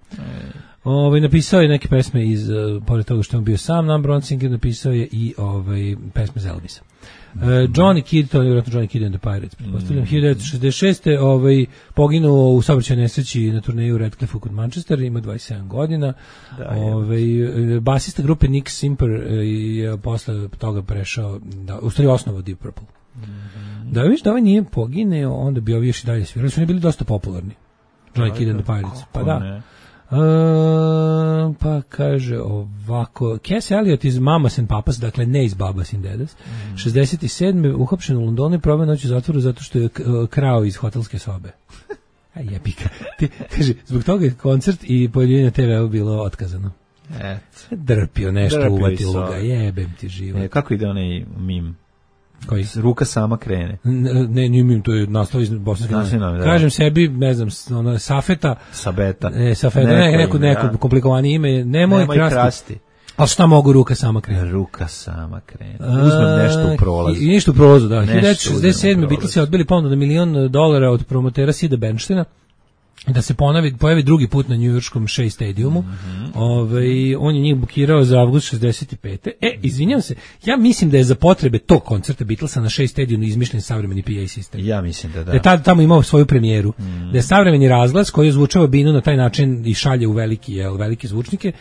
Napisao je neke pesme iz, pored toga što je bio sam number one singer, napisao je i pesme za Elvisa. Johnny Kidd, to je vjerojatno Johnny Kidd and the Pirates, pretpostavljam, 1966. Poginuo u saobraćajnoj nesreći na turneju Redcliffe kod Manchestera, ima 27 godina. Basista grupe Nick Simper je posle toga prešao, u stvari osnovao Deep Purple. Da viš da ovaj nije pogineo, onda bi ovi još i dalje svirali, su oni bili dosta popularni. Johnny Kidd and the Pirates, pa da. Pa kaže ovako, Cass Elliot iz Mamas and Papas, dakle ne iz Babas and Dadas, 67. uhapšen u Londonu i proveo noć u zatvoru zato što je krao iz hotelske sobe. Jebika. Kaže, zbog toga je koncert i pojavljivanje na TV-u bilo otkazano. Drpio nešto, uvatilo ga, jebem ti život. Kako ide onaj mim? Koji? Ruka sama krene. Ne, njim, to je naslov iz bosanske novine. Kažem sebi, ne znam, Safeta. Sabeta. Neko komplikovanje ime. Nemoj krasti. Ali šta mogu ruka sama krene? Ruka sama krene. Uzmem nešto u prolazu. I ništa u prolazu, da. 1967. Beatlesi odbili ponudu na $1 milion od promotera Sida Bernsteina da se pojavi drugi put na njujorškom Shea Stadiumu. On je njih bukirao za avgust 65. Izvinjam se, ja mislim da je za potrebe tog koncerta Beatlesa na Shea Stadiumu izmišljen savremeni PA sistem. Ja mislim da. Da je tamo imao svoju premijeru. Da je savremeni razglas koji je zvučao binu na taj način i šalje u velike zvučnike,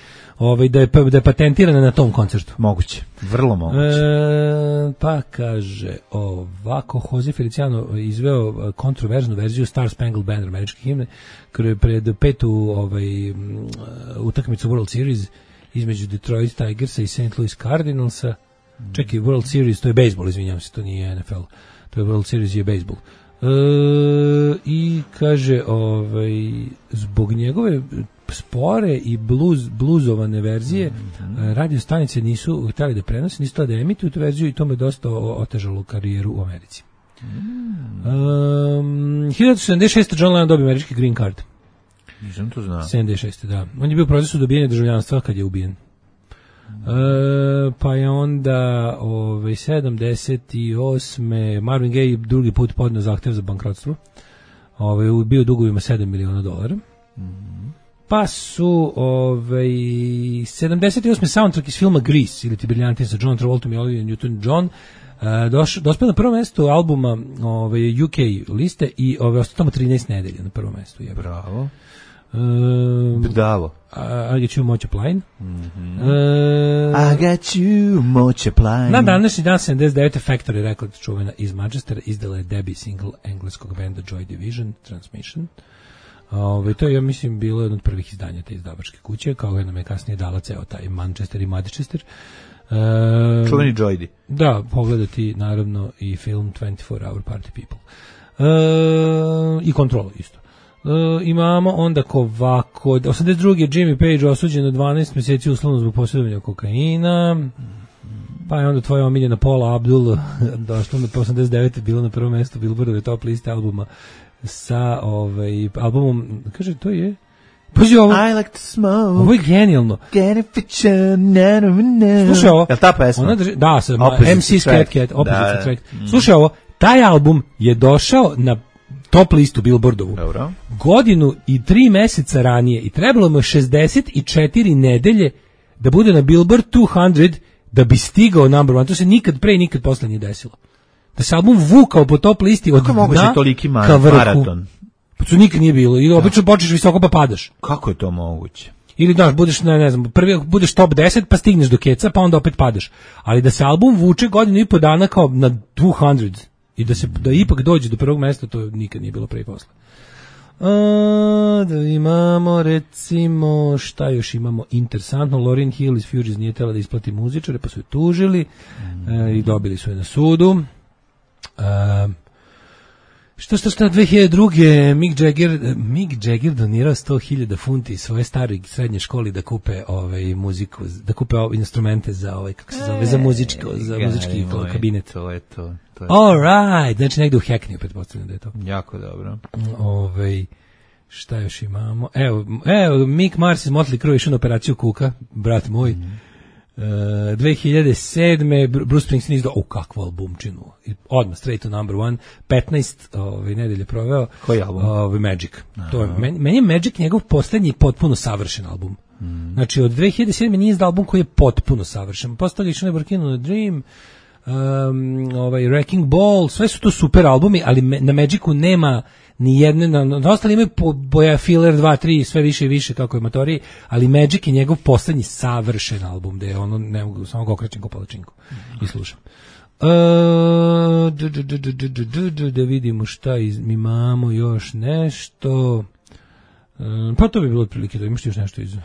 da je patentirana na tom koncertu. Moguće, vrlo moguće. Pa kaže ovako, Jose Feliciano izveo kontroverznu verziju Star Spangled Banner američke himne pred petu utakmicu World Series između Detroit Tigersa i St. Louis Cardinalsa. Čekaj, World Series, to je bejsbol, izvinjam se, to nije NFL. To je World Series, je bejsbol. I kaže, zbog njegove spore i bluzovane verzije radio stanice nisu htjeli da prenose, nisu htjeli da emituju tu verziju i to me dosta otežalo karijeru u Americi. 1976. John Lennon dobio američki green card. Nisam to znao. 76. da. On je bio u procesu dobijanja državljanstva kad je ubijen. Pa je onda 78. Marvin Gaye drugi put podneo zahtev za bankrotstvo. Bio dugovima $7 miliona. Pa su 78. soundtrack iz filma Grease ili ti briljanti sa John Travoltom i Olivia Newton-John dospeo na prvo mjesto albuma UK liste i ostao tamo 13 nedelja na prvo mjestu. Bravo. Bravo. I got you much plain. I got you much plain. Na današnji dan 79. Factory Records čuvena iz Manchestera izdala je debut single engleskog benda Joy Division, Transmission. To je, ja mislim, bilo jedno od prvih izdanja te izdavačke kuće, kao jedna me kasnije dala ceo taj Manchester i Manchester. Čuveni Joydi. Da, pogledati naravno i film 24 Hour Party People. I Kontrolu isto. Imamo onda ovako, 82. Jimmy Page osuđen na 12 mjeseci uslovno zbog posjedovanja kokaina. Pa je onda tvoja omiljena Paula Abdul došla na 89. bilo na prvom mjestu Billboardove top liste albuma sa albumom, kaže, to je Pazi ovo. I like to smoke. Ovo je genijalno. Slušaj ovo. Je li ta pesma? Da, MC Scat Cat. Slušaj ovo. Taj album je došao na top listu Billboardovu. Dobro. Godinu i 3 meseca ranije i trebalo mu 64 nedelje da bude na Billboard 200 da bi stigao number one. To se nikad pre i nikad posle nije desilo. Da se album vukao po top listi od dna ka vrhu. Pa to nikad nije bilo. I obično počneš visoko pa padaš. Kako je to moguće? Ili daš, budeš, ne znam, prvi budeš top 10 pa stigneš do keca pa onda opet padaš. Ali da se album vuče godinu i po dana kao na 200 i da ipak dođe do prvog mesta, to nikad nije bilo pre i posle. Da imamo, recimo, šta još imamo interesantno, Lauryn Hill iz Fugees nije tela da isplati muzičare, pa su je tužili i dobili su je na sudu. Što 2002. Mick Jagger donirao 100.000 funti svoje staroj srednje školi da kupe muziku, da kupe instrumente za kako se zove, za muzički kabinet. To je to. All right, znači negde u Hackneyu, pretpostavljam da je to. Jako dobro. Šta još imamo? Evo, Mick Mars iz Motley Crue išao na operaciju kuka, brat moj. 2007. Bruce Springsteen izdao kakvu albumčinu. Odmah straight to number one. 15 nedelje proveo. Koji album? Magic. To je, meni je Magic njegov poslednji potpuno savršen album. Znači od 2007. nije izdao album koji je potpuno savršen. Posle toga išao na Working on a Dream, Wrecking Ball, sve su to super albumi, ali na Magicu nema ni jedne, na ostali imaju boja filler 2, 3, sve više i više kako je matoriji, ali Magic je njegov poslednji savršen album, gde je ono, ne mogu, samo ga okrećem ko palačinku i slušam. Da vidimo šta imamo još nešto. Pa to bi bilo otprilike, da imaš još nešto iz...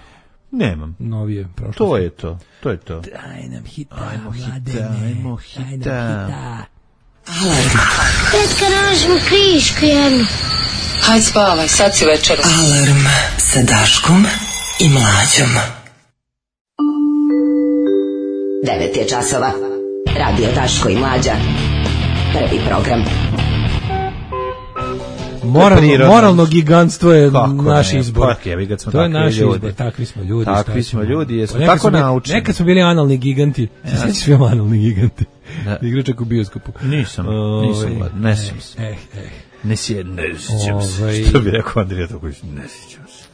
Nemam. Novije prošlosti. To je to. Daj nam hita, ajmo hita. Alarm. Tetka, nađemo krišku jednu. Hajde spavaj, sad si večera. Alarm sa Daškom i Mlađom. 9 je časova. Radio Daško i Mlađa. Prvi program. Moralno gigantstvo je naš izbor. To je naš izbor, takvi smo ljudi. Takvi smo ljudi, jesmo tako naučeni. Nekad smo bili analni giganti. Sad smo bili analni giganti. Igračak u bioskopu. Nisam, ne sjećam se. Ne sjećam se. Što bi rekao Andrija Toković, ne sjećam se.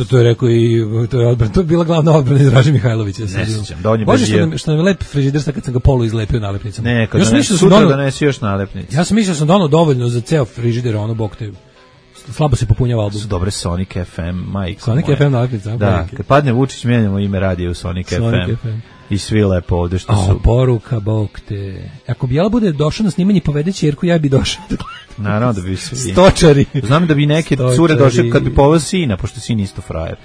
To je rekao i to je bila glavna odbrana Draže Mihajlovića. Ne sjećam. Bože što nam je lep frižider kad sam ga polu izlepio nalepnicama. Ne, kad sutra donesi još nalepnice. Ja sam mislio sam donao dovoljno za ceo frižider, ono bok te slabo se popunjava album. Su dobre Sonic FM, majko. Sonic FM nalepnica. Da, kad padne Vučić mijenjamo ime radija u Sonic FM. I svi lepo ovde što su. Poruka, bog te. Ako bi Jela bude došao na snimanje povede ćerku, ja bi došao. Naravno da bi svi. Stočari. Znam da bi neke cure došle kad bi poveo sina, pošto sin isto frajer.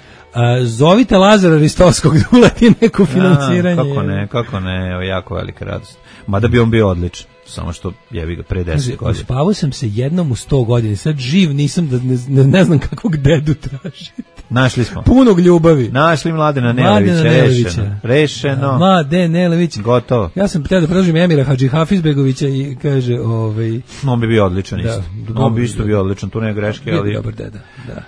Zovite Lazara Ristovskog da uleti neko financiranje. Kako ne, evo, jako velika radost. Mada bi on bio odličan, samo što jebi ga pre 10 godina. Uspavao sam se jednom u 100 godina, sad živ nisam da ne znam kakvog dedu tražite. Našli smo. Punog ljubavi. Našli Mladena Nelevića. Rešeno. Mladen Nelević. Gotovo. Ja sam htio da predložim Emira Hadži Hafizbegovića i kaže... On bi bio odličan isto. On bi isto bio odličan, tu nema greške, ali... Dobar deda, da.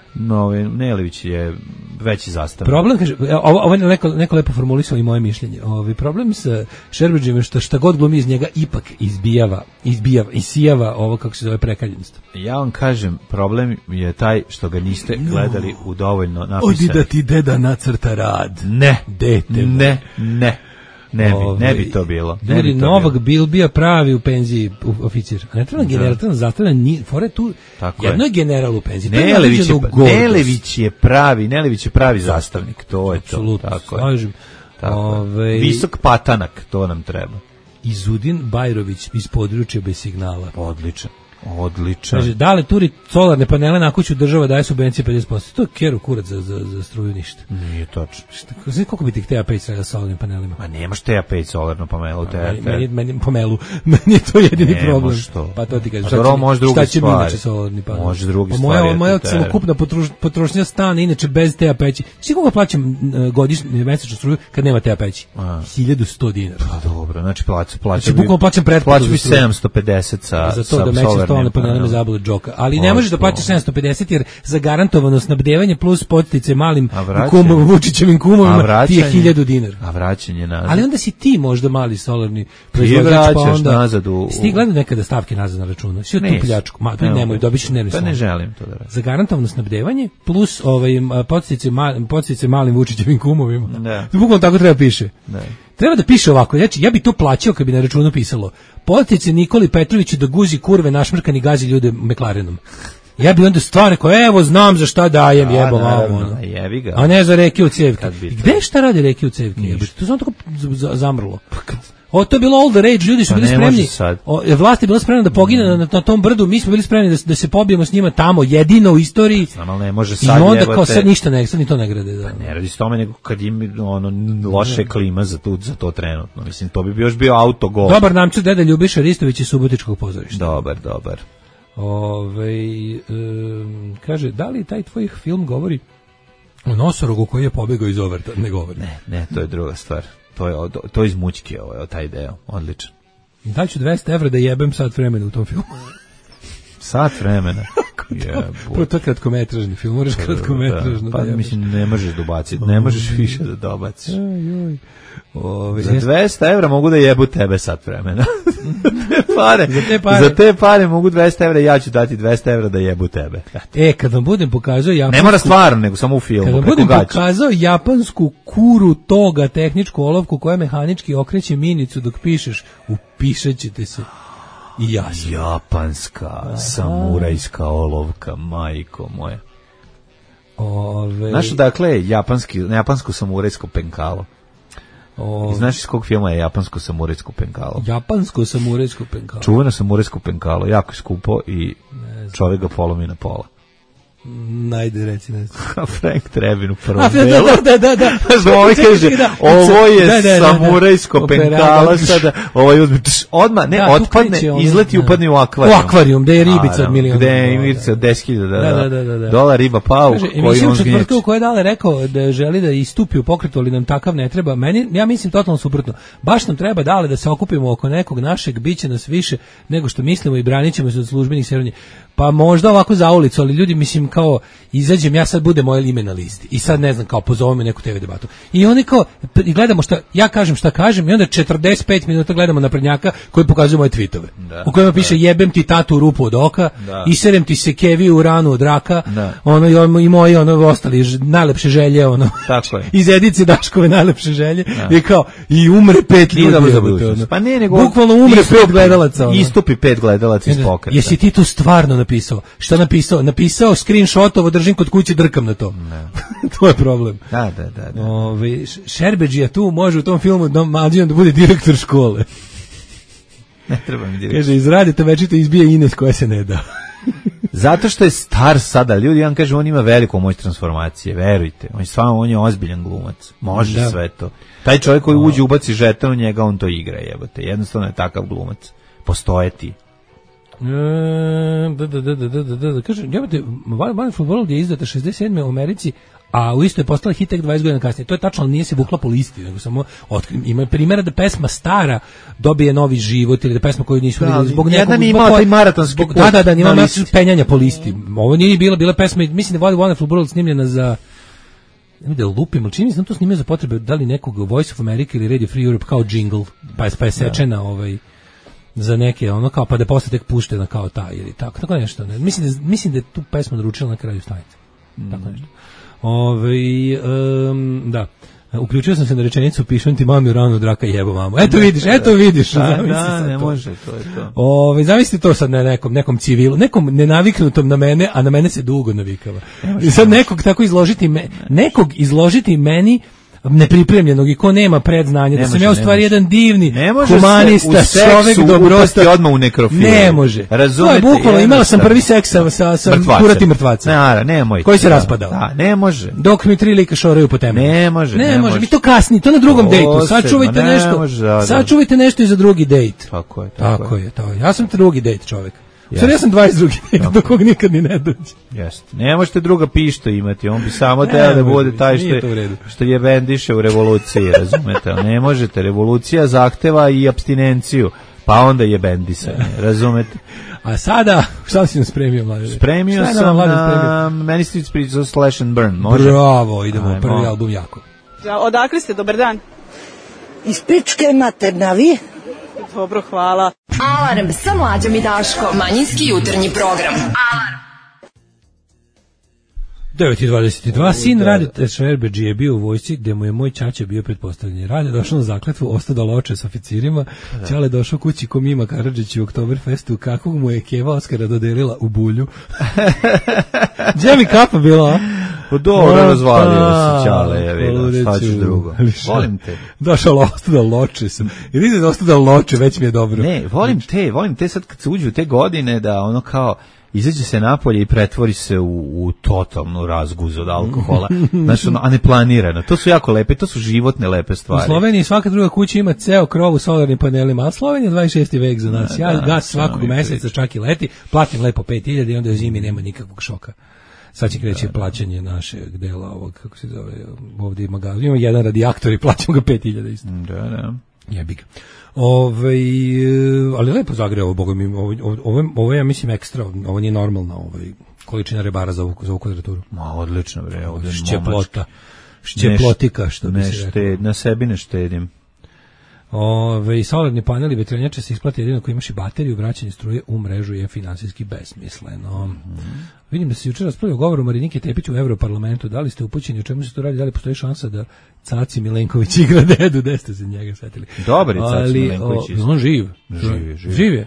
Nelević je veći zastav. Problem, kaže, ovo je neko lepo formulisao i moje mišljenje. Problem sa Šerbedžijem je šta god glumi iz njega ipak isijava ovo kako se zove prekaljenost. Ja vam kažem, problem je taj što ga niste gledali u dovoljno napisano. Odi da ti deda nacrta rad. Ne. Dete. Ne bi to bilo. Ljudi, Novak Bilbija pravi u penziji oficir. A ne treba general, treba zastavljan, fore tu, jedno je general u penziji. Nelević je pravi zastavnik, to je to. Apsolutno, slažem. Visok patanak, to nam treba. Izudin Bajrović iz područja bez signala. Odličan. Kaže, dale turi solarne panele na kuću, država daje subvencije 50%. To je keru kurac za struju ništa. Nije točno. Znaš koliko bi ti TA5 sa solarnim panelima? Ma nemaš TA5 solarno panelu. Meni je to jedini problem. Pa to ti kažem. Šta će mi inače solarni panel? Može drugi stvari. Moja celokupna potrošnja stane inače bez TA5. Svi koga plaćam godišnje mesečnu struju kad nema TA5? 1100 dinara. Pa dobro, znači plaćam pretplatu. Plaćam bi 750 sa solarnim. solarne panele me zabole džoka. Ali ne možeš da plaćaš 750 jer zagarantovano snabdevanje plus podstice malim Vučićevim kumovima ti je 1000 dinara. A vraćanje nazad. Ali onda si ti možda mali solarni proizvođač, pa onda nazad ti gledao nekada stavke nazad na računu. Svi tu pljačku. Ma nemoj, dobićeš dnevni slon. Pa ne želim to da radim. Zagarantovano snabdevanje plus podstice malim Vučićevim kumovima. Bukvalno tako treba piše. Treba da piše ovako, znači ja bi to plaćao kad bi na računu pisalo podstice Nikoli Petroviću da guzi kurve našmrkani gazi ljude McLarenom. Ja bi onda stvarno rekao, evo znam za šta dajem, jebo malo. A ne za reke u cevke. Gde šta radi reke u cevke? To sam tako zamrlo. To je bilo all the rage, ljudi su bili spremni. Vlast je bila spremna da pogine na tom brdu, mi smo bili spremni da se pobijemo s njima tamo, jedino u istoriji. Samo ne može sad. I onda kao sad ništa ne, sad ni to ne grade. Da. Pa ne radi s tome nego kad im loše klima za to trenutno. Mislim, to bi još bio autogol. Dobar namču deda Ljubiša Ristović iz Subotičkog pozorišta. Dobar. Kaže, da li taj tvoj film govori o nosorogu koji je pobegao iz Overta? Ne govori. Ne, to je druga stvar. To je iz mućke, taj deo, odličan. Da ću 200 evra da jebem sat vremena u tom filmu. Sat vremena? Prvo to je kratkometražni film, moraš kratkometražno. Pa mislim, ne možeš dobaciti, ne možeš više da dobaciš. Za 200 evra mogu da jebu tebe sat vremena. Za te pare mogu 200 evra, ja ću dati 200 evra da jebu tebe. Kad vam budem pokazao japansku... Ne mora stvarno, nego samo u filmu. Kad vam budem pokazao japansku kuru toga, tehničku olovku koja mehanički okreće minicu dok pišeš, upišat ćete se. I ja sam. Japanska samurajska olovka, majko moje. Znaš dakle japansko samurajsko penkalo? Znaš iz kog filma je japansko samurajsko penkalo? Japansko samurajsko penkalo. Čuveno samurajsko penkalo, jako skupo i čovjek ga polomi na pola. Najde reci nešto. Frank Trebin u prvom delu. Da. Ovaj kaže, ovo je samurajsko penkalo sada, ovaj uzme, odmah, ne, otpadne, izleti i upadne u akvarijum. U akvarijum, gde je ribica od miliona. Gde je ribica od 10.000 dolara, riba pauk. Emisiju četvrtka u kojoj je Dale rekao da želi da istupi u pokretu, ali nam takav ne treba. Ja mislim totalno suprotno. Baš nam treba, Dale, da se okupimo oko nekog našeg, biće nas više nego što mislimo i branit ćemo se od službenih seranja. Pa možda ovako za ulicu, ali ljudi, mislim, kao izađem, ja sad bude moje ime na listi i sad ne znam, kao pozovem me neku TV debatu i oni kao, i gledamo šta ja kažem, šta kažem i onda 45 minuta gledamo naprednjaka koji pokazuju moje tweetove u kojima piše jebem ti tatu u rupu od oka, iserem ti se kevi u ranu od raka, i moji ostali najlepše želje, tako je. Iz Edice Daškove najlepše želje i kao, i umre 5 ljudi, pa ne, nego bukvalno umre 5 gledalaca, istupi 5 gledalaca iz pokreta. Jesi ti to stvarno napisao? Šta napisao? Napisao screenshotovo, držim kod kuće, drkam na to. To je problem. Da. Šerbedžija tu može u tom filmu da bude direktor škole. Ne treba mi direktor. Kaže, izradite večito izbije Ines koja se ne da. Zato što je star sada, ljudi, ja vam kažem, on ima veliku moć transformacije, verujte. On je ozbiljan glumac. Može sve to. Taj čovjek koji uđe, ubaci žeton u njega, on to igra, jebote. Jednostavno je takav glumac. Postoje ti. Kaže, Wonderful World je izdata 67. u Americi, a u isto je postala hit tek 20 godina kasnije. To je tačno, ali nije se vukla po listi, nego samo ima primjera da pesma stara dobije novi život ili da pesma koju nisu vidjeli zbog nekog... Jedan nije imao taj maratonski put. Da, nije imao penjanja po listi. Ovo nije bila pesma, mislim da je Wonderful World snimljena za... Ne da lupim, ali čini mi se da to snimio za potrebe da li nekog Voice of America ili Radio Free Europe kao jingle, pa je sečena za neke, kao pa da posle tek puštena kao ta ili tako nešto. Ne. Mislim da je tu pesmu naručila na kraju stanice. Tako nešto. Da. Uključio sam se na rečenicu, pišem ti mami u ranu od raka jebo mamu. Eto vidiš. Da, ne može, to je to. Zamislite to sad na nekom civilu, nekom nenaviknutom na mene, a na mene se dugo navikava. I sad nekog tako izložiti meni nepripremljenog i ko nema predznanje, da sam ja u stvari jedan divni humanista, čovek dobrostar, odmah u nekrofilu. Ne može. Razumete? To je bukvalno, imala sam prvi seks sa kurati mrtvaca. Nemoj. Koji se raspadao. Da, ne može. Dok mi 3 lika šoraju po temi. Ne može. Mi to kasni, to na drugom dejtu. Sačuvajte nešto i za drugi dejt. Tako je. Ja sam drugi dejt čovek. Sad ja sam 22. dejt, do kog nikad ni ne dođe. Jeste. Ne možete druga pišta imati, on bi samo teo da bude taj što je bendiše u revoluciji, razumete? Ne možete, revolucija zahteva i apstinenciju. pa onda je bendisanje, razumete? A sada, šta si nam spremio, Mladen? Spremio sam na Many Streets pričao Slash and Burn, može? Bravo, idemo, prvi album jako. Odakle ste, dobar dan? Iz pičke materna, vi? Dobro, hvala. Alarm sa Mlađom i Daškom, manjinski jutarnji program. Alarm. 9:22, sin Radeta Šerbeđi je bio u vojsci gde mu je moj ćaća bio pretpostavljeni. Rade došao na zakletvu, ostao da loče s oficirima, Ćale došao kući ko Mima Karadžić u Oktoberfestu, kakvog mu je Keva Oskara dodelila u bulju. Gdje mi kapa bila, a? Dobro, razvalio se Ćale, ja vidim, šta ćeš drugo. Volim te. Došao ostao da loče sam. Jer ide da ostao da loče, već mi je dobro. Ne, volim te sad kad se uđu te godine da ono kao izađe se napolje i pretvori se u totalnu razguzu od alkohola, znači, a ne planirano. To su jako lepe, to su životne lepe stvari. U Sloveniji svaka druga kuća ima ceo krov u solarnim panelima, a Slovenija 26. vek za nas. Ja gas svakog meseca čak i leti, platim lepo 5.000 i onda u zimi nema nikakvog šoka. Sad će kreći plaćanje našeg dela ovog, kako se zove, ovdje ima gaz. Ima jedan radijaktor i plaćamo ga 5.000 isto. Da. Jebi ga. Ali lepo zagrevo, boga mi, ovo je, ja mislim, ekstra, ovo nije normalna količina rebara za ovu kvadraturu. Ma, odlično, bre, ovdje šćeplotika, što bi se rekao. Na sebi ne štedim. Solarni paneli vetrenjače se isplati jedino koji imaš i bateriju, vraćanje struje u mrežu je finansijski besmisleno. Vidim da se jučer raspravljao govor o Marinike Tepić u Evroparlamentu. Da li ste upućeni o čemu se to radi? Da li postoji šansa da Caci Milenković igra dedu? Da ste se njega setili? Dobar je Caci Milenković. On živ je.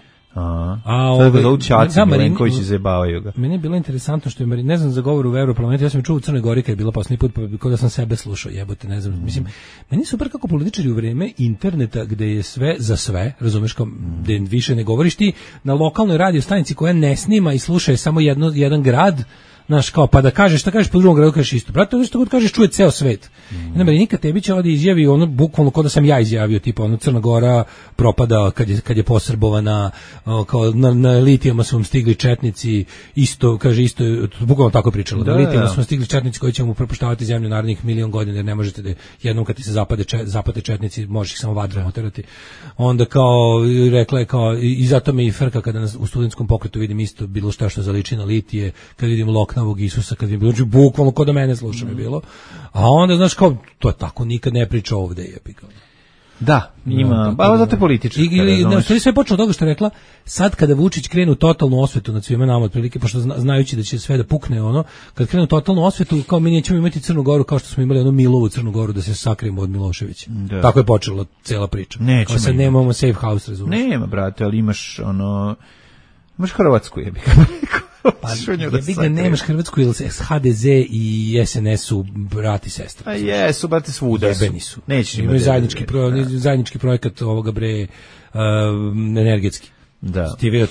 Sada ga zovu Čaci Milenković i zajebavaju ga. Meni je bilo interesantno što je ne znam za govor u Evroparlamentu, ja sam čuo u Crnoj Gori kad je bila posljednji put, pa kao da sam sebe slušao, jebote, ne znam. Mislim, meni je super kako političari u vreme interneta gde je sve za sve, razumeš, kao gde više ne govoriš ti na lokalnoj radio stanici koja ne snima i sluša je samo jedan grad, znaš, kao, pa da kažeš, šta kažeš po drugom gradu, kažeš isto. Brate, ono što god kažeš čuje ceo svet. I Marinika Tepić ovdje izjavi ono, bukvalno kao da sam ja izjavio, tipa, ono, Crna Gora propada kad je posrbovana, kao na litijama su vam stigli četnici, isto, kaže, isto, bukvalno tako je pričalo, na litijama su vam stigli četnici koji će mu propuštavati zemlju narednih 1.000.000 godina, jer ne možete da jednom kad ti se zapade četnici, možeš ih samo vatrom oterati. Onda kao, rekla je kao, i zato me i frka kada u studentskom pokretu vidim isto bilo šta što zaliči na litije, kad vidim Loknavog Isusa, kad vidim bilo, bukvalno kod da mene sluša mi bilo. A onda, znaš, kao, to je tako, nikad ne priča ovde, je pikao. Da, ima, ali zato je politička. Ili sve počelo toga što je rekla, sad kada Vučić krenu totalnu osvetu nad svima nama, otprilike, pošto znajući da će sve da pukne, ono, kad krenu totalnu osvetu, kao mi nećemo imati Crnu Goru kao što smo imali Milovu Crnu Goru da se sakrijemo od Miloševića. Da. Tako je počela cela priča. Nećemo. Sad nemamo safe house, razumiješ. Nema, brate, ali imaš, imaš Hrvatsku, jebi ga. Pa jebi ga, nemaš Hrvatsku, ili HDZ i SNS su brati i sestra. A jesu, brate, svuda jebeni su. Nećeš imaju zajednički projekat ovoga bre energetski. Da. Ti vidio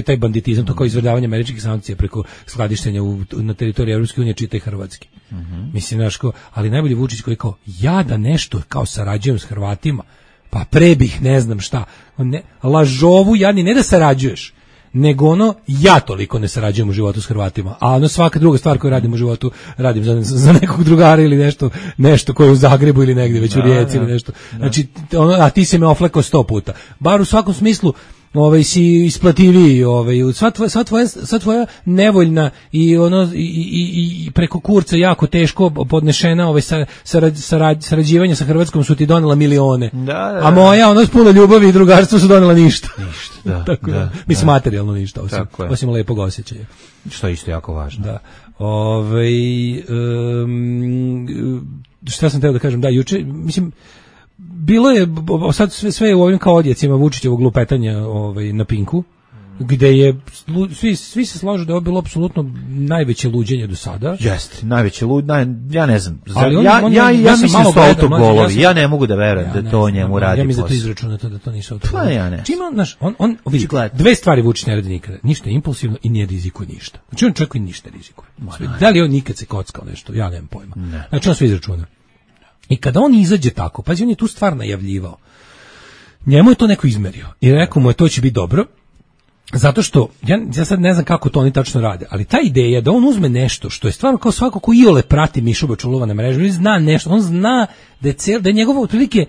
taj banditizam, to kao izvrdavanje američkih sankcija preko skladištenja na teritoriji Evropske unije, čitaj hrvatski. Mislim, znaš, ali najbolji Vučić koji kao, ja da nešto kao sarađujem s Hrvatima, pa pre bih ne znam šta. Lažovu, jadni, ne da sarađuješ, nego ono, ja toliko ne sarađujem u životu s Hrvatima, a ono svaka druga stvar koju radim u životu, radim za nekog drugara ili nešto koje je u Zagrebu ili negdje, već u Rijeci ili nešto. Znači, a ti si me oflekao 100 puta. Bar u svakom smislu, si isplativiji, sva tvoja nevoljna i preko kurca jako teško podnešena sarađivanja sa Hrvatskom su ti donela milione. Da. A moja, s puno ljubavi i drugarstva su donela ništa. Da. Tako da. Mislim, materijalno ništa, osim lepog osjećaja. Što je isto jako važno. Da. Šta sam teo da kažem, da, juče, mislim, bilo je, sad sve je u ovim kao odjecima Vučićevog lupetanja na Pinku, gde je, svi se slažu da je ovo bilo apsolutno najveće luđenje do sada. Jeste, najveće ja ne znam. Ja mislim da su autogolovi, ja ne mogu da verujem da to njemu radi. Ja mislim da to izračunato da to nisu autogolovi. Pa ja ne. Znači on vidi, dve stvari Vučić ne radi nikada. Ništa impulsivno i ne rizikuje ništa. Znači on čovjek koji ništa rizikuje. Da li on nikad se kockao nešto? Ja nemam pojma. Znači on sve izračuna. I kada on izađe tako, pazi, on je tu stvar najavljivao. Njemu je to neko izmerio i rekao mu je to će biti dobro, zato što, ja sad ne znam kako to oni tačno rade, ali ta ideja da on uzme nešto što je stvarno kao svako ko iole prati Mišu Bačulova na mrežu, ili zna nešto, on zna da je njegovo otprilike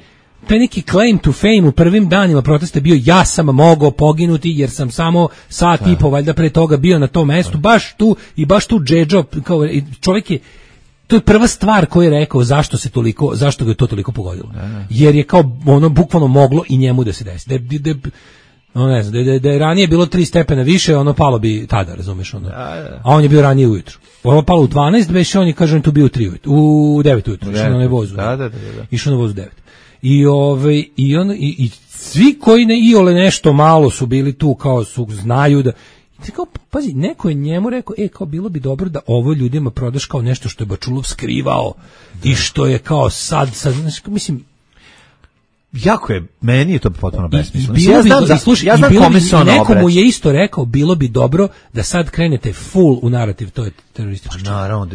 taj neki claim to fame u prvim danima protesta bio ja sam mogao poginuti jer sam samo sat i po valjda pre toga bio na tom mestu, baš tu Džedžo, kao čovjek je, to je prva stvar koju je rekao zašto ga je to toliko pogodilo. Jer je kao ono bukvalno moglo i njemu da se desi. Ne znam, da je ranije bilo 3 stepena više, ono palo bi tada, razumeš, ono. A on je bio ranije ujutru. Ono palo u 12, već on je, kaže, on tu bio u 9 ujutru, išao na onaj vozu. Išao na vozu 9. I svi koji ne iole nešto malo su bili tu, kao su, znaju da, kao, pazi, neko je njemu rekao, kao bilo bi dobro da ovo ljudima prodaš kao nešto što je Bačulov skrivao i što je kao sad, znači, mislim, jako je, meni je to potpuno besmisleno. Ja znam kome se ono obraća. Nekomu je isto rekao, bilo bi dobro da sad krenete full u narativ, to je teroristički čin. Naravno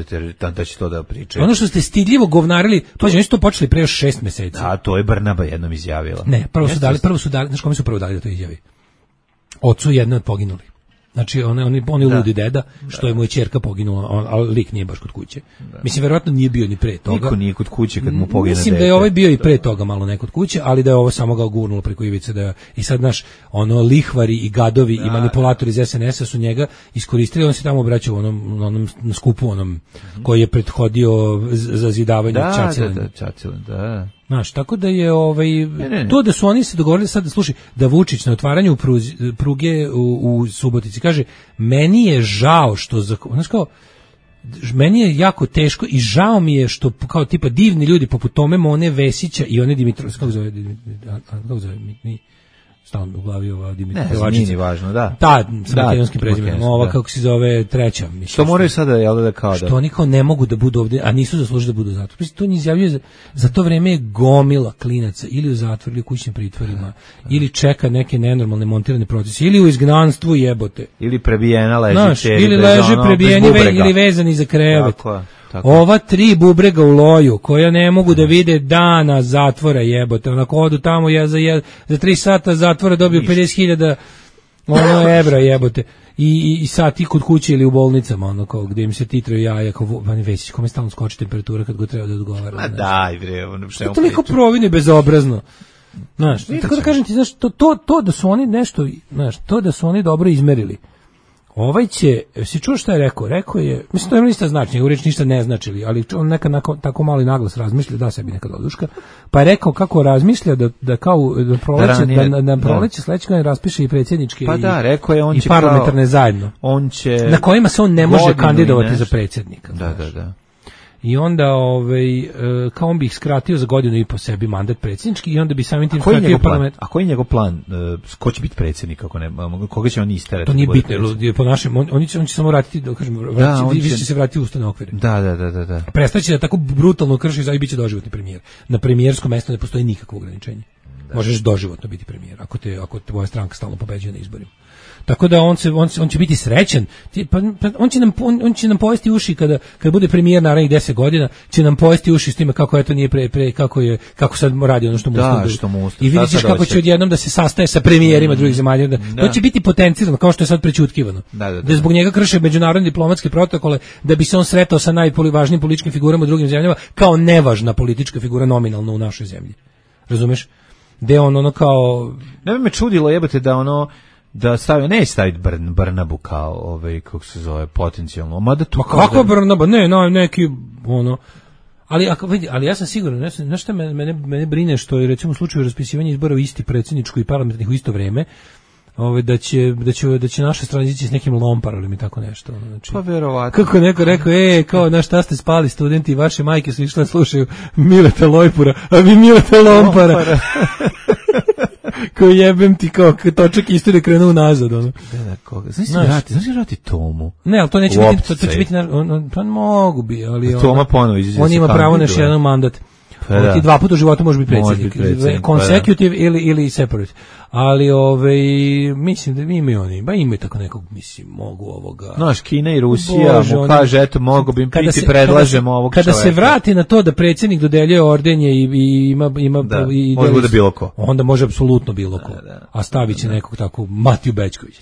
da će to da pričaju. Ono što ste stidljivo govnarili, pa oni su to počeli pre još 6 meseci. Da, to je Brnaba jednom izjavila. Ne, prvo su dali, znaš kome su prvo dali da to izjavi? Ocu jedne od poginuli. Znači, on je ludi deda, što je moja ćerka poginula, ali lik nije baš kod kuće. Mislim, verovatno nije bio ni pre toga. Niko nije kod kuće kad mu pogine dete. Mislim da je ovaj bio i pre toga malo ne kod kuće, ali da je ovo samo ga gurnulo preko ivice. I sad, znaš, lihvari i gadovi i manipulatori iz SNS-a su njega iskoristili, on se tamo obraćao na skupu koji je prethodio za zidavanje Čacilina. Da. Znaš, tako da je to da su oni se dogovorili sad da slušaj, da Vučić na otvaranju pruge u Subotici kaže, meni je žao što, znaš kao, meni je jako teško i žao mi je što kao tipa divni ljudi poput Tome Mone Vesića i one Dimitrovski, kako zove, stalno u glavi ova Dimitrovačica. Ne, nije važno, da. S makedonskim prezimenom, ova kako se zove treća. Mislim, što moraju sada, jel da kao da... Što oni kao ne mogu da budu ovdje, a nisu zaslužili da budu u zatvoru. To njih izjavljuje, za to vreme je gomila klinaca ili u zatvoru ili u kućnim pritvorima, ili čeka neke nenormalne montirane procese, ili u izgnanstvu jebote. Ili prebijena leži. Znaš, ili leže prebijeni ili vezani za krevet. Tako. Ova 3 bubrega u loju koja ne mogu da vide dana zatvora jebote, onako odu tamo za 3 sata zatvora dobiju 50.000 evra jebote i sati kod kuće ili u bolnicama kao gde im se titraju jaja kao Vani Vesić, kome stalno skoči temperatura kad go treba da odgovara. Ma daj bre, to toliko provino bezobrazno. Znaš, tako da kažem ti, znaš, to da su oni nešto, znaš, to da su oni dobro izmerili. Ovaj će, si čuo šta je rekao? Rekao je, mislim, to je ništa znači, njegov reč ništa ne značili, ali on nekad tako malo i naglas razmišlja, da sebi nekad oduška, pa je rekao kako razmišlja da kao na proleće sledeće godine raspiše i predsjedničke i parlamentarne zajedno, na kojima se on ne može kandidovati za predsjednika. Da. I onda kao on bi ih skratio za godinu i po sebi mandat predsjednički i onda bi samim tim skratio parlament. A koji je njegov plan? Ko će biti predsjednik ako ne? Koga će on isterati? To nije bitno, po našem on će samo vratiti, da kažem, više će se vratiti u ustavne okvire. Da. Prestaće da tako brutalno krši i biće doživotni premijer. Na premijerskom mjestu ne postoji nikakvo ograničenje. Možeš doživotno biti premijer ako tvoja stranka stalno pobeđuje na izborima. Tako da on će biti srećan. On će nam pojesti uši kada bude premijer narednih 10 godina, će nam pojesti uši s time kako eto nije kako sad radi ono što mu usluži. I vidjet ćeš kako će odjednom da se sastaje sa premijerima drugih zemalja. To će biti potencirano kao što je sad prećutkivano. Da zbog njega krše međunarodne diplomatske protokole da bi se on sretao sa najvažnijim političkim figurama u drugim zemljama kao nevažna politička figura nominalno u našoj zemlji. Razumeš? Gde on kao... Ne bi me čudilo jebate da staviti Brnabu kao kako se zove potencijalno. Ma kako Brnaba? Ne, neki ali ja sam siguran, znaš šta mene brine što je recimo u slučaju raspisivanja izbora u isti predsjedničku i parlamentarnih u isto vrijeme, da će naša strana ići s nekim lomparom i tako nešto. Znači, pa verovatno. Kako neko rekao, kao na šta ste spali studenti, vaše majke su išle slušaju Mileta Lojpura, a vi Mileta Lompara. Koji jebem ti kao točak istorije krenuo nazad. Znaš vrati Tomu? Ne, ali to neće biti, to će biti, to mogu bi, ali Toma ponovo izađe. On ima pravo na još jedan mandat. On ti 2 puta u životu može biti predsjednik. Consecutive ili separate. Ali mislim da imaju oni, imaju tako nekog, mislim, mogu ovoga. Znaš, Kina i Rusija mu kaže, eto, mogu bi biti, predlažemo ovog čoveka. Kada se vrati na to da predsjednik dodeljuje ordenje i ima može bude bilo ko. Onda može apsolutno bilo ko. A stavit će nekog tako, Matiju Bećković.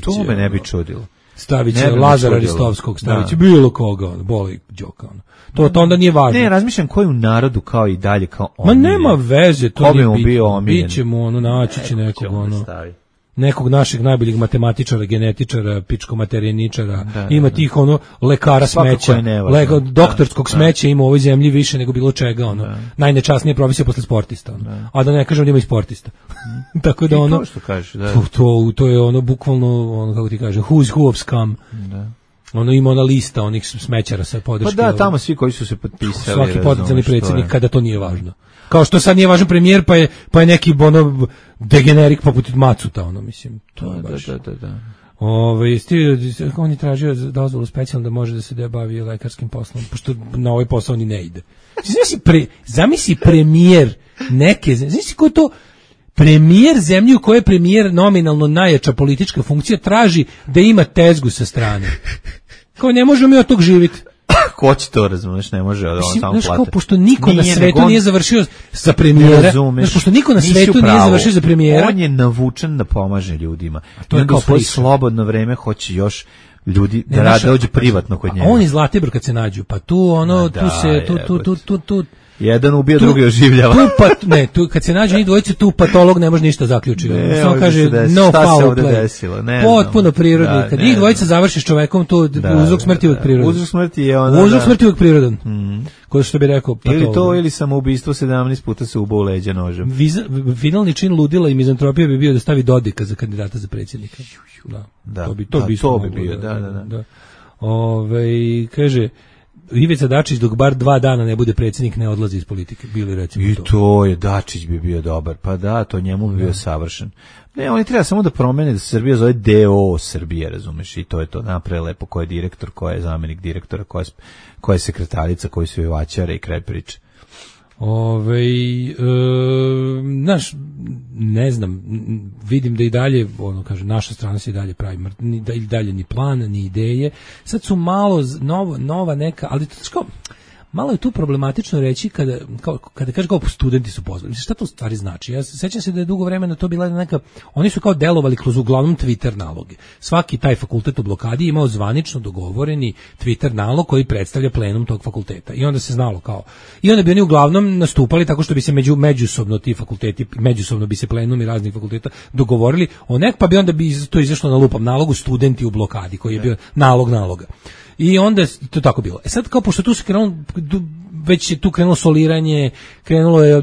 To me ne bi čudilo. stavit će Lazara Ristovskog, stavit će bilo koga, boli Đoka, to onda nije važno. Ne, razmišljam koji u narodu kao i dalje, kao Ma nema veze, to nije bitno. Biće mu, naći će nekog, nekog našeg najboljeg matematičara, genetičara, pičko-materijeničara, ima tih lekara smeća, doktorskog smeća ima u ovoj zemlji više nego bilo čega, najnečasnije profesija posle sportista, a da ne kažem da ima i sportista. Tako da to što kažeš, to je bukvalno, kako ti kaže, who's who of scum. Ima ona lista onih smećara sa podrške. Pa da, tamo svi koji su se potpisali. Svaki potencijalni predsjednik, kada to nije važno. Kao što sad nije važan premijer, pa je neki degenerik poput Macuta, mislim. To je baš. Da. On je tražio dozvolu specijalno da može da se bavi lekarskim poslom, pošto na ovaj posao ni ne ide. Zamisli premijer neke, zamisli ko to premijer zemlje u kojoj je premijer nominalno najjača politička funkcija traži da ima tezgu sa strane. Kao ne možemo mi od tog živjeti. Ko će to, razumeš, ne može samo plati. Pošto niko na svetu nije završio za premijera, pošto niko na svetu nije završio za premijera. On je navučen da pomaže ljudima. To je kao svoje slobodno vreme hoće još ljudi da rade, dođe privatno kod njega. A on iz Zlatibora kad se nađu, pa tu tu jedan ubija, drugi oživljava. Tu kad se nađe njih dvojice, tu patolog ne može ništa zaključiti. Samo kaže no foul play. Potpuno prirodno. Kad njih dvojica završi s čovekom, tu uzrok smrti uvek prirodan. Uzrok smrti je ona. Uzrok smrti uvek prirodan. Ko što bi rekao patolog. Ili to, ili samoubistvo 17 puta se ubao leđa nožem. Finalni čin ludila i mizantropije bi bio da stavi Dodika za kandidata za predsjednika. To bi bio, da. Kaže Ivica Dačić dok bar 2 dana ne bude predsjednik ne odlazi iz politike, bili recimo to. I to je, Dačić bi bio dobar, pa da, to njemu bi bio savršen. Ne, oni treba samo da promene da se Srbija zove DO Srbije, razumeš, i to je to, napravi lepo ko je direktor, ko je zamjenik direktora, ko je sekretarica, koji su jevačare i kraj priče. Znaš, ne znam, vidim da i dalje, naša strana se i dalje pravi, da i dalje ni plan, ni ideje. Sad su malo nova neka, ali to malo je tu problematično reći kada kaže kao studenti su pozvali. Šta to u stvari znači? Ja sećam se da je dugo vremena to bila neka, oni su kao delovali kroz uglavnom Twitter naloge. Svaki taj fakultet u blokadi imao zvanično dogovoreni Twitter nalog koji predstavlja plenum tog fakulteta. I onda se znalo kao. I onda bi oni uglavnom nastupali tako što bi se međusobno ti fakulteti, međusobno bi se plenumi raznih fakulteta dogovorili o pa bi onda bi to izašlo na lupam nalogu studenti u blokadi koji je bio naloga. I onda je to tako bilo. Sad kao pošto tu se krenulo, već je tu krenulo soliranje,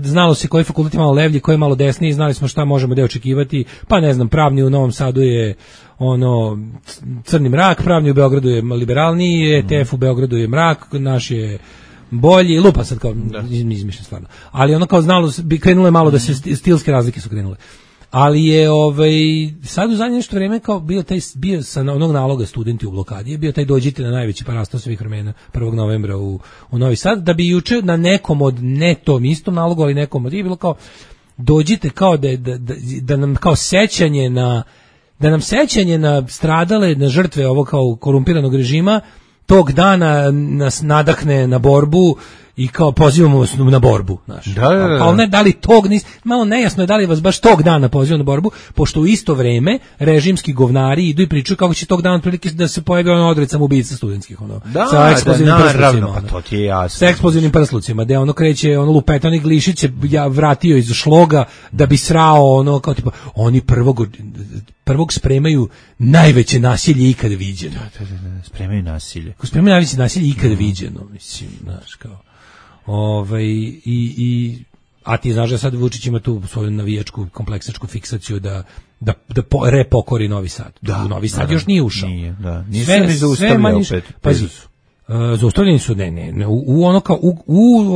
znalo se koji fakultet je malo levlji, koji je malo desniji, znali smo šta možemo da očekivati, pa ne znam, pravni u Novom Sadu je crni mrak, pravni u Beogradu je liberalniji, ETF u Beogradu je mrak, naš je bolji, lupa sad kao izmišljam stvarno. Ali kao znalo, krenulo je malo da se stilske razlike su krenule. Ali je sad u zadnje nešto vreme kao bio sa onog naloga studenti u blokadi, je bio taj dođite na najveći parastao svih vremena 1. novembra u Novi Sad, da bi juče na nekom od, ne tom istom nalogu, ali nekom od, je bilo kao dođite kao da nam kao sećanje na stradale, na žrtve ovog kao korumpiranog režima, tog dana nas nadahne na borbu i kao pozivamo vas na borbu, znaš. Ali ne, da li malo nejasno je da li vas baš tog dana pozivamo na borbu, pošto u isto vreme režimski govnari idu i pričaju kako će tog dana prilike da se pojavi odred samoubica studentskih, sa eksplozivnim prslucima. Pa to ti je jasno. Sa eksplozivnim prslucima, gde kreće, lupeta, onih Glišić se vratio iz šloga da bi srao, kao tipa, oni prvog spremaju najveće nasilje ikada viđeno. Da, spremaju nasilje. Spremaju najveće nasilje ikada viđeno, mislim, znaš, kao. A ti znaš da sad Vučić ima tu svoju navijačku kompleksničku fiksaciju da repokori Novi Sad. Novi Sad još nije ušao. Nije, da. Nisu ni zaustavljali opet. Pazi, zaustavljeni su, u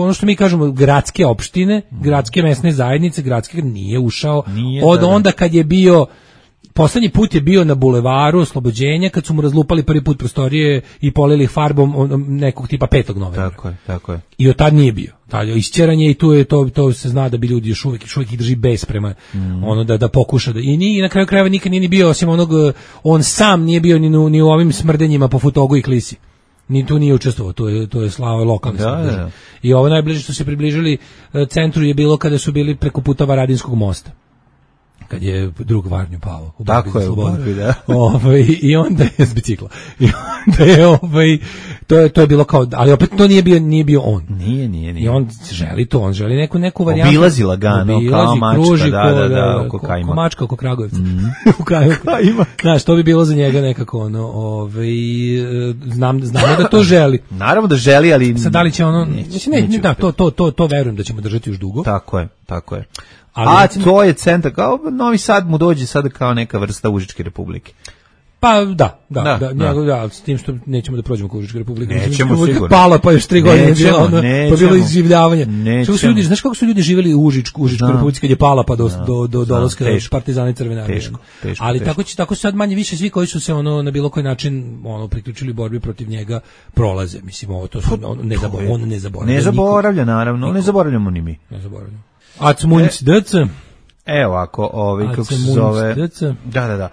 ono što mi kažemo gradske opštine, gradske mesne zajednice, gradske nije ušao. Onda kad je bio, poslednji put je bio na bulevaru Oslobođenja kad su mu razlupali prvi put prostorije i polili farbom nekog tipa 5. novembra. Tako je. I od tad nije bio. Tad je isćeranje i to se zna da bi ljudi još uvijek ih drži bes prema da pokuša. I na kraju krajeva nikad nije ni bio, osim on sam nije bio ni u ovim smrdenjima po Futogu i Klisi. Ni tu nije učestvovao, to je slava lokalne smrdeže. I ovo najbliže što se približili centru je bilo kada su bili preko puta Varadinskog mosta. kad je drug Varnju pao u tako je, da. I onda je s bicikla. I onda je to je bilo kao, ali opet to nije bio on. Nije. I on želi to, on želi neku varijantu. Obilazi lagano, kao mačka, kruži, da, oko Kajma. Ko mačka oko Kragujevca. U Kajma. Znaš, to bi bilo za njega nekako znamo da to želi. Naravno da želi, ali sad da li će ono, to verujem da ćemo držati još dugo. Tako je. A to je centar, kao Novi Sad mu dođe sada kao neka vrsta Užičke republike. Pa da, s tim što nećemo da prođemo kao Užička republika. Nećemo sigurno. Pala pa još 3 godine pa bilo izživljavanje. Znaš kako su ljudi živjeli u Užičkoj republici kad je pala pa do dolaska Partizana i Crvene armije. Ali tako sad manje više svi koji su se na bilo koji način priključili borbi protiv njega prolaze. Mislim, ovo to su on ne zaboravlja. Ne zaboravlja, naravno, ne zaboravljamo ni mi. Ne zaboravljamo. Acmunc DC. Evo ako kako se zove. Da.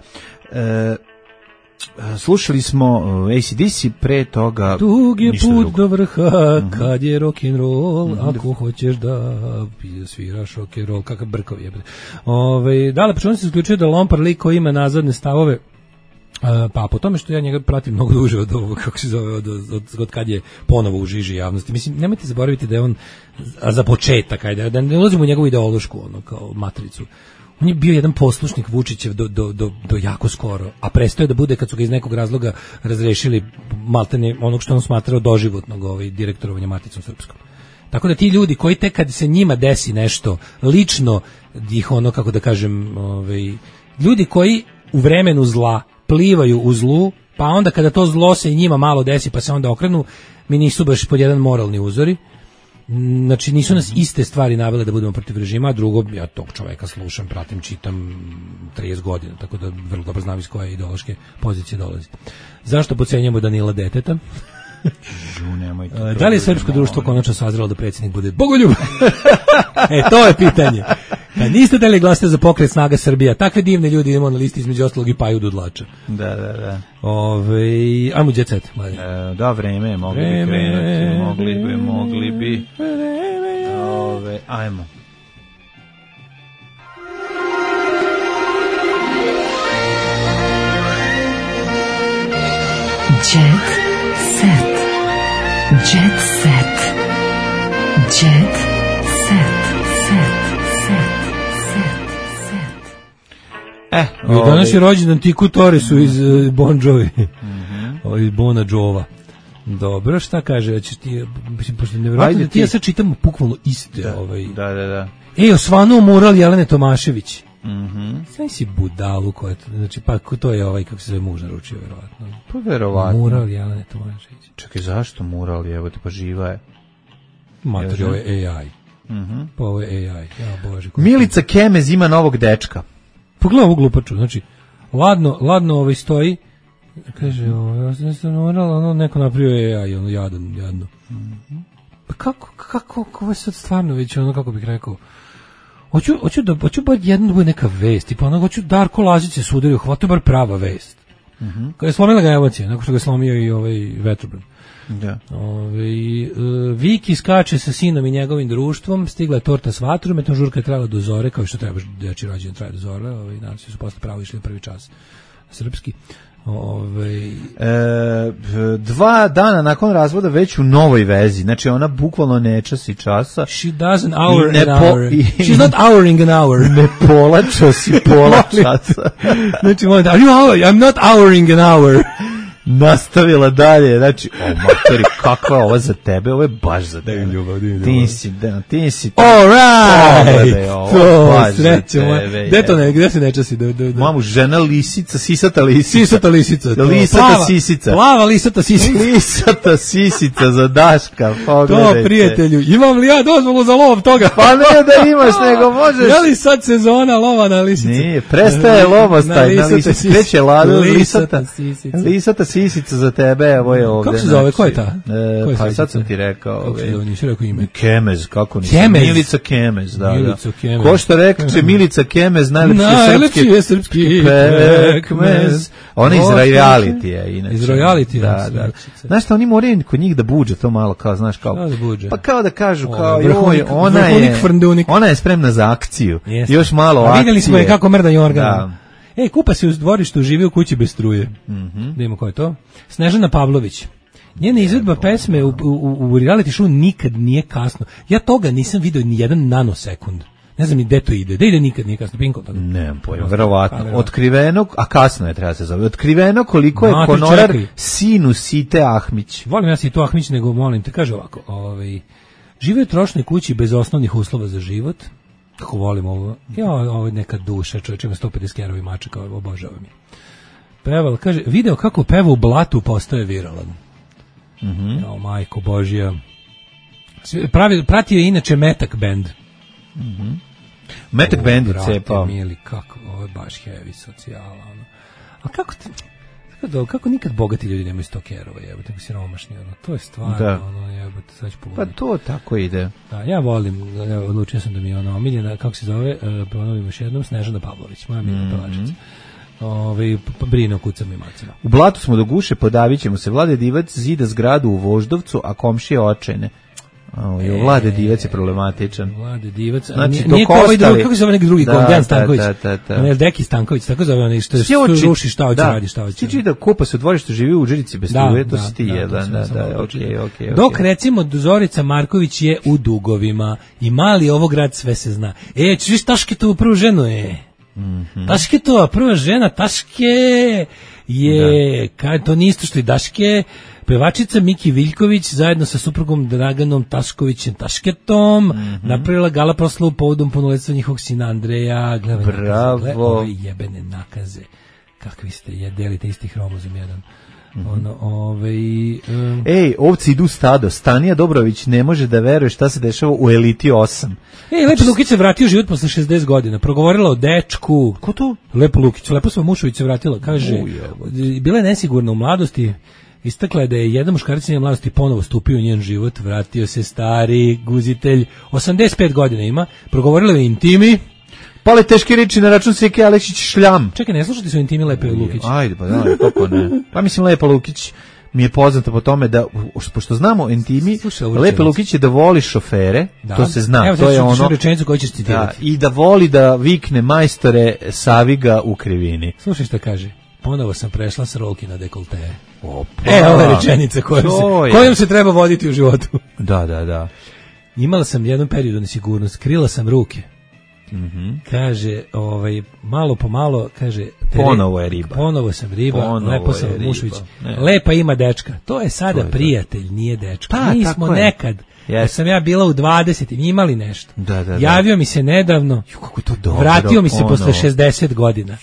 Slušali smo AC/DC, pre toga dug je put do vrha kad je rock'n'roll, ako hoćeš da sviraš rock'n'roll, kakav brkov je. Da, počeo se isključio da Lompar lik koji ima nazadne stavove, pa po tome što ja njega pratim mnogo duže od ovog, kako se zove, od kad je ponovo u žiži javnosti. Mislim, nemojte zaboraviti da je on, za početak, da ne ulazimo u njegovu ideološku, kao matricu. On je bio jedan poslušnik Vučićev do jako skoro, a prestao je da bude kad su ga iz nekog razloga razrešili maltene onog što on smatrao doživotnog direktorovanja Maticom Srpskom. Tako da ti ljudi koji tek kad se njima desi nešto lično, ih kako da kažem, ljudi koji u vremenu zla plivaju u zlu, pa onda kada to zlo se i njima malo desi pa se onda okrenu, mi nisu baš pod jedan moralni uzori. Znači nisu nas iste stvari navele da budemo protiv režima, a drugo, ja tog čoveka slušam, pratim, čitam 30 godina, tako da vrlo dobro znam iz koje ideološke pozicije dolazi. Zašto podcenjujemo Danila Deteta? Da li je srpsko društvo konačno sazrelo da predsjednik bude Bogoljub? To je pitanje. Kad niste dali glasite za Pokret Snaga Srbija, takve divne ljudi idemo na listi između ostalog i Paju Dudlača. Da. Ajmo Jet Set. Da, vreme, mogli bi. Ajmo. Jet Set. Jet Set. Jet Set. Danas je rođendan Tiku Toresu iz Bon Jovi. Iz Bona Jova. Dobro, šta kaže? Mislim, pošto je nevjerojatno da ti ja sad čitam bukvalno iste. Da. Osvanuo mural Jelene Tomašević. Sve si budalu koja to, znači, pa to je kako se zove muž naručio, verovatno. Pa verovatno. Mural Jelene Tomašević. Čekaj, zašto mural, evo te, pa živa je. Mater, ovo je AI. Pa ovo je AI. Ja, Bože. Milica Kemez ima novog dečka. Pogledaj ovu glupaču, znači, ladno stoji, kaže, ja sam moral, neko napravio AI, jadno. Pa kako, ovo je sad stvarno već, kako bih rekao, hoću bar jedno da bude neka vest, tipa hoću Darko Lazić se sudario, hvatio bar prava vest. Kada je slomila ga emocija, nakon što ga je slomio i vetrobran. Da. Viki skače sa sinom i njegovim društvom, stigla je torta s vatrom, eto žurka je trajala do zore, kao što treba deči rođendan traje do zore, naravno su posle pravo išli prvi čas srpski. 2 dana nakon razvoda već u novoj vezi, znači ona bukvalno ne časi časa. She does an hour an hour. She's not houring an hour. Ne polačo si pola časa. Znači, I'm not houring an hour. Nastavila dalje, znači, matori, kakva je ova za tebe, ovo je baš za tebe. Ti si all right, to sreće moja. Gde se ne časi? Mamu, žena lisica, sisata lisica. Lisata sisica. Plava lisata sisica. Lisata sisica za Daška, pogledajte. To, prijatelju, imam li ja dozvolu za lov toga? Pa ne da imaš, nego možeš. Je li sad sezona lova na lisice? Nije, prestaje lovostaj na lisice. Kreće lada lisata sisica. sisica za tebe, ovo je ovde. Kako se zove, ko je ta? Pa sad sam ti rekao. Kako se zove, nisi rekao ime? Kemez, kako nisi? Kemez. Milica Kemez, da. Milica Kemez. Ko što reče Milica Kemez, najlepši je srpski pekmez. Ona iz realitija, inače. Iz realitija. Da. Znaš šta, oni moraju kod njih da buđe to malo, kao, znaš, kao... Pa kao da kažu, kao, ona je spremna za akciju. Još malo akcije. A vidjeli smo je kako mrda Jorgan. Kupa se u dvorištu, živi u kući bez struje. Da imamo ko je to. Snežana Pavlović. Njena izvedba pesme u reality show nikad nije kasno. Ja toga nisam vidio ni jedan nanosekund. Ne znam ni gde to ide. Da ide nikad nije kasno. Pinko toga. Nemam pojma, verovatno. Otkriveno, a kasno je, treba se zove. Otkriveno koliko je honorar sinu Site Ahmić. Volim ja Situ Ahmić, nego molim te, kaže ovako. Žive u trošnoj kući bez osnovnih uslova za život. Kako volim ovo. Ovo je neka duša, čovječ ima 150 kerovi mačaka, obožavam je. Peval, kaže, video kako peva u blatu postaje viralan. Majko Božija. Pratio je inače Metak band. Metak band je cepao. Mili, kako, ovo je baš heavy socijala. A kako nikad bogati ljudi nemaju 100 kerova, jebote, nego siromašni, to je stvarno, jebote, sad ću pogledati. Pa to tako ide. Da, ja volim, odlučio sam da mi je omiljena, kako se zove, ponovim još jednom, Snežana Pavlović, moja omiljena pevačica. Brine o kucama i macima. U blatu smo do guše, podavit ćemo se. Vlade Divac zida zgradu u Voždovcu, a komšije očajne. Vlade Divac je problematičan. Vlade Divac, znači, nije kao ovaj drugi, kako se zove neki drugi, Dejan Stanković. Deki Stanković, tako zove onaj što ruši šta hoće radi, šta hoće. Ti da kupa se u dvorištu, živi u Udžerici bez struje, to si ti jedan. Okay. Dok recimo Zorica Marković je u dugovima i mali ovo grad sve se zna. Viš Tašketovu prvu ženu Tašketova prva žena, Taške je, to nije isto što i Daške, pevačica Miki Viljković zajedno sa suprugom Draganom Taškovićem Tašketom napravila gala proslavu povodom punoletstva njihovog sina Andreja. Bravo. Ove jebene nakaze. Kakvi ste, delite isti hromozom jedan. Ovci idu stado. Stanija Dobrović ne može da veruje šta se dešava u Eliti 8. Lepo Lukić se vratio život posle 60 godina. Progovorila o dečku. Ko to? Lepo Lukić. Lepo sva Mušović se vratila. Kaže, bila je nesigurna u mladosti. Istakla je da je jedan muškarac njene mladosti ponovo stupio u njen život. Vratio se stari guzitelj. 85 godina ima. Progovorila je o intimi. Pale teške reči na račun Seke Aleksić šljam. Čekaj, ne slušati su intimi Lepe Lukić? Ajde, pa da, kako ne. Pa mislim, Lepa Lukić mi je poznata po tome da, pošto znamo intimi, Lepe Lukić je da voli šofere, to se zna. Evo, to je ono, rečenicu koju ćeš citirati. I da voli da vikne majstore Saviga u krivini. Slušaj što kaže. Ponovo sam prešla s rolki na dekolte. Ova je rečenica kojom se treba voditi u životu. Da. Imala sam jedan period nesigurnost, krila sam ruke. Kaže, malo po malo, kaže, ponovo je riba. Ponovo sam riba, lepo sam Mušović. Lepa ima dečka. To je sada prijatelj, nije dečka. Pa, mi smo nekad. Sam ja bila u 20 imali nešto. Javio mi se nedavno. Kako to dobro. Vratio mi se posle 60 godina.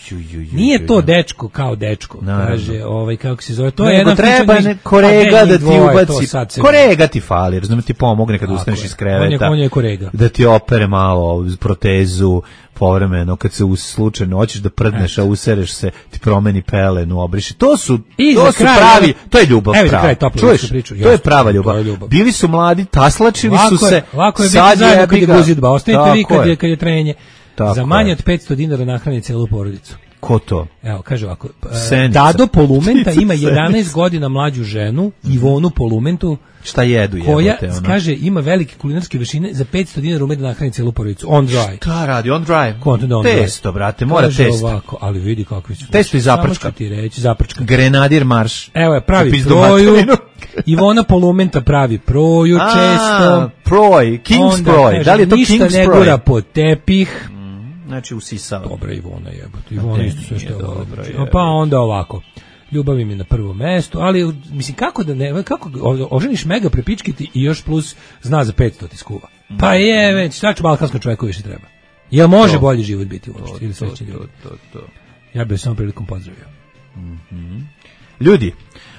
Nije to dečko kao dečko. Kaže, kako se zove. To je jedan treba korega da ti ubaci. Korega ti fali, razumem, ti pomogne kad ustaneš iz kreveta. On je korega. Da ti opere malo protezu povremeno, kad se slučajno hoćeš da prdneš, a usereš se, ti promeni pelenu, obriši. To su pravi, to je ljubav prava. Čuješ, to je prava ljubav. Bili su mladi, taslačili su se. Lako je biti zajedno kad je guzidba. Ostanite vi kad je trenje. Za manje od 500 dinara nahrani celu porodicu. Ko to? Evo, kaže ovako. Dado Polumenta ima 11 godina mlađu ženu, Ivonu Polumentu. Šta jedu koja, kaže, ima velike kulinarske vešine, za 500 dinara ume da nahrani celu porodicu. On dry. Šta radi? On dry? Testo, brate, mora testo. Ovako, ali vidi kakvi su. Testo i zaprčka. Ti reći, zaprčka. Grenadir marš. Evo je, pravi proju. Ivona Polumenta pravi proju često. Proj, King's proj. Da li je to King's proj? Ništa ne gura pod tepih. Znači usisao. Dobra Ivona jebote. Ivona isto sve što je dobro. Pa onda ovako. Ljubav im je na prvom mestu, ali mislim kako oženiš mega prepičkiti i još plus zna za 500 ti skuva. Pa je već, šta ću balkanskom čovjeku više treba. Jel može bolji život biti uopšte ili sve će ljudi? Ja bih samo prilikom pozdravio. Ljudi,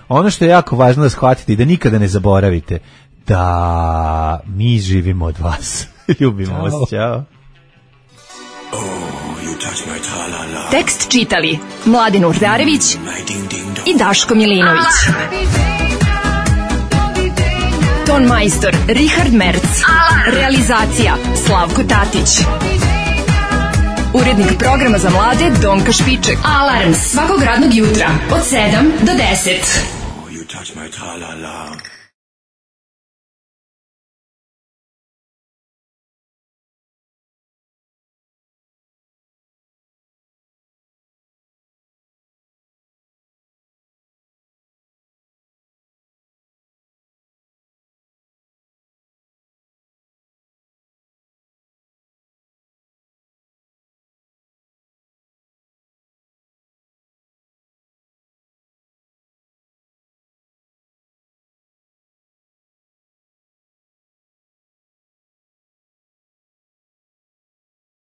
ono što je jako važno da shvatite i da nikada ne zaboravite, da mi živimo od vas. Ljubimo vas, ćao. Tekst čitali Mladin Urdarević i Daško Milinović. Ton majstor Richard Merc. Realizacija Slavko Tatić. Urednik programa za mlade Donka Špiček. Alarms svakog radnog jutra od 7 do 10. You touch my tra-la-la.